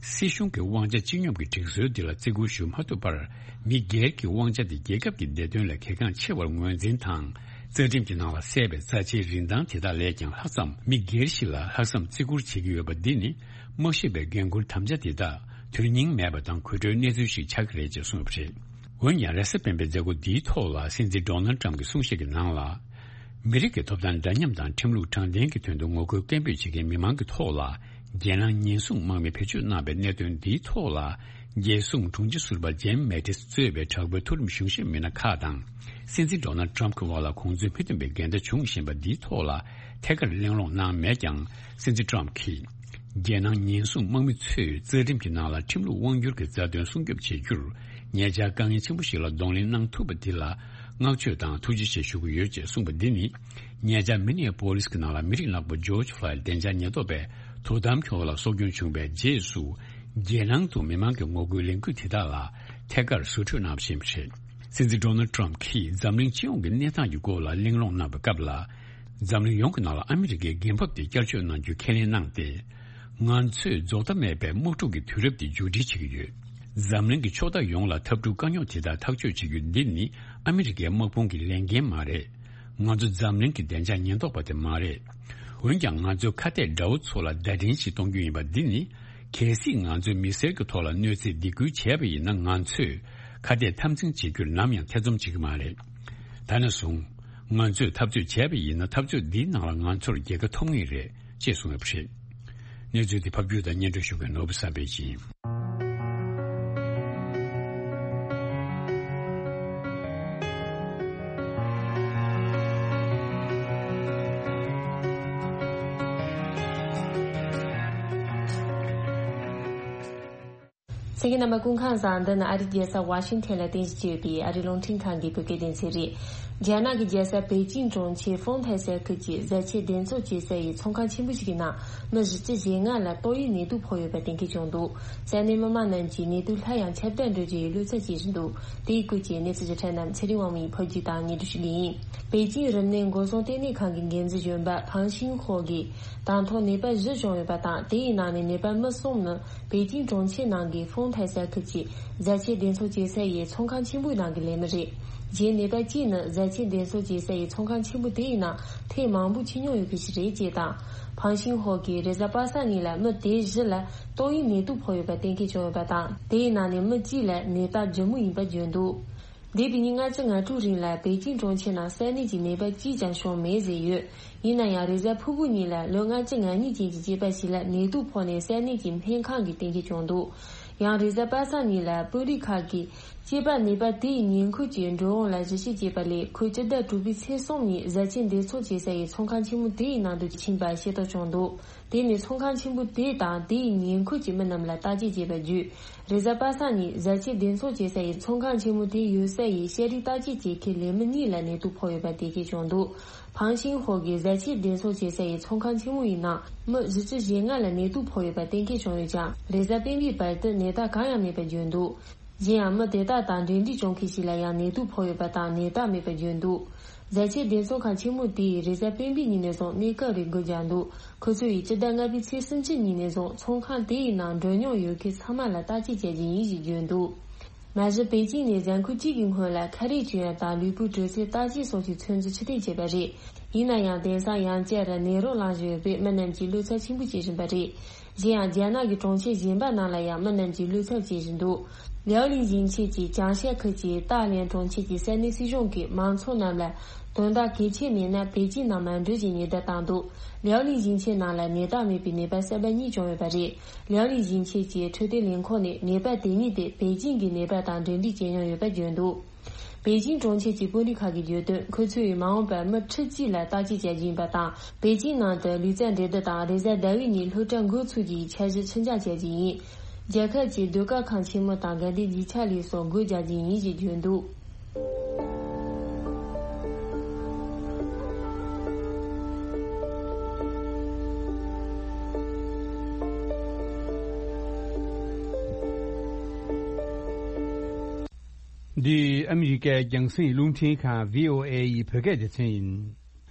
སྲིད་གཞུང་གི་དབང་ཆ་སྤྱི་སྙོམས་ཀྱི་སྒྲིག་སྲོལ་འདི་ལ་བརྩི་བཀུར་ཞུ་མ་ཐུབ་པར། མི་སྒེར་གྱི་དབང་ཆ་དེ་རྒྱལ་ཁབ་ཀྱི་བདེ་དོན་ལས་གལ་འགངས་ཆེ་བར་ངོས་འཛིན་དང་། རྩ་ཁྲིམས་ཀྱི་ནང་ལ་གསལ་བའི་རྩ་ཆེའི་རིན་ཐང་དེ་དག་ལས་ཀྱང་ལྷག་ཙམ་མི་སྒེར་ཞིག་ལ་ལྷག་བསམ་བརྩི་བཀུར་བྱེད་ཀྱི་ཡོད་པ་འདི་ནི། མ་ཤེས་པའི་འགན་འཁུར་དམ་བཅའ་དེ་དག་དོན་སྙིང་མེད་པ་དང་དགོད་བྲོའི་གནས་ཚུལ་ཞིག་ཆགས་ཀྱི་རེད་ཅེས་གསུངས་པ་རེད། འོན་ཀྱང་། རེས་གཟའ་སྤེན་པའི་མཛད་སྒོ་འདིའི་ཐོག་ལ་སྲིད་འཛིན་ཌོ་ནལ་ཊམ་གྱིས་གསུང་བཤད་ཀྱི་ནང་ལ། མི་རིགས་ཀྱི་ཐོབ་ཐང་འདྲ་མཉམ་དང་ཁྲིམས་ལུགས་དྲང་བདེན་གྱི་དོན་དུ་ངོ་རྒོལ་སྐད་འབོད་བྱེད་མཁན་མི་མང་གི་ཐོག་ལ། རྒྱལ་ནང་ཉེན་སྲུང་དམག་མི་བེད་སྤྱོད་གནང་བའི་གནད་དོན་འདིའི་ཐོག་ལ། རྒྱལ་སྲུང་དྲུང་ཆེ་ཟུར་པ་ཇེམ་མེ་ཏིས་གཙོས་པའི་དྲག་པོའི་མཐོ་རིམ་གཞུང་ཞབས་མི་སྣ་ཁག་དང་། སྲིད་འཛིན་ཌོ་ནལ་ཊམ་གྱི་དབར་ལ་གོང་ཚོད་མི་མཐུན་པའི་འགལ་ཟླ་བྱུང་བཞིན་པ་འདིའི་ཐོག་ལ། ཐད་ཀར་གླེང་སློང་གནང་མེད་ཀྱང་། སྲིད་འཛིན་ཊམ་གྱིས། རྒྱལ་ནང་ཉེན་སྲུང་དམག་མི་ཚོས་རྩ་ཁྲིམས་ཀྱི་ནང་ལ་ཁྲིམས་ལུགས་དབང་སྒྱུར་གྱི་རྩ་དོན་སྲུང་སྐྱོབ་བྱེད་རྒྱུར། ཉེ་ཆར་དཀའ་ངལ་ཆེན་པོ་ཞིག་ལ་གདོང་ལེན་གནང་ཐུབ་པ་འདི་ལ་བསྔགས་བརྗོད་དང་ཐུགས་རྗེ་ཆེ་ཞུ་གི་ཡོད་ཅེས་གསུངས་པ་འདི་ནི། ཉེ་ཆར་མི་ནེ་པོ་ལིས་ཀྱི་ནང་ལ་མི་རིགས་ནག་པོ་ཇོརྗ་ཕློའིཌ་བདེ་འཇགས་ཉེན་རྟོག་པས་དོ་དམ་གྱི་འོག་ལ་སྲོག་སྐྱོན་བྱུང་བའི་རྗེས་སུ། རྒྱལ་ནང་དུ་མི་མང་གི་ངོ་རྒོལ་ལས་འགུལ་དེ་དག་ལ་ཐད་ཀར་ཟུར་འཕྲོད་གནང་བཞིན་པ་རེད། སྲིད་འཛིན་ཌོ་ནལ་ཊམ་གྱིས་འཛམ་གླིང་སྤྱི་ཡོངས་ཀྱི་གནས་སྟངས་ཀྱི་སྐོར་ལ་གླེང་སློང་གནང་བའི་སྐབས་ལ། འཛམ་གླིང་ཡོངས་ཀྱི་ནང་ལ་ཨ་མི་རི་ཀའི་འགན་བབ་དེ་བསྐྱར་བཅོས་གནང་རྒྱུ་ཁས་ལེན་གནང་སྟེ། ང་ཚོས་རྫོགས་མཐའ་མེད་པའི་དམག་འཁྲུག་གི་དུས་རབས་དེ་མཇུག་སྒྲིལ་བྱེད་ཀྱི་ཡོད། འཛམ་གླིང་གི་ཕྱོགས་མཐའ་ཡོངས་ལ་འཐབ་འཁྲུག་དཀའ་རྙོག་དེ་དག་ཐག་གཅོད་བྱེད་རྒྱུ་འདི་ནི་ཨ་མི་རི་ཀའི་དམག་དཔུང་གི་ལས་འགན་མ་རེད། ང་ཚོ་འཛམ་གླིང་གི་བདེ་འཇགས་ཉེན་རྟོག་པ་དེ་མ་རེད། འོན་ཀྱང་ང་ཚོའི་ཁ་གཏད་དགྲ་བོ་ཚོ་ལ་བརྡ་འཕྲིན་ཞིག་གཏོང་རྒྱུ་ཡིན་པ་འདི་ནི། གལ་སྲིད་ང་ཚོས་མི་སེར་གྱི་ཐོག་ལ་གནོད་འཚེ་སྡིགས་སྐུལ་བྱས་པ་ཡིན་ན། ང་ཚོས་ཁ་གཏད་འཐབ་འཛིང་བྱེད་རྒྱུར་ནམ་ཡང་ཐེ་ཚོམ་བྱེད་ཀྱི་མ་རེད། ད་ནས་བཟུང་། ང་ཚོས་འཐབ་རྩོད་བྱས་པ་ཡིན་ན། འཐབ་རྩོད་འདིའི་ནང་ལ་ང་ཚོར་རྒྱལ་ཁ་ཐོབ་ངེས་རེད་ཅེས་གསུངས་ཡོད་པ་རེད། གནས་ཚུལ་དེ་ཕབ་སྒྱུར་དང་སྙན་སྒྲོན་ཞུ་མཁན་ནོར་བུ་བསམ་འཕེལ་ཡིན། གསན་མཁན་རྣམ་པ་སྐུ་ཁམས་བཟང་། འདི་ནི་ཨ་རིའི་རྒྱལ་ས་ཝ་ཤིང་ཐན་ལ་རྟེན་གཞི་བྱས་ཡོད་པའི་ཨ་རིའི་རླུང་འཕྲིན་ཁང་གི་བོད་སྐད་སྡེ་ཚན་རེད། རྒྱ་ནག་གི་རྒྱལ་ས་པེ་ཅིང་གྲོང་ཁྱེར་ཧྥོང་ཐའེ་ས་ཁུལ་གྱི་བཟའ་ཆས་འདེབས་འཚོང་བྱེད་ས་ཡི་ཚོང་ཁང་ཆེན་པོ་ཞིག་གི་ནང་མི་བཞི་བཅུ་ཞེ་ལྔ་ལ་ཏོག་དབྱིབས་ནད་དུག་ཕོག་ཡོད་པ་གཏན་འཁེལ་བྱུང་འདུག། ས་གནས་མི་མང་རྣམས་ཀྱིས་ནད་དུག་སླར་ཡང་ཁྱབ་གདལ་འགྲོ་རྒྱུ་ཡི་གློ་ཚད་བྱེད་བཞིན་འདུག། དེའི་སྐོར་གྱི་གནས་ཚུལ་ཞིབ་ཕྲ་རྣམས་ཚེ་རིང་དབང་མོ་ཡིས་ཕབ་སྒྱུར་དང་སྙན་སྒྲོན་ཞུ་གི་ཡིན། པེ་ཅིང་རིམས་ནད་འགོག་སྲུང་ལྟེ་གནས་ཁང་གི་འགན་འཛིན་གཞོན་པ་ཕང་ཤིང་ཧོ་གིས། དང་ཐོག་ནད་པ་བཞི་བྱུང་ཡོད་པ་དང་། དེའི་ནང་ནས་ནད་པ་མི་གསུམ་ནི་པེ་ཅིང་གྲོང་ཁྱེར་ནང་གི་ཧྥོང་ཐའེ་ས་ཁུལ་གྱི་བཟའ་ཆས་འདེབས་འཚོང་བྱེད་ས་ཡི་ཚོང་ཁང་ཆེན་པོའི་ནང་གི་ལས་མི་རེད། གཞན་ནད་པ་གཅིག་ནི་བཟའ་ཆས་འདེབས་འཚོང་བྱེད་ས་ཡི་ཚོང་ཁང་ཆེན་པོ་དེའི་ནང་ཐེངས་མང་པོ་ཕྱིན་མྱོང་ཡོད་མཁན་ཞིག་རེད་ཅེས་དང་། ཕང་ཤིང་ཧོ་གིས་རེས་གཟའ་པ་སངས་ཉིན་ལ་མི་དེ་བཞི་ལ་ཏོག་དབྱིབས་ནད་དུག་ཕོག་ཡོད་པ་གཏན་འཁེལ་བྱུང་ཡོད་པ་དང་། དེའི་ནང་ནས་མི་གཅིག་ལ་ནད་རྟགས་ལྗིད་མོ་ཡིན་པ་བརྗོད་འདུག། འདས་པའི་ཉིན་ལྔ་བཅུ་ང་དྲུག་རིང་ལ་པེ་ཅིང་གྲོང་ཁྱེར་ནང་གསར་ནད་ཀྱི་ནད་པ་གཅིག་ཀྱང་བྱུང་མེད་ཟེར་ཡོད། ཡིན་ན་ཡང་རེས་གཟའ་ཕུར་བུ་ཉིན་ལ་ལོ་ལྔ་བཅུ་ང་གཉིས་ཅན་གྱི་སྐྱེས་པ་ཞིག་ལ་ནད་དུག་ཕོག་ནས་གསར་ནད་ཀྱི་སྨན་ཁང་གིས་གཏན་འཁེལ་བྱུང་འདུག། ཡང་རེས་གཟའ་པ་སངས་ཉིན་ལ་དཔོན་རིགས་ཁག་གིས་སྐྱེས་པ་ནད་པ་དེ་ཡི་ཉེ་འཁོར་གྱི་འགྲོ་འོང་ལ་གཞི་བཅོལ་བྱས་པ་ལས། ཁོས་སྤྱི་ཟླ་དྲུག་པའི་ཚེས་གསུམ་ཉིན་བཟའ་ཆས་འདེབས་འཚོང་བྱེད་ས་ཡི་ཚོང་ཁང་ཆེན་མོ་དེ་ཡི་ནང་དུ་ཕྱིན་པ་ཤེས་རྟོགས་བྱུང་འདུག། དེ་ནས་ཚོང་ཁང་ཆེན་པོ་དེ་དང་དེའི་ཉེ་འཁོར་གྱི་མི་རྣམས་ལ་བརྟག་དཔྱད་བྱས་པ་བརྒྱུད། རེས་གཟའ་པ་སངས་ཉིན་བཟའ་ཆས་འདེབས་འཚོང་བྱེད་ས་ཡི་ཚོང་ཁང་ཆེན་མོ་དེ་ཡོད་ས་ཡི་ཤེས་རིག་བརྟག་དཔྱད་བྱེད་མཁན་ལས་མི་གཉིས་ལ་ནད་དུག་ཕོག་ཡོད་པ་གཏན་འཁེལ་བྱུང་འདུག། ཕང་ཤིང་ཧོ་གིས་བཟའ་ཆས་འདེབས་འཚོང་བྱེད་ས་ཡི་ཚོང་ཁང་ཆེན་མོ་ཡི་ནང་མི་བཞི་བཅུ་ཞེ་ལྔ་ལ་ནད་དུག་ཕོག་ཡོད་པ་གཏན་འཁེལ་བྱུང་ཡོད་ཀྱང་། རེས་གཟའ་སྤེན་པའི་བར་དུ་ནད་རྟགས་གང་ཡང་མེད་པ་བརྗོད་འདུག། གཞན་ཡང་མི་དེ་དག་དང་འབྲེལ་འདྲིས་བྱུང་མཁན་ཞིག་ལ་ཡང་ནད་དུག་ཕོག་ཡོད་པ་དང་ནད་རྟགས་མེད་པ་བརྗོད་འདུག། བཟའ་ཆས་འདེབས་འཚོང་ཁང་ཆེན་མོ་དེས་རེས་གཟའ་སྤེན་པའི་ཉིན་ནས་བཟུང་གནས་སྐབས་རེ་སྒོ་བརྒྱབ་འདུག། ཁོ་ཚོ་ཡིས་སྤྱི་ཟླ་ལྔ་པའི་ཚེས་སུམ་ཅུ་ཉིན་ནས་བཟུང་ཚོང་ཁང་དེ་ཡི་ནང་འགྲོ་མྱོང་ཡོད་མཁན་ཚང་མ་ལ་བརྟག་དཔྱད་བྱ་རྒྱུ་ཡིན་ཞེས་བརྗོད་འདུག། མ་གཞི་པེ་ཅིང་ནས་གཟའ་འཁོར་གཅིག་གི་སྔོན་ལ་ཁ་རས་གྱོན་ཡ་དང་ལུས་པོའི་དྲོད་ཚད་བརྟག་དཔྱད་སོགས་ཀྱི་ཚོད་འཛིན་ཕྱིར་འཐེན་བྱས་པ་རེད། ཡིན་ན་ཡང་དེང་སང་ཡང་བསྐྱར་ནད་རོ་ལངས་བཞིན་ཡོད་པས་མི་རྣམས་ཀྱིས་བློ་འཚབ་ཆེན་པོ་བྱེད་བཞིན་པ་རེད། གཞན་ཡང་རྒྱ་ནག་གི་གྲོང་ཁྱེར་གཞན་པ་རྣམས་ལ་ཡང་མི་རྣམས་ཀྱིས་བློ་འཚབ་བྱེད་བཞིན་འདུག། ལིའོ་ལིན་ཞིང་ཆེན་གྱི་ཅང་ཤ་ཁུལ་གྱི་ཏཱ་ལན་གྲོང་ཁྱེར་གྱི་ས་གནས་སྲིད་གཞུང་གིས་མང་ཚོགས་རྣམས་ལ་དོན་དག་གལ་ཆེ་མེད་ན་པེ་ཅིང་ནང་མ་འགྲོ་ཞེས་ཉེན་བརྡ་བཏང་འདུག། ལིའོ་ལིན་ཞིང་ཆེན་ནང་ལ་ནད་རྟགས་མེད་པའི་ནད་པ་གསར་པ་གཉིས་བྱུང་ཡོད་པ་རེད། ལིའོ་ལིན་ཞིང་ཆེན་གྱི་འཕྲོད་བསྟེན་ལས་ཁུངས་ནས་ནད་པ་དེ་གཉིས་དེ་པེ་ཅིང་གི་ནད་པ་དང་འབྲེལ་འདྲིས་བྱེད་མྱོང་ཡོད་པ་བརྗོད་འདུག། པེ་ཅིང་གྲོང་ཁྱེར་གྱི་དཔོན་རིགས་ཁག་གིས་བརྗོད་དོན། ཁོ་ཚོས་མ་འོངས་པར་མི་ཁྲི་གཅིག་ལ་བརྟག་དཔྱད་བྱ་རྒྱུ་ཡིན་པ་དང་། པེ་ཅིང་ནང་དུ་ལུས་རྩལ་འགྲན་བསྡུར་དང་རེས་གཟའ་ཟླ་བའི་ཉིན་སློབ་གྲྭ་འགོ་ཚུགས་རྒྱུའི་འཆར་གཞི་ཕྱིར་འགྱངས་བྱ་རྒྱུ་ཡིན། རྒྱལ་ཁབ་ཀྱི་ཟློས་གར་ཁང་ཆེན་མོ་དང་དགའ་ལྡན་རྒྱུ་ཆ་ལས་སོགས་སྒོ་རྒྱག་རྒྱུ་ཡིན་ཞེས་བརྗོད་འདུག། འདི་ཨ་མི་རི་ཀའི་རྒྱང་སྲིང་རླུང་འཕྲིན་ཁང་བྷི་ཨོ་ཨེ་ཡི་བོད་སྐད་སྡེ་ཚན་ཡིན།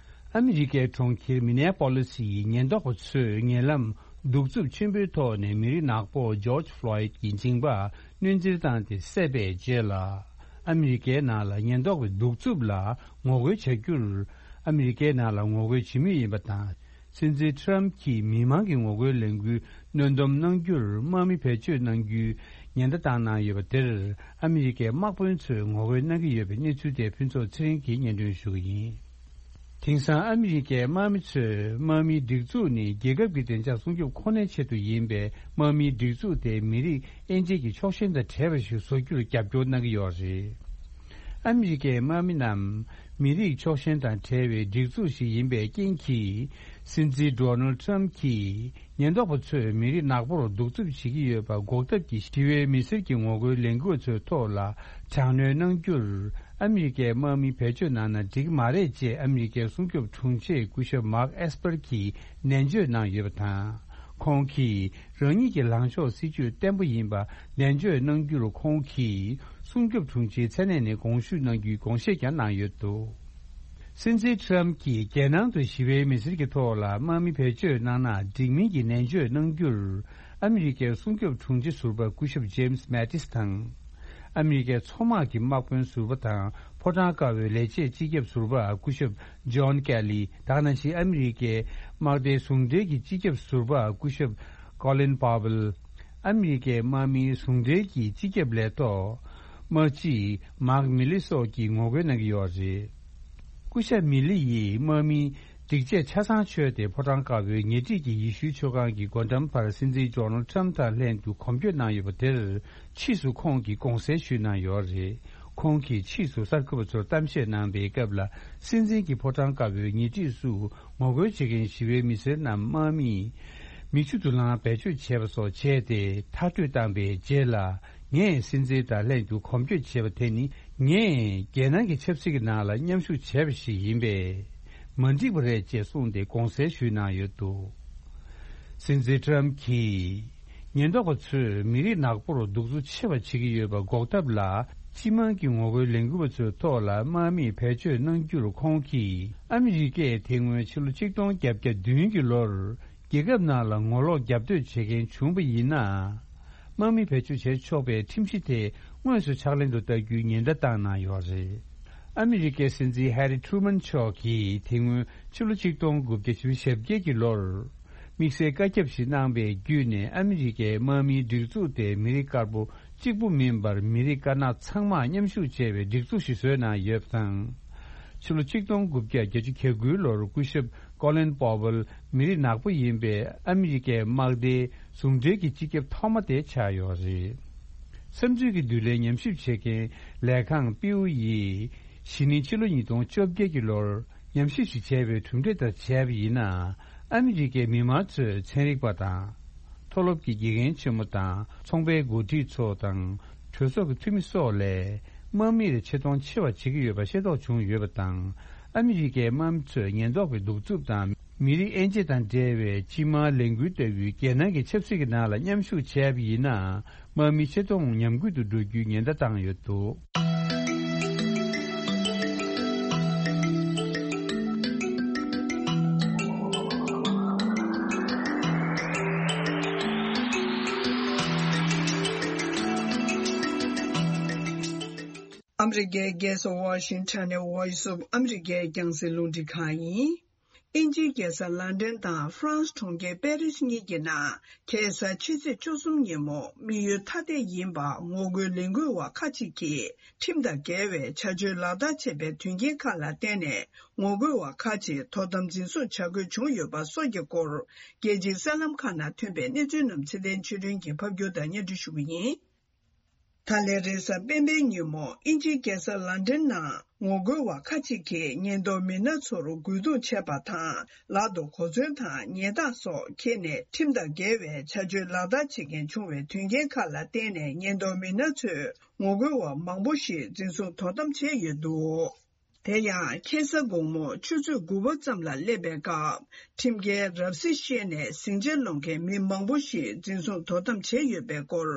ཨ་མི་རི་ཀའི་གྲོང་ཁྱེར་མི་ནེ་པོ་ལི་སི་ཡི་ཉེན་རྟོག་པ་ཚོས་ཉེ་ལམ་ གདུག་རྩུབ་ཆེན་པོའི་ཐོག་ནས་མི་རིགས་ནག་པོ་ཇོརྗ་ཕློའིད་ཀྱི་མཇིང་པ་གནོན་བཙིར་བཏང་སྟེ་བསད་པའི་རྗེས་ལ། ཨ་མི་རི་ཀའི་ནང་ལ་ཉེན་རྟོག་པའི་གདུག་རྩུབ་ལ་ངོ་རྒོལ་བྱ་རྒྱུར། ཨ་མི་རི་ཀའི་ནང་ལ་ངོ་རྒོལ་བྱེད་མུས་ཡིན་པ་དང་། སྲིད་འཛིན་ཊམ་གྱིས་མི་མང་གི་ངོ་རྒོལ་ལས་འགུལ་གནོན་སྡོམ་གནང་རྒྱུར་དམག་མི་བེད་སྤྱོད་གནང་རྒྱུའི་ཉེན་བརྡ་བཏང་གནང་ཡོད་པ་དེར། ཨ་མི་རི་ཀའི་དམག་དཔོན་ཚོས་ངོ་རྒོལ་གནང་གི་ཡོད་པའི་གནས་ཚུལ་དེ་ཕུན་ཚོགས་ཚེ་རིང་གིས་སྙན་སྒྲོན་ཞུ་གི་ཡིན། དེང་སང་ཨ་མི་རི་ཀའི་དམག་མི་ཚོས་དམག་མིའི་སྒྲིག་འཛུགས་ནི་རྒྱལ་ཁབ་ཀྱི་བདེ་འཇགས་སྲུང་སྐྱོབ་ཁོ་ནའི་ཆེད་དུ་ཡིན་པའི་དམག་མིའི་སྒྲིག་འཛུགས་དེ་མི་རིགས་དབྱེ་འབྱེད་ཀྱི་ཕྱོགས་ཞེན་དང་བྲལ་བ་ཞིག་བཟོ་རྒྱུར་རྒྱབ་སྐྱོར་གནང་གི་ཡོད་རེད། ཨ་མི་རི་ཀའི་དམག་མི་རྣམས་མི་རིགས་ཕྱོགས་ཞེན་དང་བྲལ་བའི་སྒྲིག་འཛུགས་ཤིག་ཡིན་པའི་རྐྱེན་གྱིས། སྲིད་འཛིན་ཌོ་ནལ་ཊམ་གྱིས་ཉེན་རྟོག་པ་ཚོས་མི་རིགས་ནག་པོར་གདུག་རྩུབ་བྱེད་ཀྱི་ཡོད་པ་འགོག་ཐབས་ཀྱི་ཞི་བའི་མི་སེར་གྱི་ངོ་རྒོལ་ལས་འགུལ་ཚོའི་ཐོག་ལ་དྲག་གནོན་གནང་རྒྱུར། ཨ་མི་རི་ཀའི་དམག་མི་བེད་སྤྱོད་གནང་ན་འགྲིག་མ་རེད་ཅེས་ཨ་མི་རི་ཀའི་སྲུང་སྐྱོབ་དྲུང་ཆེ་སྐུ་ཞབས་མཱག་ཨེས་པར་གྱིས་ནན་བརྗོད་གནང་ཡོད་པ་དང་། ཁོང་གིས་རང་ཉིད་ཀྱི་ལངས་ཕྱོགས་སྲིད་ཇུས་བརྟན་པོ་ཡིན་པ་ནན་བརྗོད་གནང་རྒྱུར། ཁོང་གིས་སྲུང་སྐྱོབ་དྲུང་ཆེའི་མཚན་གནས་ནས་དགོངས་ཞུ་གནང་རྒྱུའི་དགོངས་བཞེས་ཀྱང་གནང་ཡོད་འདུག་སྲིད་འཛིན་ཊམ་གྱིས་རྒྱལ་ནང་དུ་ཞི་བའི་མི་སེར་གྱི་ཐོག་ལ་དམག་མི་བེད་སྤྱོད་གནང་ན་འགྲིག་མིན་གྱི་ནན་བརྗོད་གནང་རྒྱུར། ཨ་མི་རི་ཀའི་སྲུང་སྐྱོབ་དྲུང་ཆེ་ཟུར་པ་སྐུ་ཞབས་ཇེམ་སི་མེ་ཏིས་དང་། ཨ་མི་རི་ཀའི་མཚོ་དམག་གི་དམག་དཔོན་ཟུར་པ་དང་ཕོ་བྲང་དཀར་པོའི་ལས་བྱེད་སྤྱི་ཁྱབ་ཟུར་པ་སྐུ་ཞབས་ཇོན་ཀེ་ལི། ད་ག་ནང་བཞིན་ཨ་མི་རི་ཀའི་དམག་སྡེའི་ཟུང་འབྲེལ་གྱི་སྤྱི་ཁྱབ་ཟུར་པ་སྐུ་ཞབས་ཀོ་ལིན་པ་ཝེལ། ཨ་མི་རི་ཀའི་དམག་མིའི་ཟུང་འབྲེལ་གྱི་སྤྱི་ཁྱབ་ལས་ཐོག་དམག་སྤྱི་མཱག་མི་ལི་སོགས་ཀྱིས་ངོ་རྒོལ་གནང་གི་ཡོད་རེད། སྐུ་ཞབས་མི་ལི་ཡིས་དམག་མིའི་སྒྲིག་ཆས་ཆ་ཚང་མཆོད་དེ་ཕོ་བྲང་དཀར་པོའི་ཉེ་འཁྲིས་ཀྱི་ཡེ་ཤུའི་ཆོས་ཁང་གི་སྒོ་འགྲམ་བར་སྲིད་འཛིན་ཌོ་ནལ་ཊམ་དང་ལྷན་དུ་གོམ་བསྐྱོད་གནང་ཡོད་པ་དེར། ཕྱིས་སུ་ཁོང་གིས་དགོངས་སེལ་ཞུས་གནང་ཡོད་རེད། ཁོང་གིས་ཕྱིས་སུ་གསར་འགོད་པ་ཚོར་གཏམ་བཤད་གནང་པའི་སྐབས་ལ། སྲིད་འཛིན་གྱི་ཕོ་བྲང་དཀར་པོའི་ཉེ་འཁྲིས་སུ་ངོ་རྒོལ་བྱེད་མཁན་ཞི་བའི་མི་སེར་རྣམས་དམག་མིས་མིག་ཆུ་དུ་ལངས་བེད་སྤྱོད་བྱས་པ་སོགས་བྱས་ཏེ་མཐར་སྐྲོད་བཏང་པའི་རྗེས་ལ། ངས་སྲིད་འཛིན་དང་ལྷན་དུ་གོམ་བསྐྱོད་བྱས་པ་དེ་ནི། ངས་རྒྱལ་ནང་གི་ཆབ་སྲིད་ཀྱི་ནང་ལ་མཉམ་ཞུགས་བྱས་པ་ཞིག་ཡིན་པས། མ་འགྲིག་པ་རེད་ཅེས་གསུངས་ཏེ་དགོངས་སེལ་ཞུས་གནང་ཡོད་འདུག་སྲིད་འཛིན་ཊམ་གྱིས་ཉེན་རྟོག་པ་ཚོས་མི་རིགས་ནག་པོར་གདུག་རྩུབ་ཆེ་བ་བྱེད་ཀྱི་ཡོད་པ་འགོག་ཐབས་ལ། སྤྱི་དམངས་ཀྱི་ངོ་རྒོལ་ལས་འགུལ་བ་ཚོའི་ཐོག་ལ་དམག་མིས་བེད་སྤྱོད་གནང་རྒྱུར། ཁོང་གིས་ཨ་མི་རི་ཀས་དེ་སྔོན་ཕྱི་ལོ་ཆིག་སྟོང་བརྒྱད་བརྒྱ་བདུན་གྱི་ལོར་རྒྱལ་ཁབ་ནང་ལ་ངོ་ལོག་རྒྱབ་གཏོད་བྱེད་མཁན་བྱུང་བ་ཡིན་ན། དམག་མི་བེད་སྤྱོད་བྱེད་ཆོག་པའི་ཁྲིམས་གཞི་དེ་དངོས་སུ་ཕྱག་ལེན་དུ་བསྟར་རྒྱུའི་ཉེན་བརྡ་བཏང་གནང་ཡོད་རེད། ཨ་མི་རི་ཀའི་སྲིད་འཛིན་ཧེ་རི་ཁྲུ་མན་མཆོག་གིས་དེ་སྔོན་ཕྱི་ལོ་ཆིག་སྟོང་དགུ་བརྒྱ་བཞི་བཅུ་ཞེ་བརྒྱད་ཀྱི་ལོར། དམིགས་བསལ་བཀའ་ཁྱབ་ཞིག་གནང་པའི་བརྒྱུད་ནས་ཨ་མི་རི་ཀའི་དམག་མིའི་སྒྲིག་འཛུགས་དེ་མི་རིགས་དཀར་པོ་གཅིག་པུ་མིན་པར་མི་རིགས་དཀར་ནག་ཚང་མ་མཉམ་ཞུགས་བྱས་པའི་སྒྲིག་འཛུགས་ཤིག་བཟོས་གནང་ཡོད་པ་དང་། ཕྱི་ལོ་ཆིག་སྟོང་དགུ་བརྒྱ་བརྒྱད་ཅུ་གྱ་དགུའི་ལོར་སྐུ་ཞབས་ཀོ་ལིན་པོ་ཝེལ་མི་རིགས་ནག་པོ་ཡིན་པའི་ཨ་མི་རི་ཀའི་དམག་སྡེའི་ཟུང་འབྲེལ་གྱི་སྤྱི་ཁྱབ་ཐོག་མ་དེ་ཆགས་ཡོད་རེད། བསམ་ཚུལ་གྱི་འདུན་ལམ་ཉམས་ཞིབ་བྱེད་མཁན་ལས་ཁང་པིའུ་ཡིས་གཞེས་ནིང་ཕྱི་ལོ་ཉིས་སྟོང་བཅོ་བརྒྱད་ཀྱི་ལོར་ཉམས་ཞིབ་ཞིག་བྱས་པའི་གྲུབ་འབྲས་ལྟར་བྱས་པ་ཡིན་ན། ཨ་མི་རི་ཀའི་མི་མང་ཚོས་ཚན་རིག་པ་དང་། མཐོ་སློབ་ཀྱི་དགེ་རྒན་ཆེན་མོ་དང་ཚོང་པའི་འགོ་ཁྲིད་ཚོ་དང་། གྲོས་ཚོགས་ཀྱི་འཐུས་མི་སོགས་ལས་དམག་མིར་ཆེ་མཐོང་ཆེ་བ་བྱེད་ཀྱི་ཡོད་པ་ཤེས་རྟོགས་བྱུང་ཡོད་པ་དང་། ཨ་མི་རི་ཀའི་དམག་མི་ཚོས་ཉེན་རྟོག་པའི་གདུག་རྩུབ་དང་མི་རིགས་དབྱེ་འབྱེད་དང་འབྲེལ་བའི་སྤྱི་དམངས་ལས་འགུལ་ལྟ་བུའི་རྒྱལ་ནང་གི་ཆབ་སྲིད་ཀྱི་ནང་ལ་མཉམ་ཞུགས་བྱས་པ་ཡིན་ན། དམག་མིའི་ཆེ་མཐོང་ཉམས་རྒུད་དུ་འགྲོ་རྒྱུའི་ཉེན་བརྡ་བཏང་ཡོད་འདུག་ཨ་མི་རི་ཀའི་རྒྱལ་ས་ཝ་ཤིང་ཊོན་ནས་Voice of America རྒྱང་སྲིང་རླུང་འཕྲིན་ཁང་ཡིན། དབྱིན་ཇིའི་རྒྱལ་ས་ལན་ཌན་དང་ཧྥ་རན་སི་གྲོང་ཁྱེར་པེ་རི་སི་གཉིས་ཀྱི་ནང་ཁ་སང་ཕྱི་ཚེས་བཅུ་གསུམ་ཉིན་མོ་དམིགས་ཡུལ་ཐ་དད་ཡིན་པ་ངོ་རྒོལ་ལས་འགུལ་བ་ཁག་ཅིག་གིས་ཁྲིམས་དང་འགལ་བའི་བྱ་སྤྱོད་ལག་བསྟར་བྱས་པའི་དོན་རྐྱེན་ཁག་ལ་བརྟེན་ནས་ངོ་རྒོལ་བ་ཁག་ཅིག་དོ་དམ་འཛིན་བཟུང་བྱ་དགོས་བྱུང་ཡོད་པ་སོགས་ཀྱི་སྐོར་རྒྱལ་སྤྱིའི་གསར་ལམ་ཁག་ནང་ཐོན་པའི་གནས་ཚུལ་རྣམས་ཚེ་བརྟན་ཆོས་སྒྲོན་གྱིས་ཕབ་སྒྱུར་དང་སྙན་སྒྲོན་ཞུ་གི་ཡིན། ད་ལན་རེས་གཟའ་སྤེན་པའི་ཉིན་མོ་དབྱིན་ཇིའི་རྒྱལ་ས་ལན་ཌན་ནང་ངོ་རྒོལ་བ་ཁག་ཅིག་གིས་ཉེན་རྟོག་མི་སྣ་ཚོར་རྒོལ་རྡུང་བྱས་པ་དང་། ལག་ཏུ་གོ་མཚོན་དང་ཉེས་རྟགས་སོགས་འཁྱེར་ནས་ཁྲིམས་དང་འགལ་བའི་བྱ་སྤྱོད་ལག་བསྟར་བྱེད་མཁན་བྱུང་བའི་དོན་རྐྱེན་ཁག་ལ་བརྟེན་ནས་ཉེན་རྟོག་མི་སྣ་ཚོས་ངོ་རྒོལ་བ་མང་པོ་ཞིག་འཛིན་བཟུང་དོ་དམ་བྱས་ཡོད་འདུག་དེ་ཡང་ཁ་སང་དགོང་མོ་ཆུ་ཚོད་དགུ་པ་ཙམ་ལ་སླེབས་པའི་སྐབས། ཁྲིམས་འགལ་རབ་གསལ་བཤད་ནས་ཟིང་ཆ་སློང་མཁན་མི་མང་པོ་ཞིག་འཛིན་བཟུང་དོ་དམ་བྱས་ཡོད་པའི་སྐོར།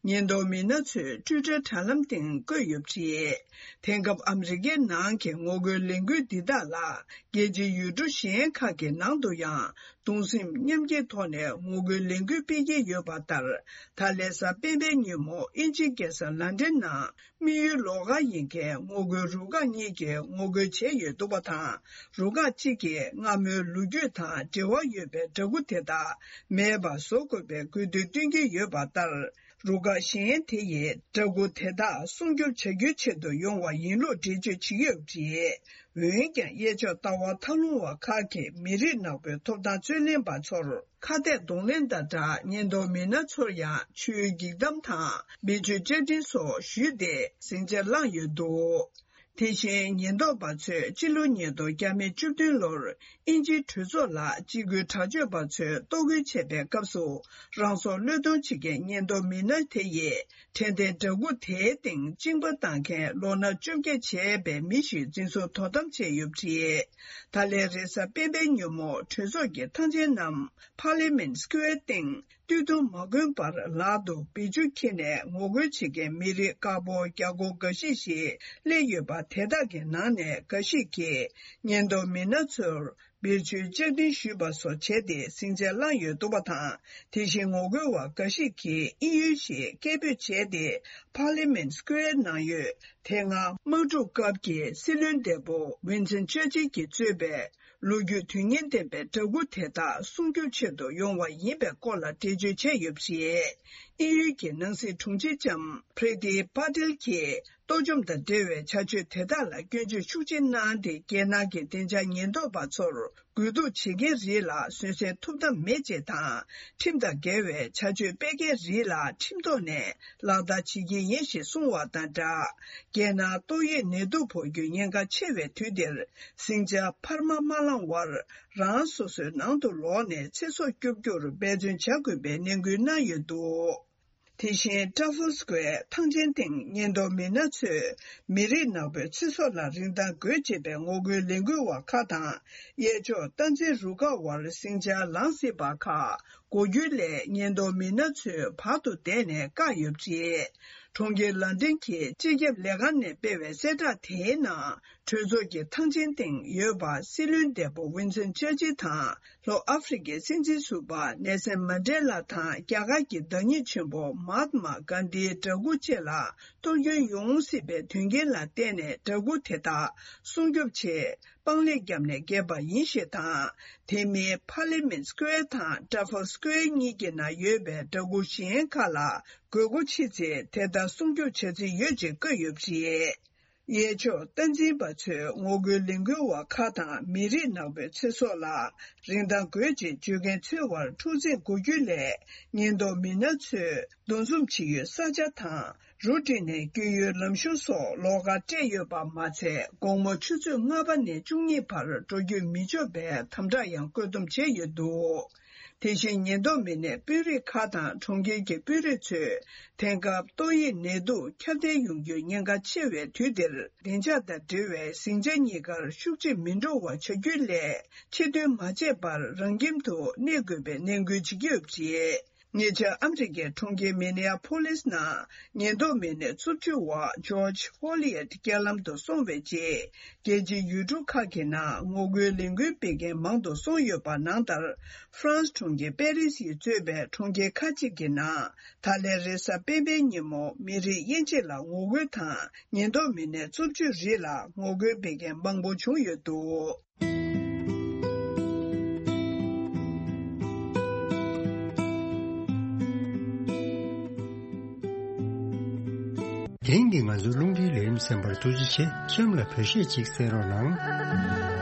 ཉེན་རྟོག་མི་སྣ་ཚོས་ཊུའི་ཊར་དྲ་ལམ་སྟེང་བཀོད་ཡོད་པ་རེད། དེང་སྐབས་ཨ་མི་རི་ཀའི་ནང་གི་ངོ་རྒོལ་ལས་འགུལ་འདི་དག་ལ་རྒྱལ་སྤྱིའི་ཡུལ་གྲུ་གཞན་ཁག་གི་ནང་དུ་ཡང་ གདུང་སེམས་མཉམ་སྐྱེད་ཐོག་ནས་ངོ་རྒོལ་ལས་འགུལ་སྤེལ་གྱི་ཡོད་པ་ལྟར། ད་ལན་གཟའ་སྤེན་པའི་ཉིན་མོ་དབྱིན་ཇིའི་རྒྱལ་ས་ལན་ཀྲན་ནང་དམིགས་ཡུལ་ལོགས་ཀ་ཡིན་མཁན་ངོ་རྒོལ་རུ་ཁག་གཉིས་ཀྱིས་ངོ་རྒོལ་བྱས་ཡོད་འདུག་པ་དང་། རུ་ཁག་གཅིག་གིས་སྔ་མོའི་ལོ་རྒྱུས་དང་འབྲེལ་བ་ཡོད་པའི་འདྲ་སྐུ་དེ་དག་མེད་པར་བཟོ་དགོས་པའི་དགོས་འདུན་བཏོན་གྱི་ཡོད་པ་ལྟར། རུ་ཁག་གཞན་དེ་ཡིས་འདྲ་སྐུ་དེ་དག་སྲུང་སྐྱོབ་བྱ་རྒྱུའི་ཆེད་དུ་ཡོང་བ་ཡིན་ལུགས་འགྲེལ་བརྗོད་བྱེད་ཀྱི་ཡོད་པ་རེད། འོན་ཀྱང་གཡས་ཕྱོགས་ལྟ་བ་མཐའ་ལྷུང་བ་ཁག་གིས་མི་རིགས་ནག་པོའི་ཐོབ་ཐང་རྩོད་ལེན་པ་ཚོར་ཁ་གཏད་གདོང་ལེན་དང་སྦྲགས། ཉེན་རྟོག་མི་སྣ་ཚོར་ཡང་ཆུའི་འགྱིག་དམ་དང་བེད་སྤྱོད་བཅའ་ཁྲིམས་སོགས་ཞུས་ཏེ་ཟིང་ཆ་བསླངས་ཡོད་འདུག། དེ་བཞིན་ཉེན་རྟོག་པ་ཚོས་སྤྱི་ལོ་ཉིས་སྟོང་བརྒྱ་མེད་བཅུ་བདུན་ལོར་དབྱིན་ཇིའི་གྲོས་ཚོགས་ལ་གཅིག་གྱུར་དྲག་སྤྱོད་པ་ཚོས་གཏོར་རྒོལ་བྱས་པའི་སྐབས་སུ། རང་སྲོག་བློས་གཏོང་བྱེད་མཁན་ཉེན་རྟོག་མི་སྣ་དེ་ཡིས་དྲན་རྟེན་འདྲ་སྐུ་དེའི་སྟེང་བཅིངས་པ་བཏང་མཁན་ལོ་ན་བཅོ་བརྒྱད་བྱས་པའི་མི་ཞིག་འཛིན་བཟུང་དོ་དམ་བྱས་ཡོད་པ་རེད། ད་ལན་རེས་གཟའ་སྤེན་པའི་ཉིན་མོ་གྲོས་ཚོགས་ཀྱི་ཐང་ཆེན་ནམ་Parliament Square སྟེང་སྟོད་ཐུང་མ་གོན་པར་ལག་ཏུ་བེད་སྤྱོད་འཁྱེར་ནས་ངོ་རྒོལ་བྱེད་མཁན་མི་རིགས་དཀར་པོ་རྒྱ་སྒོར་འགའ་ཤས་ཤིག་སླེབས་ཡོད་པ། དེ་དག་གི་ནང་ནས་འགའ་ཤས་ཀྱིས་ཉེན་རྟོག་མི་སྣ་ཚོར་བེད་སྤྱོད་བཅའ་ཁྲིམས་ཞུས་པ་སོགས་བྱས་ཏེ་ཟིང་ཆ་བསླངས་ཡོད་འདུག་པ་དང་། དེ་བཞིན་ངོ་རྒོལ་བ་འགའ་ཞིག་གིས་དབྱིན་ཡུལ་ཞེས་སྐད་འབོད་བྱས་ཏེ། Parliament Square ནང་ཡོད་དེ་སྔ་དམག་འཁྲུག་སྐབས་ཀྱི་སྲིད་བློན་འདས་པོ་Winston Churchill གྱིས་གཙོས་པའི་ལོ་རྒྱུས་དོན་སྙིང་ལྡན་པའི་འདྲ་སྐུ་དེ་དག་སྲུང་སྐྱོབ་ཆེད་དུ་ཡོང་བ་ཡིན་པའི་སྐོར་ལ་འགྲེལ་བརྗོད་བྱས་ཡོད་པ་རེད། དབྱིན་ཡུལ་གྱི་ནང་སྲིད་དྲུང་ཆེ་ལྕམ་Priti Patel གྱིས། གཏོར་བཅོམ་དང་འབྲེལ་བའི་བྱ་སྤྱོད་དེ་དག་ལ་སྐྱོན་བརྗོད་ཤུགས་ཆེ་གནང་སྟེ། རྒྱལ་ནང་གི་བདེ་འཇགས་ཉེན་རྟོག་པ་ཚོར་རྒོལ་རྡུང་བྱེད་མཁན་རིགས་ལ་བཟོད་བསྲན་ཐོབ་ཐབས་མེད་ཅེས་དང་། ཁྲིམས་དང་འགལ་བའི་བྱ་སྤྱོད་སྤེལ་མཁན་རིགས་ལ་ཁྲིམས་ཐོག་ནས་ལག་བསྟར་བྱེད་ཀྱི་ཡིན་ཞེས་གསུངས་བ་དང་སྦྲགས། རྒྱལ་ནང་ཏོག་དབྱིབས་ནད་དུག་ཕོག་རྒྱུའི་ཉེན་ཁ་ཆེ་བའི་དུས་འདིར། ཟིང་ཆ་འཕར་མ་མ་བསླངས་བར། རང་སོ་སོའི་ནང་དུ་ལོག་ནས་ཚེ་སྲོག་སྐྱོབ་རྒྱུར་འབད་བརྩོན་བྱ་དགོས་པའི་ནན་སྐུལ་གནང་ཡོད་འདུག། དེ་བཞིན་Trafalgar Square ཐང་ཆེན་སྟེང་ཉེན་རྟོག་མི་སྣ་ཚོས་མི་རིགས་ནག་པོའི་ཚེ་སྲོག་ལ་རིན་ཐང་དགོས་ཅེས་པའི་ངོ་རྒོལ་ལས་འགུལ་བ་ཁག་དང་། གཡས་ཕྱོགས་སྟངས་འཛིན་རུ་ཁག་དབར་ཟིང་ཆ་ལངས་སྲིད་པ་ཁག་གོ་རྒྱུའི་སླད། ཉེན་རྟོག་མི་སྣ་ཚོས་བར་དུ་བསྡད་ནས་བཀག་ཡོད་པ་རེད། གྲོང་ཁྱེར་ལན་ཀྲན་གྱི་སྤྱི་ཁྱབ་ལས་ཁང་ནས་སྤེལ་བའི་གསལ་བསྒྲགས་དེའི་ནང་། གྲོས་ཚོགས་ཀྱི་ཐང་ཆེན་སྟེང་ཡོད་པ་སྲིད་བློན་འདས་པོ་ཝིན་སན་ཆར་ཆིལ་དང་། ལྷོ་ཨ་ཧྥེ་རི་ཁའི་སྲིད་འཛིན་ཟུར་པ་ནེལ་སན་མན་ཌེ་ལ་དང་། རྒྱ་གར་གྱི་བདག་ཉིད་ཆེན་པོ་མ་ཧཱ་ཏ་མ་གྷན་དྷིའི་འདྲ་སྐུ་བཅས་ལ་གཏོར་སྐྱོན་ཡོང་སྲིད་པའི་དོན་རྐྱེན་ལ་བརྟེན་ནས། འདྲ་སྐུ་དེ་དག་སྲུང་སྐྱོབ་ཆེད་པང་ལེབ་བརྒྱབ་ནས་བརྒྱབ་པ་ཡིན་ཞེས་དང་། དེ་མིན་Parliament Square དང་Trafalgar Square གཉིས་ཀྱི་ནང་ཡོད་པའི་འདྲ་སྐུ་གཞན་ཁག་ལ་དགོས་མཁོ་ཆེ་ཚེ་དེ་ལྟར་སྲུང་སྐྱོབ་བྱ་རྩིས་ཡོད་ཅེས་བཀོད་ཡོད་པ་རེད། གཡས་ཕྱོགས་སྟངས་འཛིན་པ་ཚོས་ངོ་རྒོལ་ལས་འགུལ་བ་ཁག་དང་མི་རིགས་ནག་པོའི་ཚེ་སྲོག་ལ་རིན་ཐང་དགོས་ཅེས་བརྗོད་མཁན་ཚོའི་དབར་འཁྲུག་འཛིང་འགོ་རྒྱུའི་སླད། ཉེན་རྟོག་མི་སྣ་ཚོས་འདུ་འཛོམས་བྱེད་ཡུལ་ས་ཆ་དང་རུ་བསྒྲིགས་ནས་བསྐྱོད་ཡུལ་ལམ་གཞུང་སོགས་ལོགས་ཀར་སྤྲད་ཡོད་པ་མ་ཚད། དགོང་མོ་ཆུ་ཚོད་ལྔ་པ་ནས་བཅུ་གཉིས་བར་འགྲོ་སྐྱོད་མི་ཆོག་པའི་དམ་དྲག་ཡང་བཀོད་འདོམས་བྱས་ཡོད་འདུག། དེ་བཞིན་ཉེན་རྟོག་མི་སྣས་དཔོན་རིགས་ཁག་དང་གྲོང་ཁྱེར་གྱི་དཔོན་རིགས་ཚོས་དེང་སྐབས་ཏོག་དབྱིབས་ནད་དུག་ཁྱབ་གདལ་ཡོང་རྒྱུའི་ཉེན་ཁ་ཆེ་བའི་དུས་འདིར། བདེ་འཇགས་དང་འབྲེལ་བའི་ཟིང་ཆ་གཉིས་ཀར་ཤུགས་ཆེ་མི་འགྲོ་བ་བྱ་རྒྱུའི་སླད། ཕྱིར་ཐོན་མ་བྱས་པར་རང་ཁྱིམ་དུ་གནས་དགོས་པའི་ནན་སྐུལ་བྱེད་ཀྱི་ཡོད་པ་རེད། ཉེ་ཆར་ཨ་མི་རི་ཀའི་གྲོང་ཁྱེར་མི་ནེ་ཨ་ཕོ་ལིས་ནང་ཉེན་རྟོག་མི་སྣའི་རྩུབ་སྤྱོད་འོག་ཇོརྗ་ཧོ་ལི་ཡེད་རྐྱེན་ལམ་དུ་སོང་བའི་རྗེས། རྒྱལ་སྤྱིའི་ཡུལ་གྲུ་ཁག་གི་ནང་ངོ་རྒོལ་ལས་འགུལ་སྤེལ་མཁན་མང་དུ་སོང་ཡོད་པ་ནང་ལྟར། ཧྥ་རན་སི་གྲོང་ཁྱེར་པེ་རི་སི་ཡིས་གཙོས་པའི་གྲོང་ཁྱེར་ཁག་ཅིག་གི་ནང་ད་ལན་རེས་གཟའ་སྤེན་པའི་ཉིན་མོ་མི་རིགས་དབྱེ་འབྱེད་ལ་ངོ་རྒོལ་དང་། ཉེན་རྟོག་མི་སྣའི་རྩུབ་སྤྱོད་རིགས་ལ་ངོ་རྒོལ་སྤེལ་མཁན་མང་པོ་བྱུང་ཡོད་འདུག། དེང་གི་ང་ཚོའི་རླུང་འཕྲིན་ལས་རིམ་གསན་པར་ཐུགས་རྗེ་ཆེ། མཚམས་ལ་བོད་གཞས་ཅིག་གསན་རོགས་གནང་།